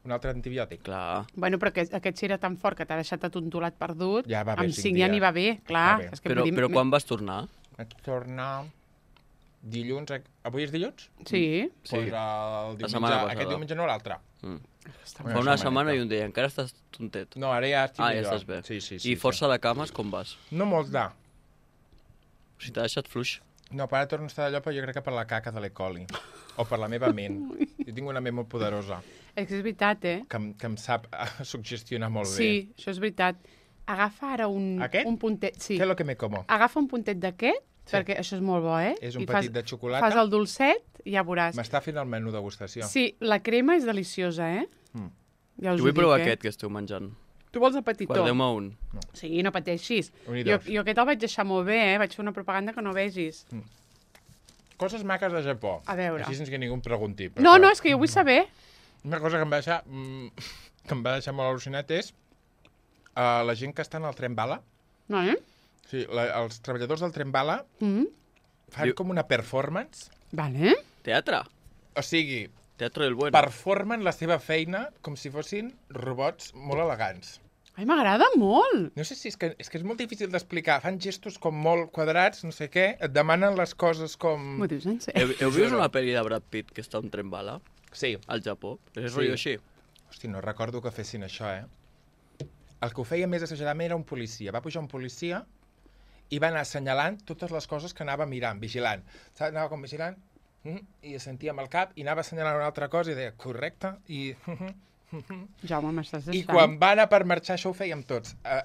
S2: Un altre antibiòtic.
S3: Clar.
S1: Bueno, però aquest, aquest si era tan fort que t'ha deixat atontolat perdut,
S2: Ja va bé,
S1: amb
S2: cinc
S1: cinc ja
S2: dies.
S1: n'hi va bé, clar.
S2: Va bé.
S1: És que
S3: Però,
S1: vull dir,
S3: però
S1: me-
S3: quan vas tornar?
S2: Vaig tornar dilluns... a- Avui és dilluns?
S1: Sí.
S3: Sí.
S2: Pues el diumenge,
S3: setmana passada.
S2: aquest diumenge no l'altre.
S3: Mm.
S1: Està
S2: Una
S3: Fa una
S2: setmaneta.
S3: setmana i un dia. Encara estàs tontet.
S2: No, ara ja estic
S3: Ah, ja
S2: millor.
S3: estàs bé.
S2: Sí, sí, sí.
S3: I força de cames, com vas?
S2: Sí. No molt de...
S3: O sigui, t'ha deixat fluix.
S2: No, per ara torno a estar d'allò, però jo crec que per la caca de l'E. coli. O per la meva ment. Jo tinc una ment molt poderosa,
S1: És que és veritat, eh?
S2: que, em- que em sap eh, suggestionar molt
S1: Sí, això és veritat. Agafa ara un,
S2: Aquest?
S1: un puntet...
S2: bé.
S1: Sí.
S2: Què és el que me como?
S1: Agafa un puntet d'aquest,
S2: Sí.
S1: perquè això és molt bo, eh?
S2: És un
S1: I
S2: petit
S1: fas,
S2: de xocolata.
S1: Fas el dolcet i ja veuràs.
S2: M'està fent el menú degustació.
S1: Sí, la crema és deliciosa, eh?
S2: Mm.
S1: Ja us
S3: Jo
S1: ho
S3: vull
S1: dic,
S3: provar
S1: eh?
S3: aquest que esteu menjant.
S1: Tu vols el petitó?
S3: Guardeu-me un.
S1: Sí, no pateixis.
S2: Un i
S1: Jo,
S2: dos.
S1: jo aquest el vaig deixar molt bé, eh? Vaig fer una propaganda que no vegis.
S2: Coses maques de Japó.
S1: A veure.
S2: Així sense que ningú em pregunti. però
S1: No,
S2: clar,
S1: no, és que jo vull saber.
S2: Una cosa que em va deixar, mm, que em va deixar molt al·lucinat és uh, la gent que està en el tren bala.
S1: No, eh?
S2: Sí, la, els treballadors del tren bala
S1: Mm.
S2: fan
S3: Diu-
S2: com una performance.
S1: Vale.
S3: Teatre.
S2: O sigui,
S3: Teatre del bueno.
S2: performen la seva feina com si fossin robots molt elegants.
S1: Ai, m'agrada molt.
S2: No sé si és que, és que és molt difícil d'explicar. Fan gestos com molt quadrats, no sé què, et demanen les coses com...
S1: M'ho dius en
S3: Heu,
S1: sèrio?
S3: heu vist una pel·li de Brad Pitt que està a un tren bala?
S2: Sí.
S3: Al Japó. És
S2: Sí.
S3: rotllo així.
S2: Hosti, no recordo que fessin això, eh? El que ho feia més exageradament era un policia. Va pujar un policia i va anar assenyalant totes les coses que anava mirant, vigilant. Saps? Anava com vigilant mm, i sentia amb el cap i anava assenyalant una altra cosa i deia, correcte, i...
S1: Jaume, m'estàs deixant.
S2: I quan va anar per marxar, això ho fèiem tots. Uh,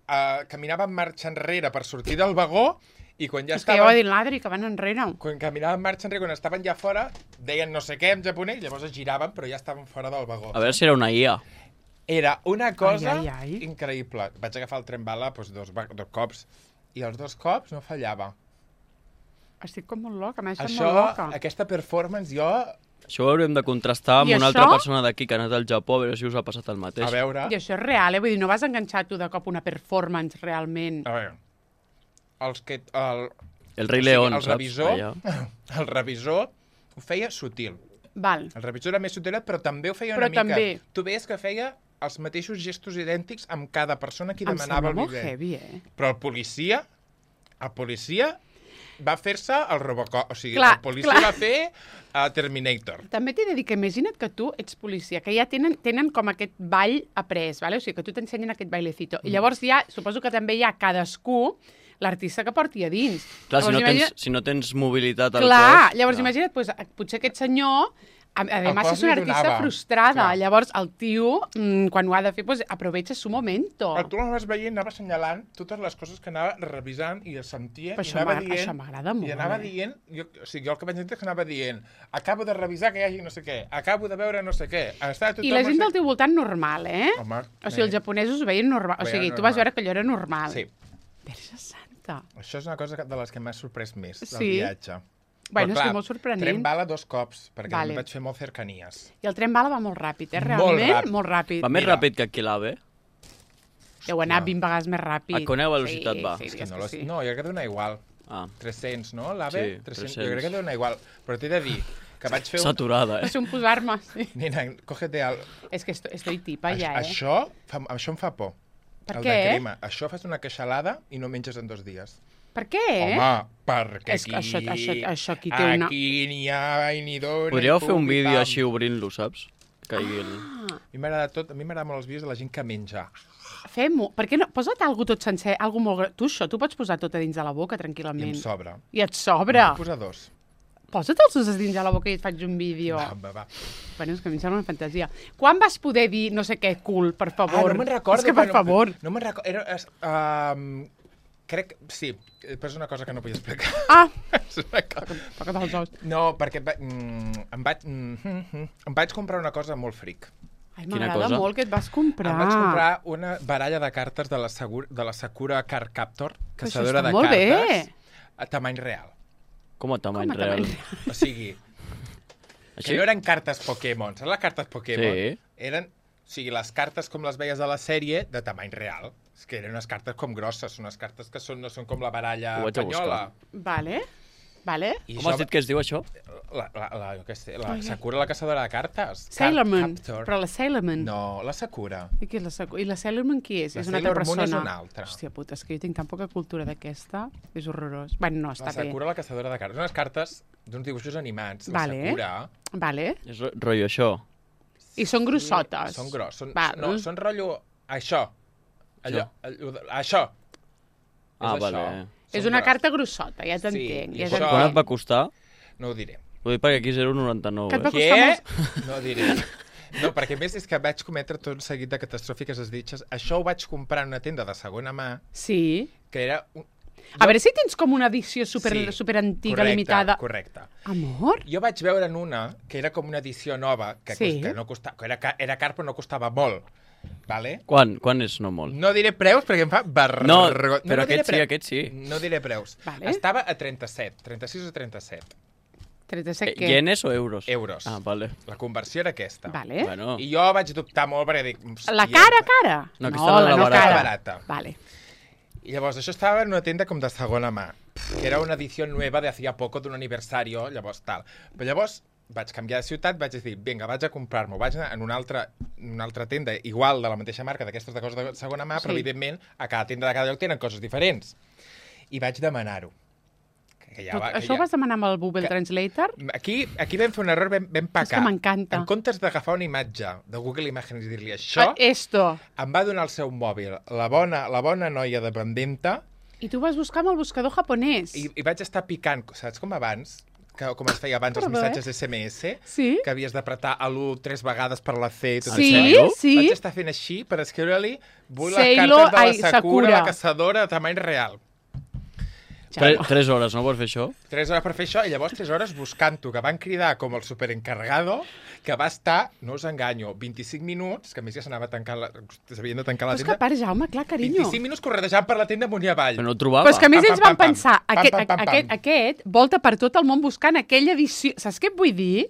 S2: uh, caminàvem marxa enrere per sortir del vagó i quan ja
S1: És que ja ho ha
S2: estaven...
S1: dit l'Adri, que van enrere.
S2: Quan caminàvem marxa enrere, quan estaven ja fora, deien no sé què en japonès, llavors es giraven, però ja estaven fora del vagó.
S3: A veure si era una I A.
S2: Era una cosa
S1: Ai, ai, ai.
S2: increïble. Vaig agafar el tren bala doncs, dos, va- dos cops i els dos cops no fallava.
S1: Estic com molt loca, m'ha deixat
S2: Això,
S1: molt loca.
S2: aquesta performance, jo...
S3: Això ho hauríem de contrastar amb
S1: I
S3: una
S1: això?
S3: altra persona d'aquí que ha anat al Japó a veure si us ha passat el mateix.
S2: A veure...
S1: I això és real, eh? Vull dir, no vas enganxar tu de cop una performance realment.
S2: A veure... Els que... El,
S3: El rei
S2: o sigui,
S3: León,
S2: el
S3: saps?
S2: revisor,
S3: Allà.
S2: el revisor ho feia sutil.
S1: Val.
S2: El revisor era més sutil, però també ho feia
S1: Però
S2: una mica.
S1: també.
S2: Tu veies que feia els mateixos gestos idèntics amb cada persona que
S1: Em
S2: demanava
S1: sembla
S2: el
S1: molt
S2: bidet.
S1: heavy, eh?
S2: Però el policia, el policia va fer-se el Robocop. O sigui,
S1: Clar,
S2: el policia
S1: clar.
S2: va fer uh, Terminator.
S1: També t'he de dir que imagina't que tu ets policia, que ja tenen, tenen com aquest ball après, vale? O sigui, que tu t'ensenyen aquest bailecito.
S2: Mm.
S1: I llavors ja, suposo que també hi ha cadascú l'artista que porti a dins.
S3: Clar, si no,
S1: Llavors,
S3: tens, si no tens mobilitat al
S1: Clar,
S3: cos...
S1: llavors
S3: clar.
S1: imagina't, pues, potser aquest senyor, a, a
S2: El
S1: més
S2: cos
S1: és una
S2: li
S1: artista
S2: donava.
S1: frustrada,
S2: Clar.
S1: llavors el tio, mm, quan ho ha de fer, pues, aprovecha su momento.
S2: Però tu l'anaves veient, anava assenyalant totes les coses que anava revisant i es sentia,
S1: Però
S2: i
S1: això
S2: anava
S1: m'agrada-
S2: dient...
S1: això m'agrada molt,
S2: I anava
S1: eh?
S2: dient... Jo, o sigui, jo el que vaig entendre és que anava dient acabo de revisar que hi hagi no sé què, acabo de veure no sé què... Està tothom
S1: I la gent
S2: no
S1: del teu voltant normal, eh?
S2: Home,
S1: o sigui, els
S2: eh,
S1: japonesos ho veien normal. O
S2: veien
S1: sigui, tu
S2: normal.
S1: vas veure que allò era normal.
S2: Sí,
S1: Verge santa.
S2: això és una cosa que- de les que m'ha sorprès més, del
S1: Sí?
S2: viatge.
S1: Bueno,
S2: Però,
S1: és que
S2: clar,
S1: molt sorprenent.
S2: Tren bala dos cops, perquè
S1: Vale.
S2: vale. vaig fer molt cercanies.
S1: I el tren bala va molt ràpid, eh?
S2: Molt
S1: Realment,
S2: ràpid.
S1: molt ràpid.
S3: Va més
S2: Mira.
S3: ràpid que aquí l'AVE?
S1: Deu anar
S2: Hòstia.
S1: vint vegades més ràpid.
S3: A quina velocitat va?
S1: Sí,
S2: És
S1: sí,
S2: que
S1: és
S2: no,
S1: que
S2: lo...
S1: sí.
S2: no, jo crec que dona igual.
S3: Ah,
S2: tres-cents, no? L'AVE?
S3: Sí,
S2: tres-cents.
S3: tres-cents.
S2: Jo crec que dona igual. Però t'he de dir que vaig fer un...
S3: saturada,
S1: Va
S3: eh?
S1: ser un posar-me, sí.
S2: Nina, cógete al...
S1: És que estoy, estoy tipa ja, eh?
S2: Això, fa, això em fa por.
S1: Per
S2: el
S1: què?
S2: de crema. Això fas una queixalada i no menges en dos dies.
S1: Per què?
S2: Home, perquè
S1: És
S2: aquí...
S1: que això- això- això aquí té una-
S2: Aquí n'hi ha i n'hi dona...
S3: Podríeu
S2: i
S3: fer un
S2: pum i
S3: vídeo
S2: pam.
S3: així obrint-lo, saps? Que caigui el...
S1: Ah,
S2: A mi m'agrada tot, a mi m'agrada molt els vídeos de la gent que menja.
S1: fem-ho. Per què no? Posa't algú tot sencer, algú molt... gra- Tu això, tu pots posar tot a dins de la boca
S2: I em
S1: tranquil·lament.
S2: sobra.
S1: I et sobra.
S2: Posa dos.
S1: Posa't els dos a dins de la boca i et faig un vídeo.
S2: Va, va, va.
S1: Bueno, és que a mi em sembla una fantasia. Quan vas poder dir no sé què cool, per favor?
S2: Ah, no me'n recordo.
S1: És que, per
S2: però
S1: favor.
S2: No, no me'n recordo. Era... Es, um, crec... Sí, però és una cosa que no vull explicar.
S1: Ah,
S2: És una cosa...
S1: toca't els ous.
S2: No, perquè et va... mm, em, vaig... mm, mm, mm, em vaig comprar una cosa molt fric.
S1: Ai,
S3: Quina
S1: m'agrada
S3: cosa?
S1: molt que et vas comprar.
S2: Em vaig comprar una baralla de cartes de la, Segur, de la Sakura Card Captor,
S1: Però això
S2: caçadora
S1: està
S2: de
S1: molt bé.
S2: cartes, a tamany real.
S3: Com a tamany
S1: Com a
S3: real.
S1: tamany
S2: O sigui,
S3: Així?
S2: que no eren cartes Pokémon. Saps les cartes Pokémon?
S3: Sí.
S2: Eren, o sigui, les cartes com les veies a la sèrie, de tamany real. És que eren unes cartes com grosses, són unes cartes que són, no són com la baralla
S3: Ho vaig a
S2: espanyola.
S1: Vale, vale.
S2: I
S3: Com has dit que es diu això?
S2: La, la, la, jo què sé, la
S1: Ai, ai.
S2: Sakura, la caçadora de cartes.
S1: Sailor
S2: Card
S1: Moon.
S2: Captor.
S1: Però la Sailor Moon.
S2: No, la Sakura.
S1: I, qui és la, Saku- I la Sailor Moon qui és?
S2: La
S1: és una altra
S2: Sailor Moon
S1: persona.
S2: és una altra.
S1: Hòstia puta, és que jo tinc tan poca cultura d'aquesta. És horrorós. Bueno, no, està
S2: La Sakura,
S1: bé.
S2: la caçadora de cartes. Unes cartes d'uns dibuixos animats.
S1: Vale.
S2: La Sakura...
S1: Vale.
S3: És ro- rotllo això.
S1: I són grossotes.
S2: Són gros. Són,
S1: Val.
S2: no, són rotllo... Això. Allò, allò, això.
S3: Ah,
S2: és
S3: vale.
S2: això.
S1: És
S2: Són
S1: una
S2: gros.
S1: carta grossota, ja t'entenc.
S2: i
S1: ja
S2: això-
S1: t'entenc.
S3: Quan et va costar?
S2: No ho diré.
S3: Ho dic perquè aquí zero coma noranta-nou,
S1: Que et va
S3: eh?
S1: costar
S2: Què?
S1: molts-
S2: No ho diré. No, perquè a més és que vaig cometre tot un seguit de catastròfiques desditges. Això ho vaig comprar en una tenda de segona mà,
S1: Sí.
S2: que era... Un...
S1: A veure si tens com una edició super,
S2: Sí,
S1: super antiga,
S2: correcte,
S1: limitada.
S2: Correcte.
S1: Amor?
S2: Jo vaig veure en una que era com una edició nova, que,
S1: Sí.
S2: cost, que no costava, que era, ca- era car però no costava molt. Vale?
S3: Quan? Quan és no molt?
S2: No diré preus perquè em fa vergonya.
S3: No, però
S2: diré
S3: aquest sí,
S2: preus.
S3: aquest sí.
S2: No diré preus.
S1: Vale.
S2: Estava a trenta-set, trenta-sis o trenta-set
S1: trenta-set
S3: Eh,
S1: què?
S3: Ienes o euros?
S2: euros.
S3: Ah, vale.
S2: La conversió era aquesta.
S1: Vale.
S3: Bueno,
S2: I jo vaig dubtar molt perquè dic...
S1: La
S2: hòstia,
S1: cara, cara?
S3: No, aquesta era
S1: la
S3: la
S1: no
S3: barata.
S1: cara.
S2: barata.
S1: Vale.
S2: I llavors això estava en una tenda com de segona mà, que era una edició nueva de hacía poco d'un aniversario, llavors tal. Però llavors vaig canviar de ciutat, vaig dir, vinga, vaig a comprar-m'ho. Vaig anar en una altra, una altra tenda igual de la mateixa marca, d'aquestes de coses de segona mà, però
S1: Sí.
S2: evidentment a cada tenda de cada lloc tenen coses diferents. I vaig demanar-ho. Que ja
S1: Tot,
S2: va, que
S1: això
S2: ja...
S1: ho vas demanar amb el Google
S2: que-
S1: Translator?
S2: Aquí, aquí vam fer un error, vam, vam pecar.
S1: És que m'encanta.
S2: En comptes d'agafar una imatge de Google Images i dir-li això,
S1: Ah, esto.
S2: em va donar el seu mòbil, la bona, la bona noia dependenta,
S1: I tu vas buscar amb el buscador japonès.
S2: i, i vaig estar picant, saps com abans? Que, com es feia abans els
S1: Perdó,
S2: missatges
S1: eh?
S2: esse eme esse,
S1: Sí?
S2: que havies d'apretar a l'u tres vegades per la C i tot
S1: Sí,
S2: això.
S1: sí.
S2: Vaig estar fent així per escriure-li vull les
S1: Sailor-
S2: cartes de la
S1: ai,
S2: Sakura,
S1: Sakura.
S2: la caçadora de tamany real.
S3: Tre tres hores, no pots fer això?
S2: Tres hores per fer això, i llavors tres hores buscant-ho, que van cridar com el superencargado, que va estar, no us enganyo, vint-i-cinc minuts, que a més ja s'anava tancant la... s'havien de tancar
S1: Però
S2: la
S1: és que
S2: tenda,
S1: a part, Jaume, clar, carinyo.
S2: vint-i-cinc minuts corredejant per la tenda amunt i avall.
S3: Però no ho trobava.
S1: Però és que a més
S2: Pam,
S1: ells
S2: pam,
S1: van
S2: pam,
S1: pensar,
S2: pam,
S1: aquest,
S2: pam, pam, pam.
S1: aquest, aquest volta per tot el món buscant aquella edició. Saps què et vull dir?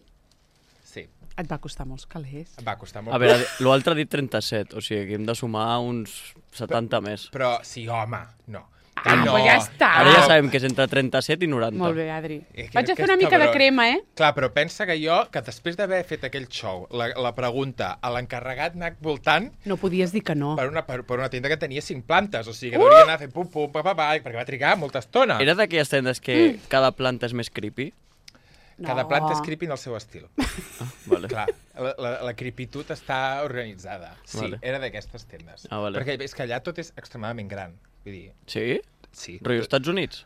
S2: Sí,
S1: Et va costar molts calés.
S2: em va costar molt.
S3: A veure, l'altre ha dit trenta-set, o sigui que hem de sumar uns setanta més.
S2: Però, sí, home, no.
S1: Ah,
S2: no.
S1: pues ja està.
S3: Ara ja sabem que és entre trenta-set i noranta.
S1: Molt bé, Adri.
S2: Eh, que-
S1: Vaig a
S2: que
S1: fer una
S2: és
S1: mica de
S2: cabrón.
S1: crema, eh?
S2: Clar, però pensa que jo, que després d'haver fet aquell show, la, la pregunta a l'encarregat anar voltant
S1: No podies dir que no.
S2: per una, per, per una tenda que tenia cinc plantes, o sigui que uh! hauria d'anar fent pum, pum, pa, pa, pa, perquè va trigar molta estona.
S3: Era d'aquelles tendes que cada planta és més creepy?
S2: Cada
S1: No.
S2: planta és creepy en el seu estil.
S3: Vale.
S2: Clar, la, la, la creepitud està organitzada. Sí,
S3: Vale.
S2: era d'aquestes tendes.
S3: Ah, vale.
S2: Perquè és que allà tot és extremadament gran. Vull dir,
S3: Sí?
S2: sí.
S3: Rotllo Estats Units?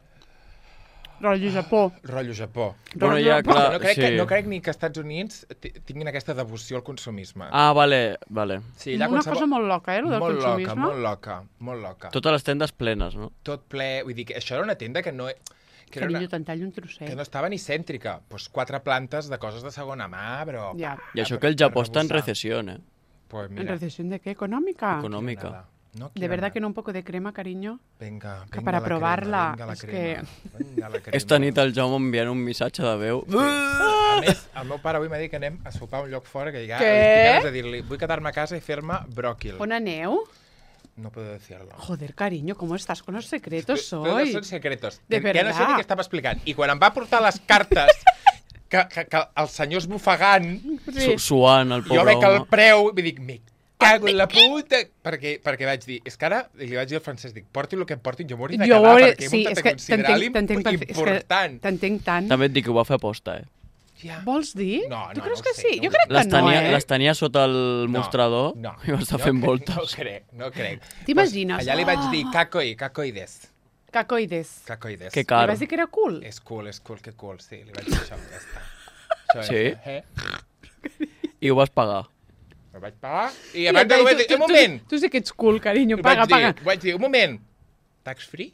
S1: Rotllo Japó.
S2: Rotllo Japó.
S3: Bueno, ja,
S1: Rotllo-
S3: clar,
S2: no, crec
S3: sí.
S2: que, no crec ni que als Estats Units ti- tinguin aquesta devoció al consumisme.
S3: Ah, vale, vale.
S2: sí,
S1: Una cosa molt loca, eh, lo del
S2: molt
S1: consumisme.
S2: loca, molt loca, molt loca. Tot...
S3: Totes les tendes plenes, no?
S2: Tot ple... Vull dir que això era una tenda que no... Que, era
S1: Carinyo,
S2: una,
S1: te'n tallo un trosset.
S2: que no estava ni cèntrica. Pues quatre plantes de coses de segona mà, però...
S1: Ja.
S3: I això que el Japó està en recessió, eh?
S2: Pues
S1: ¿En
S2: mira,
S1: recesión de qué? ¿Económica?
S3: Econòmica.
S2: nada. No
S1: De
S2: quiero
S1: verdad
S2: nada.
S1: que no un poco de crema, cariño?
S2: Venga,
S1: que
S2: venga
S1: para
S2: la
S1: provarla,
S2: crema, venga la
S1: és
S2: crema. Venga la crema.
S3: Esta nit el Jaume enviant un missatge de veu.
S2: A més, el meu pare avui m'ha dit que anem a sopar a un lloc fora que ja
S1: Què?
S2: estic ganes de dir-li vull quedar-me a casa i fer-me bròquil.
S1: ¿On aneu?
S2: No puedo decirlo.
S1: Joder, cariño, ¿cómo estás con los secretos
S2: Todos
S1: hoy?
S2: són secretos.
S1: De
S2: Que ja no sé
S1: verdad.
S2: ni què estava explicant. I quan em va portar les cartes que, que, que el senyor esbufegant,
S3: Su Suant, el
S2: jo
S3: pobre
S2: veig el
S3: home.
S2: preu i dic, me cago en la puta... Perquè, perquè vaig dir, és que ara li vaig dir al francès, dic, porti el que em portin, jo m'hauria de
S1: Jo
S2: quedar,
S1: veure-
S2: perquè
S1: sí,
S2: he
S1: és
S2: muntat
S1: que
S2: a considerar
S1: t'entenc- t'entenc perfe- és que
S2: important.
S1: T'entenc tant.
S3: També et dic que ho va fer aposta, eh?
S2: Ja.
S1: Vols dir?
S2: No,
S1: tu
S2: no,
S1: creus
S2: no ho
S1: que
S2: sé,
S1: sí?
S2: no
S1: jo
S2: ho
S1: crec que
S3: Les
S1: no,
S3: tenia,
S1: eh?
S3: les tenia sota el mostrador
S2: no,
S3: i va estar
S2: no
S3: fent
S2: crec,
S3: voltes.
S2: No crec, no crec.
S1: T'imagines?
S2: Pues allà li vaig
S1: Oh.
S2: dir, cacoi, cacoides.
S1: Cacoides.
S2: Cacoides.
S3: Que
S1: Li
S3: caro.
S1: vas dir que era cool?
S2: És cool, és cool, que cool, sí, li vaig dir això, ja està. Això
S3: Sí?
S2: és, eh?
S3: I ho vas pagar.
S2: Ho vaig pagar i
S1: I
S2: abans de
S1: tu-
S2: vaig dir,
S1: tu-
S2: un moment,
S1: Tu, tu sí que ets cool, carinyo.
S2: I
S1: Paga,
S2: vaig dir,
S1: paga.
S2: vaig dir, un moment, tax free?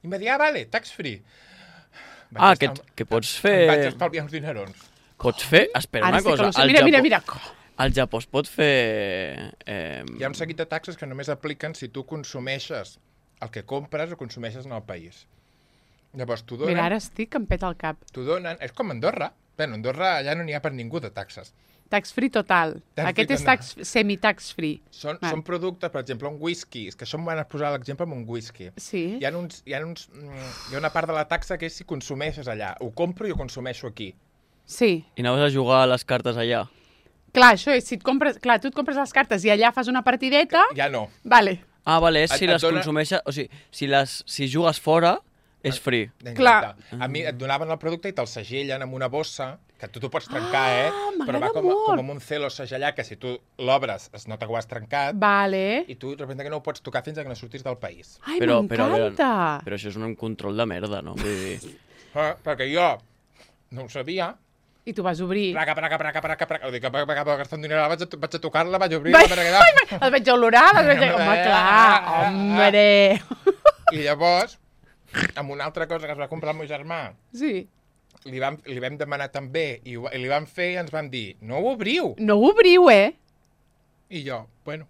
S2: I em va dir, ah, vale, tax free. Vaig
S3: Ah,
S2: estar-
S3: que, que pots
S2: Em vaig
S3: fer...
S2: estalviar uns dinerons.
S3: Pots fer... Espera
S1: Ara
S3: una
S1: sí que
S3: cosa.
S1: lo sé.
S3: Al
S1: Mira, mira,
S3: Japó-
S1: mira.
S3: Al Japó es pot fer... Eh,
S2: Hi ha un seguit de taxes que només apliquen si tu consumeixes el que compres o consumeixes en el país. Llavors, t'ho donen,
S1: Mira, ara estic que em peta el cap.
S2: t'ho donen... És com Andorra. Bé, a Andorra allà no n'hi ha per ningú de taxes.
S1: Tax free total.
S2: Tax
S1: Aquest
S2: free
S1: és
S2: total.
S1: tax, semi-tax free.
S2: Són,
S1: Val.
S2: són productes, per exemple, un whisky. És que això em van posar l'exemple amb un whisky.
S1: Sí.
S2: Hi ha, uns, hi, ha uns, mm, hi ha una part de la taxa que és si consumeixes allà. Ho compro i ho consumeixo aquí.
S1: Sí.
S3: I anaves a jugar a les cartes allà.
S1: Clar, això és, si et compres... Clar, tu et compres les cartes i allà fas una partideta...
S2: Ja no.
S1: Vale.
S3: Ah, vale, és
S2: Et-
S3: si
S2: et
S3: les
S2: dona-
S3: consumeixes... O sigui, si, les, si jugues fora, és free.
S1: Clar.
S2: Exacte. A mi et donaven el producte i te'l segellen amb una bossa, que tu t'ho pots trencar, eh?
S1: Ah,
S2: Però va
S1: m'agrada
S2: com, a-
S1: molt.
S2: com amb un celo segellat, que si tu l'obres es nota que ho has trencat,
S1: Vale.
S2: i tu de repente que no ho pots tocar fins que no surtis del país.
S1: Ai,
S3: Però, però, a veure,
S1: m'encanta.
S3: però això és un control de merda, no? Vull dir...
S2: Eh, perquè jo no ho sabia.
S1: I tu vas obrir.
S2: Praca, praca, praca, praca, praca. Ho dic, vaig gastar un diner, vaig a, vaig a tocar-la, vaig a obrir-la,
S1: Vai,
S2: per
S1: vai,
S2: quedar...
S1: Les veig olorar, les veig... Home, clar, hombre.
S2: I llavors, amb una altra cosa que es va comprar el meu germà,
S1: Sí.
S2: li vam, li vam demanar també, i, ho- i li vam fer i ens van dir, no ho obriu.
S1: No ho obriu, eh?
S2: I jo, bueno,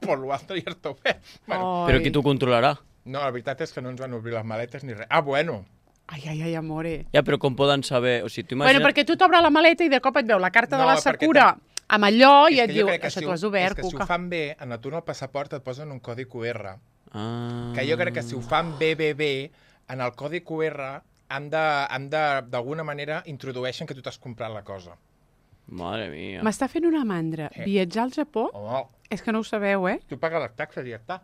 S2: por lo alto ja està obert. Bueno,
S1: Ai.
S3: Però qui t'ho controlarà?
S2: no, la veritat és que no ens van obrir les maletes ni res. Ah, bueno.
S1: Ai, ai, ai, amore.
S3: Ja, però com poden saber... O sigui, tu
S1: Bueno,
S3: imagina't...
S1: perquè tu t'obre la maleta i de cop et veu la carta
S2: No,
S1: de la
S2: perquè
S1: Sakura amb allò i
S2: És
S1: et
S2: que jo
S1: diu,
S2: crec que
S1: això
S2: si
S1: t'ho
S2: ho-
S1: has obert,
S2: És que si
S1: cuca.
S2: ho fan bé, en el tu en el passaport et posen un codi cu erre.
S3: Ah.
S2: Que jo crec que si ho fan bé, bé, bé, en el codi cu erre han de, han de, d'alguna manera, introdueixen que tu t'has comprat la cosa.
S3: Mare mia.
S1: M'està fent una mandra.
S2: Eh.
S1: Viatjar al Japó?
S2: Home,
S1: És que no ho sabeu, eh?
S2: tu pagues les taxes i ja està.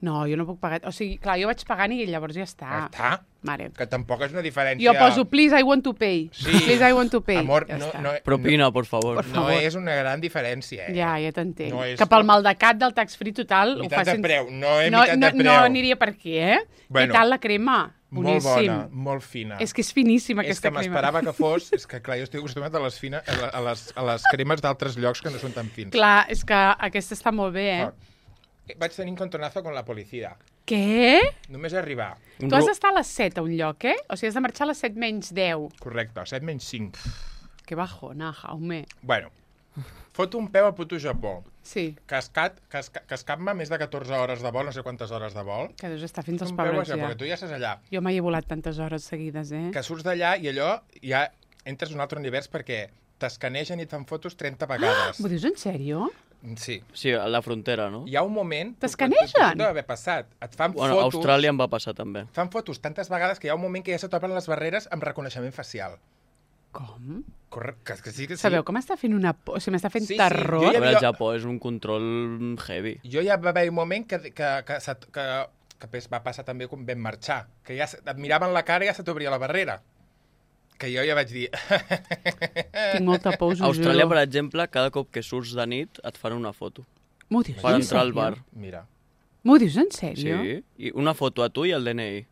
S1: No, jo no puc pagar. O sigui, clar, jo vaig pagant i llavors ja està.
S2: Ja està.
S1: Mare.
S2: Que tampoc és una diferència...
S1: Jo poso, please, I want to pay.
S2: Sí.
S1: Please, I want to pay.
S2: Amor,
S1: ja
S2: no,
S1: està.
S2: no,
S3: Propina, por favor.
S1: Por
S2: no
S1: favor.
S2: és una gran diferència, eh?
S1: Ja, ja t'entenc.
S2: No és-
S1: Que pel maldecat del tax free total... ho
S2: Mitat de
S1: facin-
S2: preu, no és
S1: no,
S2: mitat
S1: no,
S2: de preu.
S1: No aniria per aquí, eh?
S2: Bueno,
S1: Què tal la crema?
S2: Molt
S1: Boníssim.
S2: bona, molt fina.
S1: És que és finíssima,
S2: és
S1: aquesta
S2: que
S1: crema.
S2: m'esperava que fos... És que, clar, jo estic acostumat a les, fina, a, la- a les, a les cremes d'altres llocs que no són tan fins.
S1: Clar, és que aquesta està molt bé, eh?
S2: Ah. Vaig tenir un contornazo con la policia.
S1: Què?
S2: Només arribar.
S3: Un
S1: Tu has
S3: ru-
S1: d'estar a les set a un lloc, eh? O sigui, has de marxar a les set menys deu.
S2: Correcte, set menys cinc.
S1: Que bajona, Jaume.
S2: Bueno, foto un peu al puto Japó.
S1: Sí,
S2: Cascat, casca, cascat-me més de catorze hores de vol, no sé quantes hores de vol.
S1: que deus estar fins als
S2: Un peu al
S1: pebrots
S2: Japó,
S1: ja.
S2: perquè tu ja estàs allà.
S1: Jo mai he volat tantes hores seguides, eh?
S2: Que surts d'allà i allò ja entres en un altre univers perquè t'escanegen i et fan fotos trenta vegades.
S1: M'ho dius en sèrio?
S2: Sí.
S3: Sí, a la frontera, no?
S2: Hi ha un moment...
S1: T'escanegen?
S2: Deu haver passat. Et fan
S3: Bueno, a
S2: fotos...
S3: Austràlia em va passar també.
S2: Fan fotos tantes vegades que hi ha un moment que ja se topen les barreres amb reconeixement facial.
S1: Com?
S2: Corre... Que, que sí, que sí.
S1: Sabeu com m'està fent una por? O sigui, m'està fent
S2: Sí, sí,
S1: terror.
S2: jo
S3: A
S2: ja-
S3: veure,
S2: havia-
S3: el Japó és un control heavy.
S2: Jo ja va haver un moment que, que, que, que, que, que pues, va passar també quan vam marxar, que ja se- et miraven la cara i ja se t'obria la barrera. Que jo ja vaig dir...
S1: Tinc molta por, us
S3: A
S1: ho
S3: Austràlia,
S1: juro.
S3: per exemple, cada cop que surts de nit et fan una foto
S1: M'ho dius
S3: per
S1: en
S3: entrar al
S1: sèrio?
S3: bar.
S2: Mira.
S1: M'ho dius en
S3: Sí,
S1: sèrio?
S3: i una foto a tu i el D N I.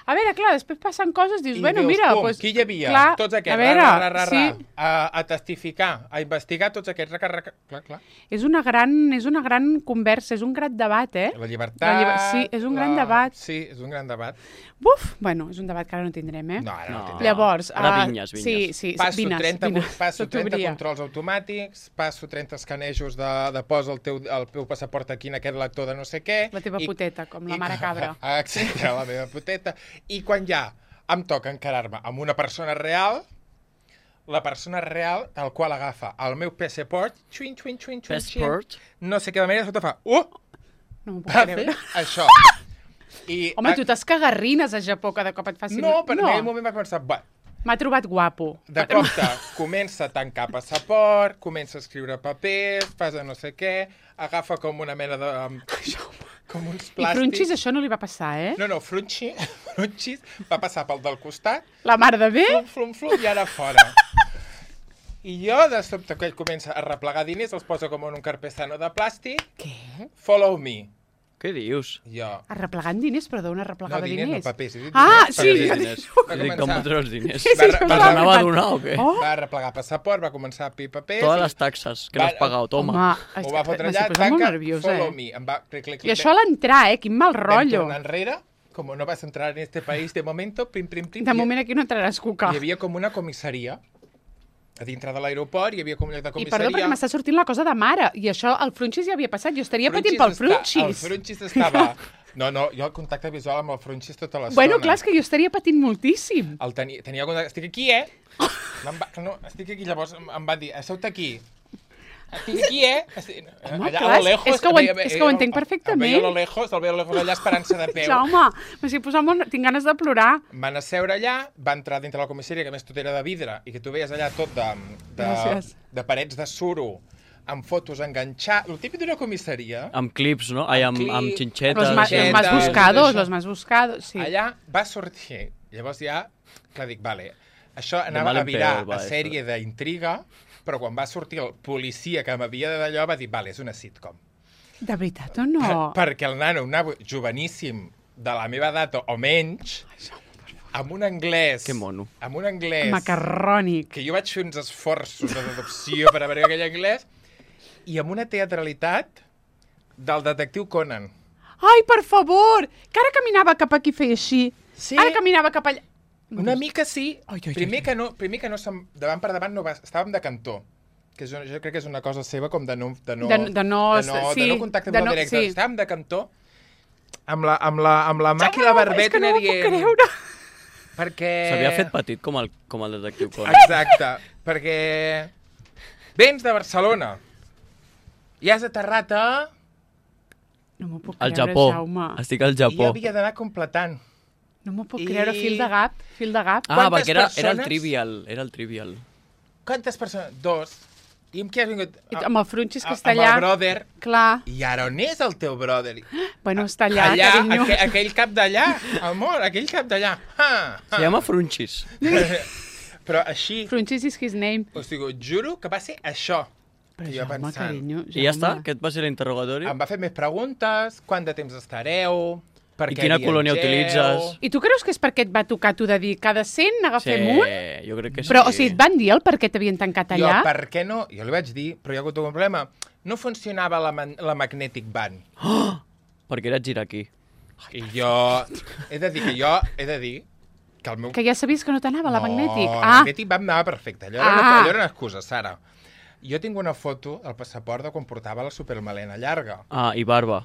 S1: A veure, clar, després passen coses, dius,
S2: I
S1: bueno,
S2: dius,
S1: mira...
S2: pum,
S1: pues,
S2: qui hi havia?
S1: clar,
S2: Tots aquests,
S1: a veure,
S2: ra, ra, ra, ra,
S1: sí,
S2: a, a testificar, a investigar tots aquests, raca, raca, clar, clar.
S1: és una, gran, és una gran conversa, és un gran debat, eh?
S2: La llibertat...
S1: La lliber- sí, és un gran debat.
S2: Sí, és un gran debat.
S1: Buf! Bueno, és un debat que ara no tindrem, eh?
S2: No, ara no,
S3: No.
S2: no.
S1: Llavors...
S3: Ara
S1: ah,
S3: vinyes, vinyes.
S1: Sí, sí,
S2: Passo,
S1: vines,
S2: trenta,
S1: vines.
S2: passo trenta
S1: S'obria.
S2: controls automàtics, passo trenta escanejos de, de posa el teu, el teu passaport aquí en aquest lector de no sé què...
S1: La teva
S2: i-
S1: puteta, com la
S2: i-
S1: mare cabra.
S2: Exacte, la meva puteta. I quan ja em toca encarar-me amb una persona real, la persona real, tal qual agafa el meu passport, xuin, xuin, xuin, xuin, xuin,
S3: Passport?
S2: no sé què de manera, sota fa... Uh!
S1: No m'ho puc
S2: Va fer
S1: creure.
S2: això. I,
S1: Home, tu t'escagarrines a Japó cada cop et facin...
S2: No, però en aquell moment va començar... Va,
S1: M'ha trobat guapo.
S2: de compte, comença a tancar passaport, comença a escriure papers, fas de no sé què, agafa com una mena de... com uns
S1: I
S2: plàstics.
S1: Frunxis això no li va passar, eh?
S2: No, no, Frunxi, Frunxis va passar pel del costat,
S1: La mare de bé?
S2: flum, flum, flum, i ara fora. I jo, de sobte, que ell comença a replegar diners, els posa com en un carpestano de plàstic,
S1: Què?
S2: follow me.
S3: Què dius?
S2: Jo.
S1: Arreplegant diners? Però d'on
S2: No,
S1: arreplegava
S2: diners, no,
S1: diners?
S2: papers. he dit
S1: Ah,
S2: diners,
S1: sí,
S2: papers.
S1: jo
S3: Diners.
S1: dic-
S2: Va
S3: I dic, com
S2: començar-
S3: fotre els diners?
S1: Sí, sí,
S2: Va-
S1: això
S2: va-
S1: m'ho
S3: Te'ls
S1: ha
S3: anava a
S1: arribat.
S3: donar o què?
S1: Oh,
S2: Va arreplegar passaport, va començar a pi papers...
S3: Totes
S2: i-
S3: les taxes que no has
S2: Va-
S3: pagat, toma.
S1: home,
S2: Ho va fotre
S1: m'estic
S2: allà,
S1: posant molt
S2: tanca,
S1: nerviosa,
S2: follow
S1: eh?
S2: me. Em va, clic, clic,
S1: I això a l'entrar, eh? Quin mal
S2: Vam
S1: rotllo.
S2: tornar enrere, como no vas a entrar en este país de momento, pim, pim, pim.
S1: De
S2: i-
S1: moment aquí no entraràs, cuca.
S2: Hi havia com una comissaria. A dintre de l'aeroport hi havia com un lloc de
S1: I
S2: comissaria.
S1: perdó, perquè m'està sortint la cosa de mare. I això, el Frunxis ja havia passat. Jo estaria patint
S2: Frunxis
S1: pel
S2: està-
S1: Frunxis.
S2: El Frunxis estava... No, no, jo el contacte visual amb el Frunxis tota l'estona.
S1: Bueno, clar, és que jo estaria patint moltíssim.
S2: El tenia, tenia algun... Estic aquí, eh? Em va... No, estic aquí, llavors em, em va dir, asseu-te aquí. Estic aquí, eh? Estic...
S1: Home,
S2: allà
S1: clar,
S2: a lo lejos...
S1: és que ho
S2: veia-
S1: ent- és que ho entenc
S2: el-
S1: perfectament.
S2: El veia a lo lejos, el veia a lo lejos allà esperant-se de peu.
S1: Jaume, m'estic posant molt... Tinc ganes de plorar.
S2: Van asseure allà, va entrar dintre la comissaria, que a més tot era de vidre, i que tu veies allà tot de, de,
S1: Gràcies.
S2: de parets de suro, amb fotos enganxades, el típic d'una comissaria.
S3: Amb clips, no? Ai, amb,
S2: Clip.
S3: amb
S1: Los,
S3: xinxetes.
S1: ma los
S2: Xinxetes,
S1: más
S2: tot
S1: buscados,
S2: això.
S1: los más buscados, sí.
S2: Allà va sortir. Llavors ja, clar, dic, vale, això anava
S3: mal
S2: a
S3: en
S2: virar
S3: peor, va,
S2: a sèrie d'intriga, però quan va sortir el policia que m'havia de d'allò va dir, vale, és una sitcom.
S1: De veritat o no?
S2: Per, perquè el nano, un nano joveníssim de la meva edat o menys, amb un anglès...
S3: Que mono.
S2: Amb un anglès...
S1: Macarrònic.
S2: Que jo vaig fer uns esforços de deducció per veure aquell anglès, i amb una teatralitat del detectiu Conan.
S1: Ai, per favor! Que ara caminava cap aquí i feia així.
S2: Sí.
S1: Ara caminava cap allà.
S2: Una mica sí.
S1: Ai, ai,
S2: primer,
S1: ai.
S2: que no, primer que no som, davant per davant no va, estàvem de cantó. Que és una, jo crec que és una cosa seva com de no... De no,
S1: De- de no-
S2: de no,
S1: sí,
S2: de no contacte
S1: de
S2: visual
S1: no-
S2: directe.
S1: sí.
S2: Estàvem de cantó amb la, amb la, amb la mà i
S1: Jaume,
S2: la
S1: no,
S2: barbeta
S1: és que no m'ho puc
S2: dient...
S1: creure.
S2: Perquè...
S3: S'havia fet petit com el, com el detectiu Conan.
S2: Exacte, perquè vens de Barcelona i has aterrat a...
S1: No m'ho puc
S3: Al
S1: creure,
S3: Japó.
S1: Jaume.
S3: Estic al
S2: I jo
S3: Japó.
S2: havia d'anar completant.
S1: No m'ho puc
S2: I-
S1: creure. Fil de gap, fil de gap.
S3: Ah,
S2: Quantes
S3: perquè era, era el
S2: persones?
S3: trivial. Era el trivial.
S2: Quantes persones? Dos. I amb qui has vingut?
S1: I amb el Frunxis, que
S2: A-
S1: està
S2: amb
S1: allà.
S2: el brother.
S1: Clar.
S2: I ara on és el teu brother?
S1: Bueno, està allà,
S2: allà
S1: carinyo.
S2: aquell, aquell cap d'allà, amor, aquell cap d'allà. Ha,
S3: Se llama Frunchis.
S2: Però així,
S1: Frunxis is his name.
S2: o sigui, et juro que va ser això.
S1: Però
S2: Jo
S1: Jaume,
S2: pensant.
S1: carinyo,
S3: I ja està?
S1: Jaume.
S3: Aquest va ser l'interrogatori?
S2: Em va fer més preguntes, quant de temps estareu, per
S3: I
S2: què
S3: quina colònia
S2: viatgeu?
S3: utilitzes?
S1: I tu creus que és perquè et va tocar tu de dir cada cent n'agafem
S3: Sí,
S1: un?
S3: jo crec que sí.
S1: Però, o sigui, et van dir el per què t'havien tancat allà?
S2: Jo, per què no? Jo li vaig dir, però hi ha hagut un problema. No funcionava la, man la Magnetic Band.
S3: Perquè era aquí.
S2: I jo... He de dir que jo... He de dir que el meu...
S1: Que ja sabies que no t'anava la Magnètic.
S2: No,
S1: Ah,
S2: la Magnètic Band anava perfecte. Allò, era una,
S1: Ah.
S2: allò era una excusa, Sara. Jo tinc una foto al passaport de quan portava la supermelena llarga.
S3: Ah, i barba.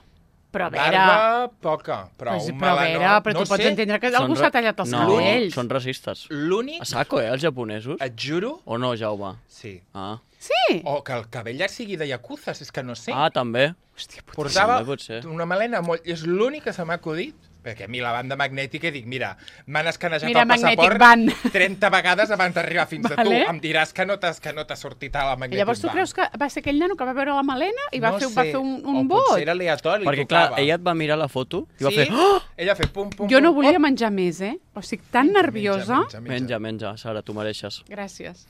S1: però a veure...
S2: Barba, poca, però
S1: Pues,
S2: un
S1: però a
S2: melanó...
S1: veure, però
S2: no
S1: tu pots
S2: sé,
S1: entendre que
S3: Són
S1: algú
S3: ra-
S1: s'ha tallat els
S3: no,
S1: cabells.
S3: són racistes.
S2: L'únic...
S3: A saco, eh, els japonesos?
S2: Et juro...
S3: O no, Jaume?
S2: Sí.
S3: Ah,
S1: Sí?
S2: O que el cabell ja sigui de yakuza, és que no sé.
S3: ah també.
S1: Hòstia, puta.
S2: Portava
S3: també pot ser.
S2: una melena molt... És l'únic que se m'ha acudit. Perquè a mi la banda magnètica, dic, mira, m'han escanejat
S1: Mira,
S2: el
S1: Magnetic
S2: passaport
S1: Band.
S2: trenta vegades abans d'arribar fins a tu.
S1: Vale.
S2: Em diràs que no t'has que no t'ha sortit a la
S1: I
S2: Magnetic
S1: llavors tu
S2: Band.
S1: creus que va ser aquell nano que va veure la melena i va,
S2: no
S1: fer,
S2: sé.
S1: va fer un, un
S2: o
S1: vot?
S2: potser era aleatori.
S3: Perquè, clar, ella et va mirar la foto i va
S2: sí?
S3: fer... Oh!
S2: Ella va fer pum, pum,
S1: Jo no
S2: pum,
S1: volia
S2: op.
S1: menjar més, eh? O sigui, tan nerviosa.
S2: Menja, menja,
S3: Menja, menja, Sara, tu mereixes.
S1: Gràcies.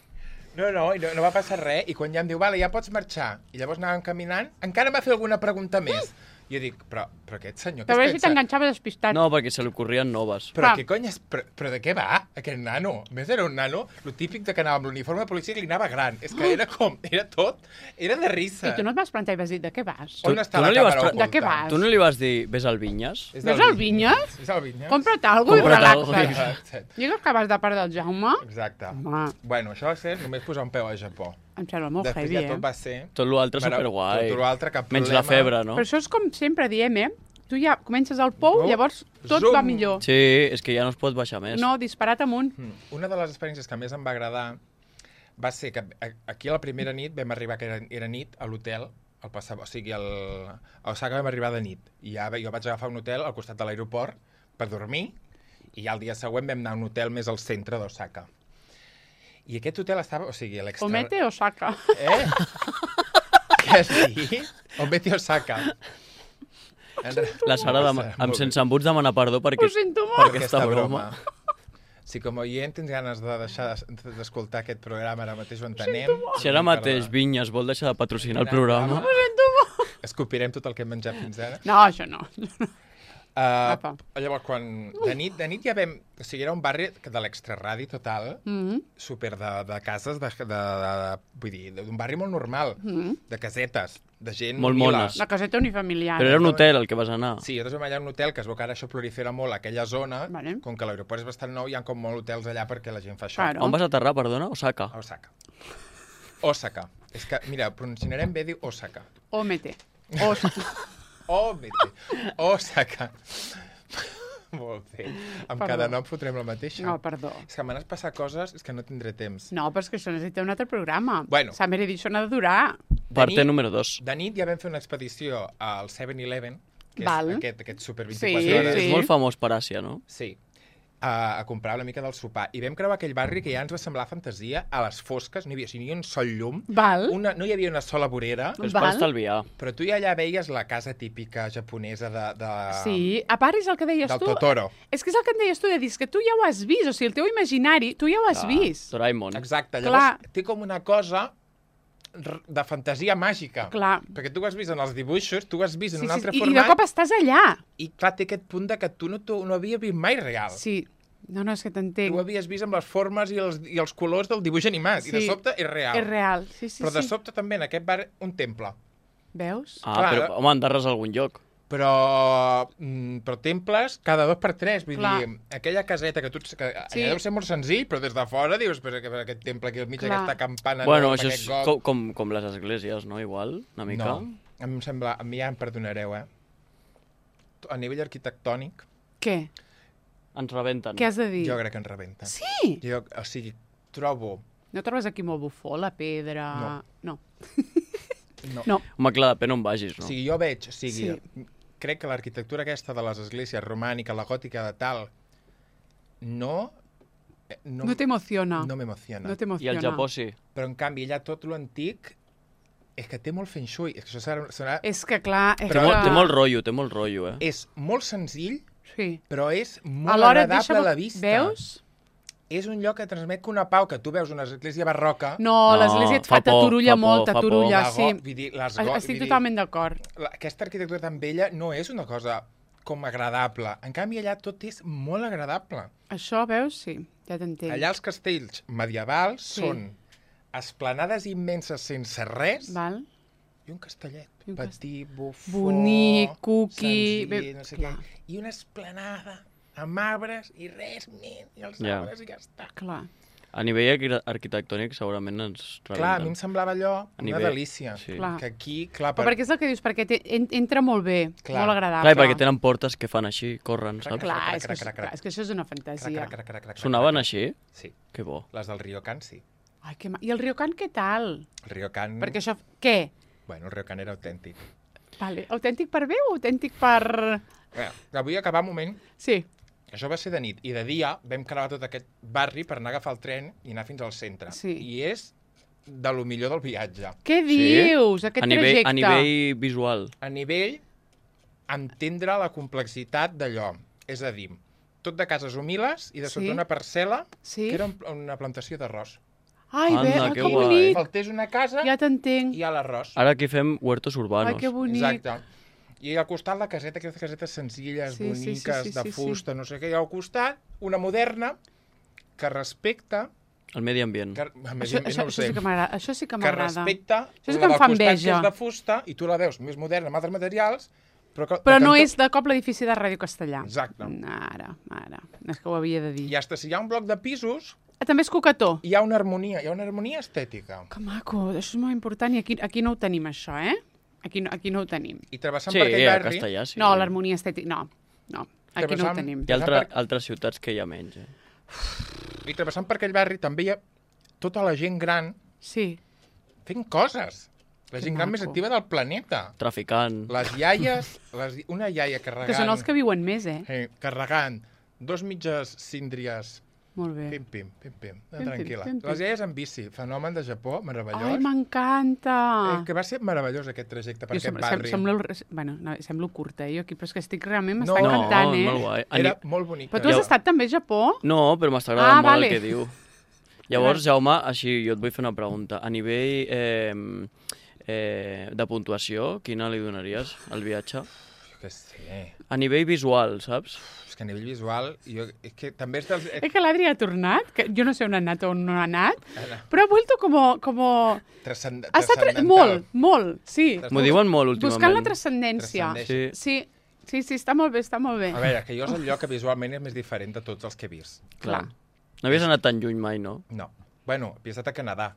S2: No, no, i no, no va passar res. I quan ja em diu, vale, ja pots marxar. I llavors anàvem caminant, encara em va fer alguna pregunta més. I jo dic, però, però aquest senyor, què
S1: Però a
S2: es
S1: veure si
S2: pensa?
S1: t'enganxava despistat.
S3: No, perquè se li ocorrien noves.
S2: Però
S1: Clar.
S2: què cony és? Però, però de què va, aquest nano? A més, era un nano, lo típic de que anava amb l'uniforme de policia que li anava gran. És que era com, era tot, era de risa.
S1: I tu no et vas plantar i vas dir, de què vas?
S2: On
S3: Tu-
S2: està
S3: tu no
S2: la
S3: li vas
S2: càmera
S3: pre-
S2: oculta?
S1: De què vas?
S3: Tu no li vas dir, ves al Vinyes?
S2: És
S1: Ves al Vinyes?
S2: És el Vinyes?
S1: Compra't alguna i
S3: Compra't
S1: relaxa't.
S3: alguna.
S2: Exacte.
S1: Digues que vas de part del Jaume.
S2: Exacte.
S1: Home,
S2: Bueno, això va ser només posar un peu a Japó.
S1: em sembla molt
S2: Després
S1: heavy,
S2: ja
S1: eh?
S2: tot va ser...
S3: Tot l'altre
S2: Mare-
S3: superguai.
S2: Tot l'altre, cap
S3: Menys
S2: problema.
S3: la febre, no?
S1: Però això és com sempre diem, eh? Tu ja comences al pou,
S2: No.
S1: llavors tot
S2: Zoom.
S1: va millor.
S3: Sí, és que ja no es pot baixar més.
S1: No, disparat amunt.
S2: Mm. Una de les experiències que més em va agradar va ser que a- aquí a la primera nit vam arribar, que era, era nit, a l'hotel, al passar, o sigui, al, a Osaka vam arribar de nit. I ja jo vaig agafar un hotel al costat de l'aeroport per dormir, i ja el dia següent vam anar a un hotel més al centre d'Osaka. I aquest hotel estava, o sigui, a l'extra...
S1: Omete o saca.
S2: Eh? Què has dit? Omete Osaka. En re-
S3: La Sara, dem...
S2: Molt
S3: amb
S2: bé.
S3: sense embuts demana perdó perquè...
S1: Ho sento
S3: per
S1: molt.
S3: aquesta broma.
S2: Si com a oient tens ganes de deixar de- d'escoltar aquest programa, ara mateix ho entenem.
S3: Si ara mateix Vinyes vol deixar de patrocinar el programa...
S2: Escopirem tot el que hem menjat fins ara.
S1: No, això no.
S2: Uh,
S1: Apa.
S2: llavors, quan de nit, de nit ja vam... O sigui, era un barri de l'extraradi total,
S1: Mm -hmm.
S2: super de, de cases, de, de, de, vull dir, d'un barri molt normal,
S1: Mm.
S2: de casetes, de gent
S3: Molt
S2: humila.
S3: mones.
S1: La caseta unifamiliar.
S3: Però era un hotel el que vas anar.
S2: Sí, nosaltres vam allà a un hotel, que es veu que ara això prolifera molt a aquella zona,
S1: Vale.
S2: com que l'aeroport és bastant nou, hi ha com molts hotels allà perquè la gent fa això.
S1: Claro.
S3: On vas aterrar, perdona? Osaka.
S2: A Osaka. Osaka. És que, mira, pronunciarem bé, diu Osaka.
S1: Omete. O saca.
S2: Oh, vete. Osaka. Molt bé. Amb
S1: Perdó.
S2: cada nom fotrem la mateixa.
S1: No, perdó.
S2: És que m'han passar coses, és que no tindré temps.
S1: No, però és que això necessita un altre programa.
S2: Bueno.
S1: Summer Edition ha de durar.
S3: Parte
S2: nit-
S3: número dos.
S2: De nit ja vam fer una expedició al seven eleven, que
S1: Val.
S2: és aquest, aquest super
S1: Sí,
S2: vint-i-quatre hores.
S3: És molt famós per Àsia, no?
S2: Sí. A, a comprar una mica del sopar. I vam creuar aquell barri que ja ens va semblar fantasia, a les fosques, no hi havia, o sigui, ni un sol llum,
S1: Val.
S2: una, no hi havia una sola vorera,
S3: És per
S1: Val.
S3: estalviar.
S2: però tu ja allà veies la casa típica japonesa de, de,
S1: Sí, a part és el que deies
S2: del
S1: tu.
S2: Totoro.
S1: És que és el que em deies tu, de dir, és que tu ja ho has vist, o sigui, el teu imaginari, tu ja ho has
S3: Ah,
S1: vist.
S3: Doraemon.
S2: Exacte,
S1: Clar.
S2: llavors té com una cosa r- de fantasia màgica.
S1: Clar.
S2: Perquè tu ho has vist en els dibuixos, tu ho has vist en
S1: Sí,
S2: un
S1: sí,
S2: altre
S1: i, I
S2: format,
S1: de cop estàs allà.
S2: i clar, té aquest punt de que tu no, tu no havies vist mai real.
S1: Sí. No, no, és que
S2: Tu
S1: t'entenc.
S2: ho havies vist amb les formes i els, i els colors del dibuix animat, i de
S1: Sí.
S2: sobte és real.
S1: És real. Sí, sí,
S2: Però de
S1: sí.
S2: sobte també en aquest bar un temple.
S1: Veus?
S3: Ah,
S2: Clar.
S3: però, home, endarres a algun lloc.
S2: Però, mm, però temples cada dos per tres. Vull
S1: Clar.
S2: dir, aquella caseta que tu... Que
S1: Sí.
S2: allà deu ser molt senzill, però des de fora dius, però que- aquest temple aquí al mig,
S1: Clar.
S2: aquesta campana...
S3: Bueno,
S2: no,
S3: això
S2: aquest
S3: és
S2: got.
S3: com, com, com les esglésies, no? Igual, una mica.
S2: No, em sembla... A mi ja em perdonareu, eh? A nivell arquitectònic,
S1: Què?
S3: Ens rebenten.
S1: Què has de dir?
S2: jo crec que ens rebenta.
S1: Sí!
S2: Jo, o sigui, trobo...
S1: No trobes aquí molt bufó, la pedra...
S2: No.
S1: No.
S2: No.
S1: No.
S3: Home, clar, depèn on vagis,
S2: O
S3: no?
S2: sigui, jo veig, o sigui,
S1: Sí.
S2: crec que l'arquitectura aquesta de les esglésies romànica, la gòtica de tal, no... eh,
S1: No, no t'emociona.
S2: No m'emociona.
S1: No
S3: I
S1: t'emociona.
S3: al Japó sí.
S2: Però, en canvi, allà tot lo antic és que té molt feng shui. És que això serà, serà...
S1: És que, clar... És
S3: Té,
S2: Però-
S3: molt,
S1: que...
S3: té molt rotllo, té molt rotllo, eh?
S2: És molt senzill,
S1: Sí.
S2: però és molt
S1: Alhora et
S2: agradable
S1: deixa...
S2: a la vista.
S1: Veus?
S2: És un lloc que transmet una pau, que tu veus una església barroca...
S1: No,
S3: No,
S1: l'església et
S3: fa
S1: fa,
S3: por,
S1: t'aturulla
S3: fa por,
S1: molt,
S3: fa por.
S1: t'aturulla,
S2: la
S1: sí.
S2: go- vull dir, les go-
S1: Estic
S2: vull dir,
S1: totalment d'acord.
S2: la- Aquesta arquitectura tan vella no és una cosa com agradable. En canvi, allà tot és molt agradable.
S1: Això, veus? Sí, ja t'entenc.
S2: Allà els castells medievals
S1: Sí.
S2: són esplanades immenses sense res
S1: Val?
S2: i un castellet
S1: I un
S2: petit, bufó,
S1: Bonic, cookie,
S2: senzill,
S1: bé-
S2: no sé
S1: clar.
S2: què. I una esplanada amb arbres i res més, i els
S3: Ja.
S2: arbres i ja està.
S1: Clar.
S3: A nivell arqui- arquitectònic segurament ens rebenten.
S2: Clar, a mi em semblava allò
S3: A
S2: una
S3: nivell-
S2: delícia.
S3: sí.
S1: Clar.
S2: Que aquí, clar,
S1: Però perquè és el que dius, perquè té, en, entra molt bé,
S2: Clar.
S1: molt agradable.
S3: Clar, i perquè tenen portes que fan així, corren, saps?
S1: Clar,
S2: Crac,
S1: és, que,
S2: crac,
S1: això-
S2: crac, crac.
S1: clar, és que això és una
S2: Crac,
S1: fantasia.
S2: crac, crac, crac, crac,
S3: Sonaven
S2: crac.
S3: així?
S2: Sí,
S3: Que bo.
S2: les del Ryokan sí.
S1: Ai, que ma... I el Ryokan què tal?
S2: El Ryokan...
S1: Perquè això... Què?
S2: Bueno, el Ryokan era autèntic.
S1: Vale. Autèntic per bé o autèntic per...
S2: Bé, vull acabar un moment.
S1: Sí.
S2: Això va ser de nit. I de dia vam creuar tot aquest barri per anar a agafar el tren i anar fins al centre.
S1: Sí.
S2: I és de lo millor del viatge.
S1: Què dius, aquest
S3: a nivell,
S1: trajecte?
S3: A nivell visual.
S2: A nivell, entendre la complexitat d'allò. És a dir, tot de cases humils i de sota
S1: Sí.
S2: una parcel·la
S1: Sí?
S2: que era un- una plantació d'arròs.
S1: Ai,
S3: Anda,
S1: bé, ai,
S3: que
S1: que
S3: guai.
S1: bonic.
S2: Faltés una casa
S1: Ja t'entenc.
S2: i hi ha l'arròs.
S3: Ara aquí fem huertos urbanos.
S1: Ai, que bonic.
S2: Exacte. I al costat la caseta, aquestes casetes senzilles,
S1: Sí, sí, sí,
S2: boniques,
S1: sí,
S2: de
S1: sí, sí.
S2: fusta, no sé què. I al costat, una moderna que respecta...
S3: El medi ambient.
S2: Que, a més,
S1: Això,
S2: no
S1: això,
S2: ho
S1: això
S2: sé.
S1: sí que m'agrada. Això sí que
S2: que
S1: m'agrada.
S2: respecta
S1: Això sí
S2: la
S1: que em
S2: del
S1: fa
S2: costat, que
S1: enveja.
S2: és de fusta, i tu la veus més moderna, amb altres materials, però... Que,
S1: Però
S2: de
S1: no
S2: cantó-
S1: és de cop l'edifici de Ràdio Castellà.
S2: Exacte.
S1: Ara, ara. És que ho havia de dir.
S2: I hasta si hi ha un bloc de pisos,
S1: Ah, també és coquetó.
S2: hi ha una harmonia, hi ha una harmonia estètica.
S1: Que maco, això és molt important i aquí, aquí no ho tenim, això, eh? Aquí no, aquí no ho tenim.
S2: I travessant
S3: Sí,
S2: per aquell
S3: a
S2: barri...
S3: castellà sí.
S1: No, l'harmonia estètica, no. No, aquí no ho
S2: Travessant-
S1: tenim.
S3: Hi ha altra,
S2: Per-
S3: altres ciutats que hi ha menys. Eh?
S2: I travessant per aquell barri també hi ha tota la gent gran
S1: Sí.
S2: fent coses. La
S1: Que
S2: gent gran més
S1: maco.
S2: activa del planeta.
S3: Traficant.
S2: Les iaies, les, una iaia carregant...
S1: Que són els que viuen més, eh?
S2: eh, carregant dos mitges síndries,
S1: Molt bé.
S2: pim, pim, pim, pim,
S1: Pim,
S2: tranquil·la.
S1: pim, pim, pim.
S2: Les iaies en bici, fenomen de Japó, meravellós.
S1: Ai, m'encanta!
S2: Eh, que va ser meravellós aquest trajecte per
S1: Jo
S2: aquest
S1: sem sem
S2: barri.
S1: semblo, el- bueno, no, semblo curta, eh, jo aquí, però és que estic realment,
S2: No,
S1: m'està
S3: No,
S1: encantant, eh?
S3: molt guai. A
S2: Era
S3: ni-
S2: molt bonic.
S1: Però tu has
S3: Ja-
S1: estat també a Japó?
S3: No, però m'està agradant
S1: Ah,
S3: molt
S1: vale.
S3: el que diu. Llavors, Jaume, així, jo et vull fer una pregunta. A nivell eh, eh, de puntuació, quina li donaries al viatge?
S2: Jo què sé.
S3: A nivell visual, saps?
S2: És que a nivell visual, jo, és que també és dels...
S1: És que l'Adri ha tornat, que jo no sé on ha anat o on no ha anat,
S2: Ara,
S1: però ha vuelto como... como...
S2: transcend
S1: Ha estat tra-
S2: transcendental.
S1: molt, molt, sí.
S3: M'ho diuen molt últimament.
S1: Buscant la transcendència.
S2: Transcendeix.
S3: Sí,
S1: Sí, sí, sí, està molt bé, està molt bé.
S2: A veure, que jo és el lloc que visualment és més diferent de tots els que he vist.
S3: clar.
S1: Clar.
S3: No havies anat tan lluny mai, no?
S2: No. Bueno, he estat a Canadà,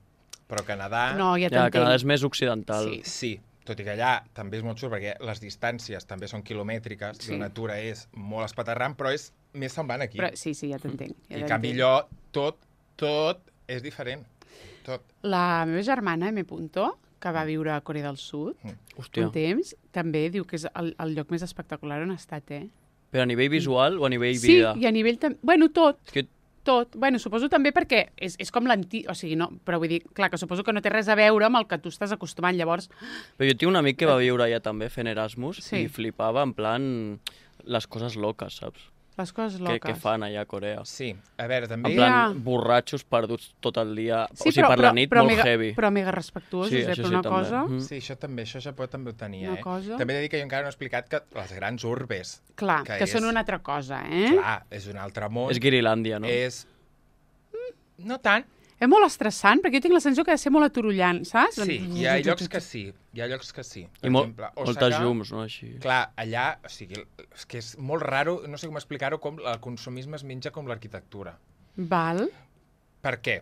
S2: però Canadà...
S1: No, ja
S3: Ja, Canadà
S1: t'entenc.
S3: és més occidental.
S1: Sí.
S2: Sí, tot i que allà també és molt xulo, perquè les distàncies també són quilomètriques,
S1: Sí.
S2: i la natura és molt espaterrant, però és més semblant aquí.
S1: Però, sí, sí, ja t'entenc. Ja
S2: I en
S1: t'entenc.
S2: canvi allò, tot, tot és diferent. Tot.
S1: La meva germana, M. Punto, que va viure a Corea del Sud
S3: Hòstia.
S1: un temps, també diu que és el, el lloc més espectacular on ha estat, eh?
S3: Però a nivell visual o a nivell
S1: Sí,
S3: vida?
S1: i a nivell... tam- Bueno, tot,
S3: És que
S1: tot. Bueno, suposo també perquè és, és com l'antic... O sigui, no, però vull dir, clar, que suposo que no té res a veure amb el que tu estàs acostumant. Llavors,
S3: Però jo tinc un amic que va viure allà també fent Erasmus
S1: Sí.
S3: i flipava en plan les coses loques, saps?
S1: les coses
S3: Que,
S1: loques.
S3: que fan allà a Corea.
S2: Sí, a veure, també...
S3: En plan,
S1: Ja.
S3: borratxos perduts tot el dia.
S1: Sí,
S3: o sigui, per la nit,
S1: però
S3: molt
S1: mega,
S3: heavy.
S1: Però mega respectuosos,
S3: Sí,
S1: eh?
S3: això
S1: Però
S3: sí,
S1: una
S3: també.
S1: cosa...
S3: Mm.
S2: Sí, això també, això Japó també ho tenia,
S1: Una
S2: eh?
S1: cosa.
S2: També he de dir que jo encara no he explicat que les grans urbes,
S1: Clar,
S2: que
S1: que,
S2: és-
S1: són una altra cosa, eh?
S2: clar, és un altre món.
S3: És Guirilàndia, no?
S2: És... No tant.
S1: És molt estressant, perquè jo tinc la sensació que ha de ser molt aturullant, saps?
S2: Sí, hi ha llocs que sí, hi ha llocs que sí. Per
S3: I mol,
S2: exemple,
S3: moltes
S2: Osaka,
S3: llums, no? Així.
S2: Clar, allà, o sigui, és que és molt raro, no sé com explicar-ho, com el consumisme es menja com l'arquitectura.
S1: Val.
S2: Per què?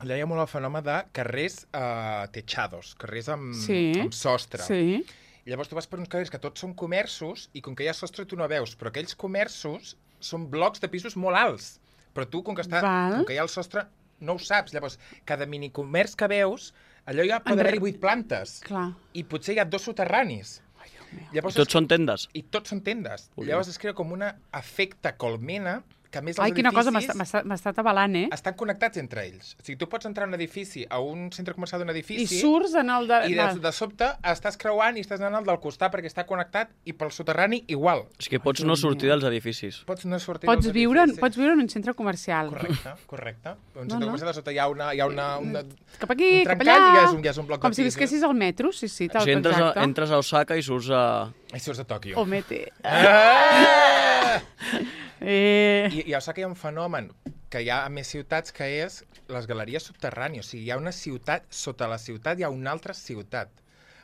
S2: Allà hi ha molt el fenomen de carrers eh, techados, carrers amb,
S1: Sí.
S2: amb sostre.
S1: Sí.
S2: Llavors tu vas per uns carrers que tots són comerços i com que hi ha sostre tu no veus, però aquells comerços són blocs de pisos molt alts. Però tu, com que, està,
S1: Val.
S2: com que hi ha el sostre, no ho saps. Llavors, cada minicomerç que veus, allò hi ha, pot
S1: Enre-
S2: haver-hi vuit plantes.
S1: Clar.
S2: I potser hi ha dos soterranis.
S1: Ai, Déu meu.
S2: Llavors,
S3: Tots són tendes.
S2: I tots són tendes.
S3: Ui.
S2: Llavors es crea com un efecte colmena que a més
S1: Ai,
S2: els
S1: quina cosa,
S2: edificis
S1: m'està m'està avalant, eh?
S2: estan connectats entre ells. O sigui, tu pots entrar a un edifici, a un centre comercial d'un
S1: I
S2: edifici,
S1: surts en el de...
S2: i de, de sobte estàs creuant i estàs anant al del costat perquè està connectat i pel soterrani igual.
S3: És que pots no sortir dels edificis.
S2: Pots no sortir
S1: Pots
S2: dels
S1: viure,
S2: edificis.
S1: pots viure en un centre comercial.
S2: Correcte, correcte. Un
S1: No,
S2: centre
S1: no.
S2: comercial de sota hi ha una... Hi ha una, una
S1: Cap aquí,
S2: un
S1: cap
S2: trencat
S1: allà...
S2: i ja és un, ja és un bloc
S1: Com
S2: de
S1: si
S2: pisos.
S1: visquessis al metro, sí, sí, tal,
S3: Si entres a,
S1: exacte.
S3: entres a Osaka i surts a...
S2: I surts de Tòquio.
S1: O mete.
S2: Ah!
S1: Eh...
S2: I, I a Osaka hi ha un fenomen que hi ha a més ciutats, que és les galeries subterrànies. O sigui, hi ha una ciutat, sota la ciutat hi ha una altra ciutat.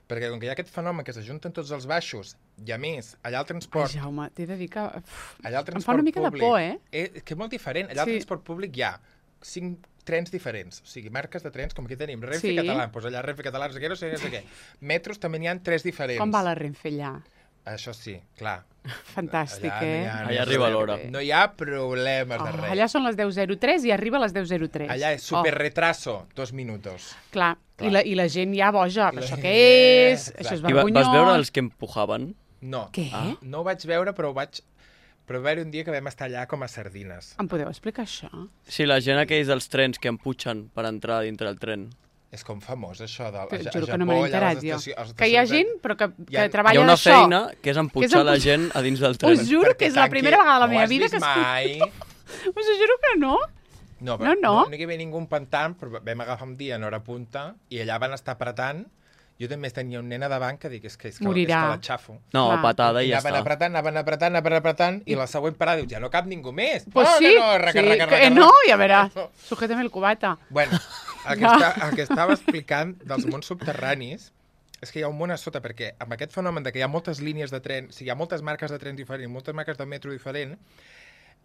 S2: Perquè com que hi ha aquest fenomen que s'ajunten tots els baixos, i a més, allà el
S1: Ai,
S2: transport...
S1: Jaume, t'he de dir que... Uf,
S2: allà el
S1: em
S2: transport
S1: fa una mica
S2: públic,
S1: de por, eh?
S2: És que és molt diferent. Allà
S1: Sí.
S2: al transport públic hi ha cinc trens diferents. O sigui, marques de trens, com aquí tenim Renfe
S1: Sí.
S2: Català, doncs allà Renfe Català, no sé què, no sé, no sé què. Metros també n'hi ha tres diferents.
S1: Com va la Renfe allà?
S2: Això sí, clar.
S1: Fantàstic,
S2: Allà no hi
S1: eh?
S2: ha- no hi ha
S3: Allà arriba
S2: problema.
S3: l'hora.
S2: No hi ha problemes de
S1: Oh,
S2: res.
S1: allà són les deu zero tres i arriba a les deu zero tres.
S2: Allà és super retraso, dos minutos.
S1: Oh, clar.
S2: Clar.
S1: I, la, i la gent ja boja.
S2: I
S1: Però
S2: la
S1: això
S2: gent-
S1: què és?
S2: Exacte.
S1: Això és
S3: I va,
S1: vergonyós.
S3: vas veure els que empujaven?
S2: No.
S1: Què?
S3: Ah.
S2: No ho vaig veure, però ho vaig... Però va haver un dia que vam estar allà com a sardines.
S1: Em podeu explicar això?
S3: Sí, la gent aquells dels trens que empujen per entrar dintre del tren.
S2: És com famós, això. De,
S1: Però
S2: a,
S1: juro
S2: a
S1: que no me
S2: Japó,
S1: n'he
S2: allà a les
S1: enterat, jo.
S2: estacions- a les
S1: Que hi ha
S2: estacions de-
S1: gent, però que,
S2: Hi
S1: que
S2: ha-
S3: Hi
S1: treballa
S3: ha una
S1: d'això.
S3: feina que és empujar la gent a dins del tren.
S1: Us juro que és la
S2: Perquè
S1: primera
S2: tanqui-
S1: vegada de la
S2: no
S1: meva
S2: has
S1: vida
S2: vist
S1: que escolto.
S2: mai.
S1: Us ho juro que no.
S2: No,
S1: No,
S2: però
S1: no.
S2: no, no hi havia ningú empantant, però vam agafar un dia en hora punta i allà van estar apretant. Jo també tenia un nen a davant que dic, és que, és que, és
S1: Morirà.
S2: que la xafo.
S3: No,
S1: Clar.
S3: patada i
S2: I
S3: ja
S2: anaven
S3: està.
S2: apretant, anaven apretant, anaven apretant, i la següent parada dius, ja no cap ningú més.
S1: Pues
S2: no,
S1: sí,
S2: no, no, raca,
S1: sí,
S2: raca,
S1: que
S2: raca,
S1: no,
S2: raca.
S1: ja veràs. Sujétame el cubata.
S2: Bueno, el que, està, el que estava explicant dels mons subterranis és que hi ha un món a sota, perquè amb aquest fenomen de que hi ha moltes línies de tren, o sigui, hi ha moltes marques de tren diferents, moltes marques de metro diferent,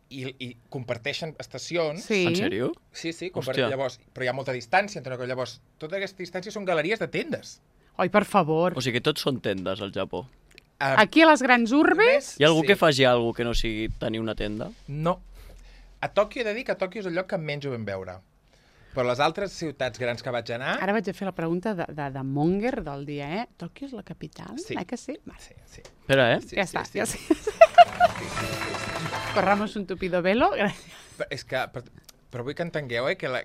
S2: i, i comparteixen estacions.
S1: Sí.
S3: En sèrio?
S2: Sí, sí,
S3: Hòstia.
S2: comparteixen, llavors, però hi ha molta distància entre una cosa. Llavors, tota aquesta distància són galeries de tendes.
S1: Oi, per favor.
S3: O sigui que tots són tendes al Japó.
S2: Uh,
S1: Aquí a les grans urbes...
S3: Hi ha algú
S2: sí.
S3: que faci alguna que no sigui tenir una tenda?
S2: No. A Tòquio he de dir que Tòquio és el lloc que menys ho vam veure. Però les altres ciutats grans que vaig anar...
S1: Ara vaig a fer la pregunta de, de, de Monger del dia, eh? Tòquio és la capital?
S2: Sí.
S1: Eh que sí? Vale.
S2: Sí, sí.
S3: Espera, eh?
S2: sí
S1: Ja
S2: sí,
S1: està,
S2: sí.
S1: ja sé.
S2: Sí, sí, sí, sí.
S1: Corramos un tupido velo. Gràcies.
S2: Però és que... Però, però vull que entengueu, eh, que la,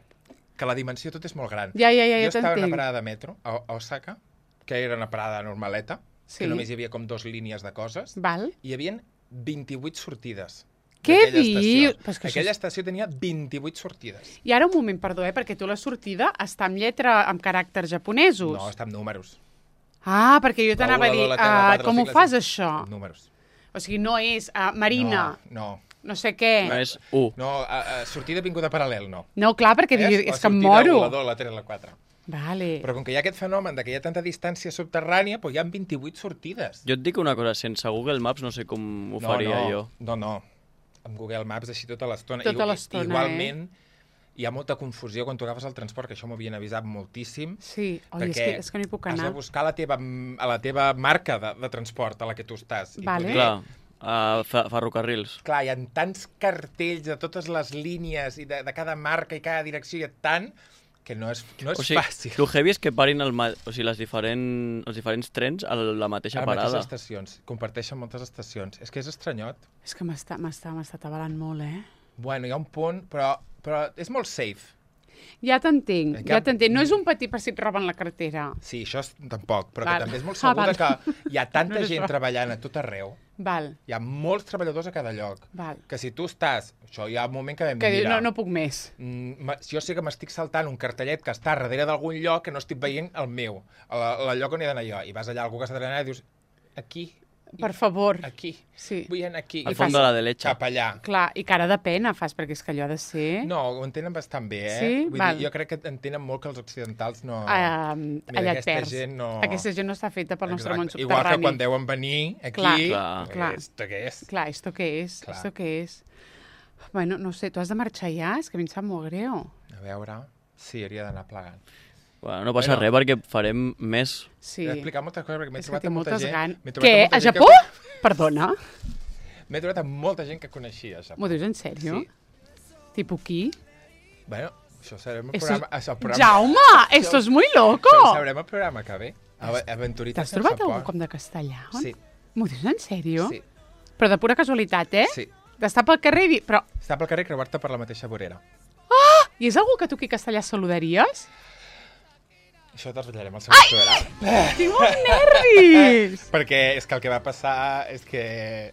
S2: que la dimensió tot és molt gran.
S1: Ja, ja, ja,
S2: jo
S1: ja
S2: estava en una
S1: t'entenc.
S2: parada de metro, a, a Osaka, que era una parada normaleta,
S1: Sí.
S2: que només hi havia com dos línies de coses,
S1: Val.
S2: i hi havia vint-i-vuit sortides.
S1: Què
S2: d'aquella
S1: dius?
S2: estació.
S1: Però és que això
S2: Aquella
S1: és-
S2: estació tenia vint-i-vuit sortides.
S1: I ara un moment, perdó, eh? Perquè tu la sortida està amb lletra, amb caràcters japonesos.
S2: No, està amb números.
S1: Ah, perquè jo
S2: La
S1: t'anava a
S2: u, la
S1: dir,
S2: dos, la tres, la
S1: ah,
S2: quatre, la
S1: com
S2: cinc,
S1: ho
S2: la
S1: fas,
S2: sis.
S1: això?
S2: Números.
S1: O sigui, no és uh, Marina,
S2: No, no.
S1: no sé què.
S3: No és u.
S2: No, a, a, sortida vinguda paral·lel, no.
S1: No, clar, perquè
S2: És,
S1: dius,
S2: la
S1: és que em
S2: sortida
S1: moro.
S2: u, la dos, la tres, la quatre.
S1: Vale.
S2: Però com que hi ha aquest fenomen de que hi ha tanta distància subterrània, doncs hi ha vint-i-vuit sortides.
S3: Jo et dic una cosa, sense Google Maps no sé com ho faria
S2: no,
S3: jo.
S2: No, no. Amb Google Maps així tota l'estona.
S1: Tota
S2: I-
S1: l'estona,
S2: Igualment, hi ha molta confusió quan tu agafes el transport, que això m'ho havien avisat moltíssim.
S1: Sí, oi, és
S2: perquè
S1: que, és que no hi puc
S2: has
S1: anar.
S2: de buscar la teva, a la teva marca de, de transport a la que tu estàs. I
S1: Vale.
S2: poder-
S3: Clar, a fe- ferrocarrils.
S2: Clar, hi ha tants cartells de totes les línies i de, de cada marca i cada direcció, hi ha tant que no és, no és
S3: O sigui,
S2: fàcil.
S3: el heavy és que parin el ma... o sigui, les diferent... els diferents trens a la mateixa
S2: A les
S3: parada.
S2: mateixes estacions. Comparteixen moltes estacions. És que és estranyot.
S1: És que m'està m'està m'està atabalant molt, eh?
S2: Bueno, hi ha un punt, però, però és molt safe.
S1: Ja t'entenc,
S2: Que-
S1: ja t'entenc. No és un petit per si et roben la cartera.
S2: Sí, això és, tampoc, però
S1: Val.
S2: que també és molt
S1: Ah,
S2: segur
S1: val.
S2: que hi ha tanta
S1: No és
S2: gent
S1: això.
S2: treballant a tot arreu.
S1: Val,
S2: Hi ha molts treballadors a cada lloc.
S1: val.
S2: Que si tu estàs... Això hi ha un moment que vam
S1: Que
S2: dir,
S1: dius,
S2: mira,
S1: no, no puc més.
S2: mm, ma- jo sé que m'estic saltant un cartellet que està darrere d'algun lloc que no estic veient el meu, el, el lloc on he d'anar jo. I vas allà a algú que està treballant i dius, aquí,
S1: Per favor.
S2: aquí,
S1: Sí.
S2: vull anar aquí.
S3: Al
S2: I
S3: fons
S2: fas
S3: de la derecha.
S2: Cap allà.
S1: Clar, i cara de pena fas, perquè és que allò ha de ser...
S2: No, ho entenen bastant bé, eh?
S1: Sí?
S2: Vull
S1: Val.
S2: dir, jo crec que entenen molt que els occidentals no...
S1: Uh,
S2: Mira,
S1: allà et
S2: aquesta
S1: perds.
S2: gent no-
S1: Aquesta gent no està feta pel nostre món
S2: Exacte. Igual que
S1: subterrani.
S2: quan deuen venir aquí,
S1: Clar,
S3: clar.
S1: clar.
S2: esto què és?
S1: Clar, esto què és?
S2: Clar.
S1: Esto què és? Bueno, no sé, tu has de marxar ja? És que a mi em sap molt greu.
S2: A veure, sí, hauria d'anar plegant.
S3: Bueno, no passa
S2: Bueno.
S3: res perquè farem més.
S1: Sí.
S2: He explicat moltes coses perquè m'he
S1: És que
S2: trobat
S1: tinc
S2: amb molta
S1: moltes
S2: gent...
S1: ganes.
S2: m'he trobat
S1: Què?
S2: amb molta
S1: A
S2: gent
S1: Japó?
S2: Que...
S1: Perdona?
S2: M'he trobat amb molta gent que coneixia, a Japó.
S1: M'ho dius en sèrio?
S2: Sí.
S1: Tipo qui?
S2: Bueno, això serem el
S1: Eso
S2: programa... Això, el programa...
S1: Jaume, esto es muy loco!
S2: Això ho sabrem el programa que ve. Ava- Aventuritas
S1: T'has
S2: en
S1: trobat
S2: Japó.
S1: algú com de castellà?
S2: Sí,
S1: M'ho dius en sèrio?
S2: sí,
S1: Però de pura casualitat, eh?
S2: sí.
S1: D'estar pel carrer i dir... Però,
S2: Estar pel carrer i creuar-te per la mateixa vorera.
S1: i és algú que tu aquí a Castellà saludaries?
S2: Això te'ls ballarem al segon programa.
S1: Tinc molts nervis!
S2: Perquè és que el que va passar és que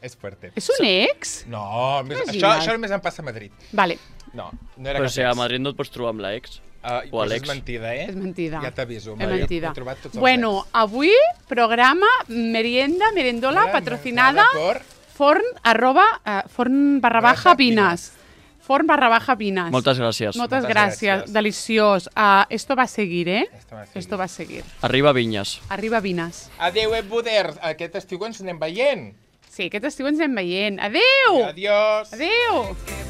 S2: és fuerte.
S1: És un ex?
S2: No, més,
S1: Imagina't.
S2: això, això només em passa a Madrid.
S1: Vale,
S2: No, no era
S3: Però
S2: cap
S3: si a
S2: ex.
S3: Madrid no et pots trobar amb l'ex.
S2: Uh,
S3: o a
S2: doncs
S3: l'ex.
S2: és mentida, eh?
S1: és mentida.
S2: Ja t'aviso.
S1: És
S2: Madrid,
S1: mentida.
S2: he trobat tots els
S1: Bueno,
S2: ex.
S1: avui, programa Merienda, Merendola,
S2: Mira,
S1: patrocinada
S2: por...
S1: forn, arroba, eh, forn barra baja,
S2: Baja
S1: pinas. Forn barra baja, pinas.
S3: Moltes gràcies.
S1: Moltes
S2: Moltes
S1: gràcies,
S2: gràcies.
S1: deliciós. Uh, esto va a seguir, eh?
S2: Esto va a seguir.
S1: Esto va a seguir.
S3: Arriba Vinyes.
S1: Arriba Vinas.
S2: Adéu, Ebuders. Aquest estiu ens anem veient.
S1: Sí, aquest estiu ens anem veient. Adéu!
S2: Adiós.
S1: Adéu!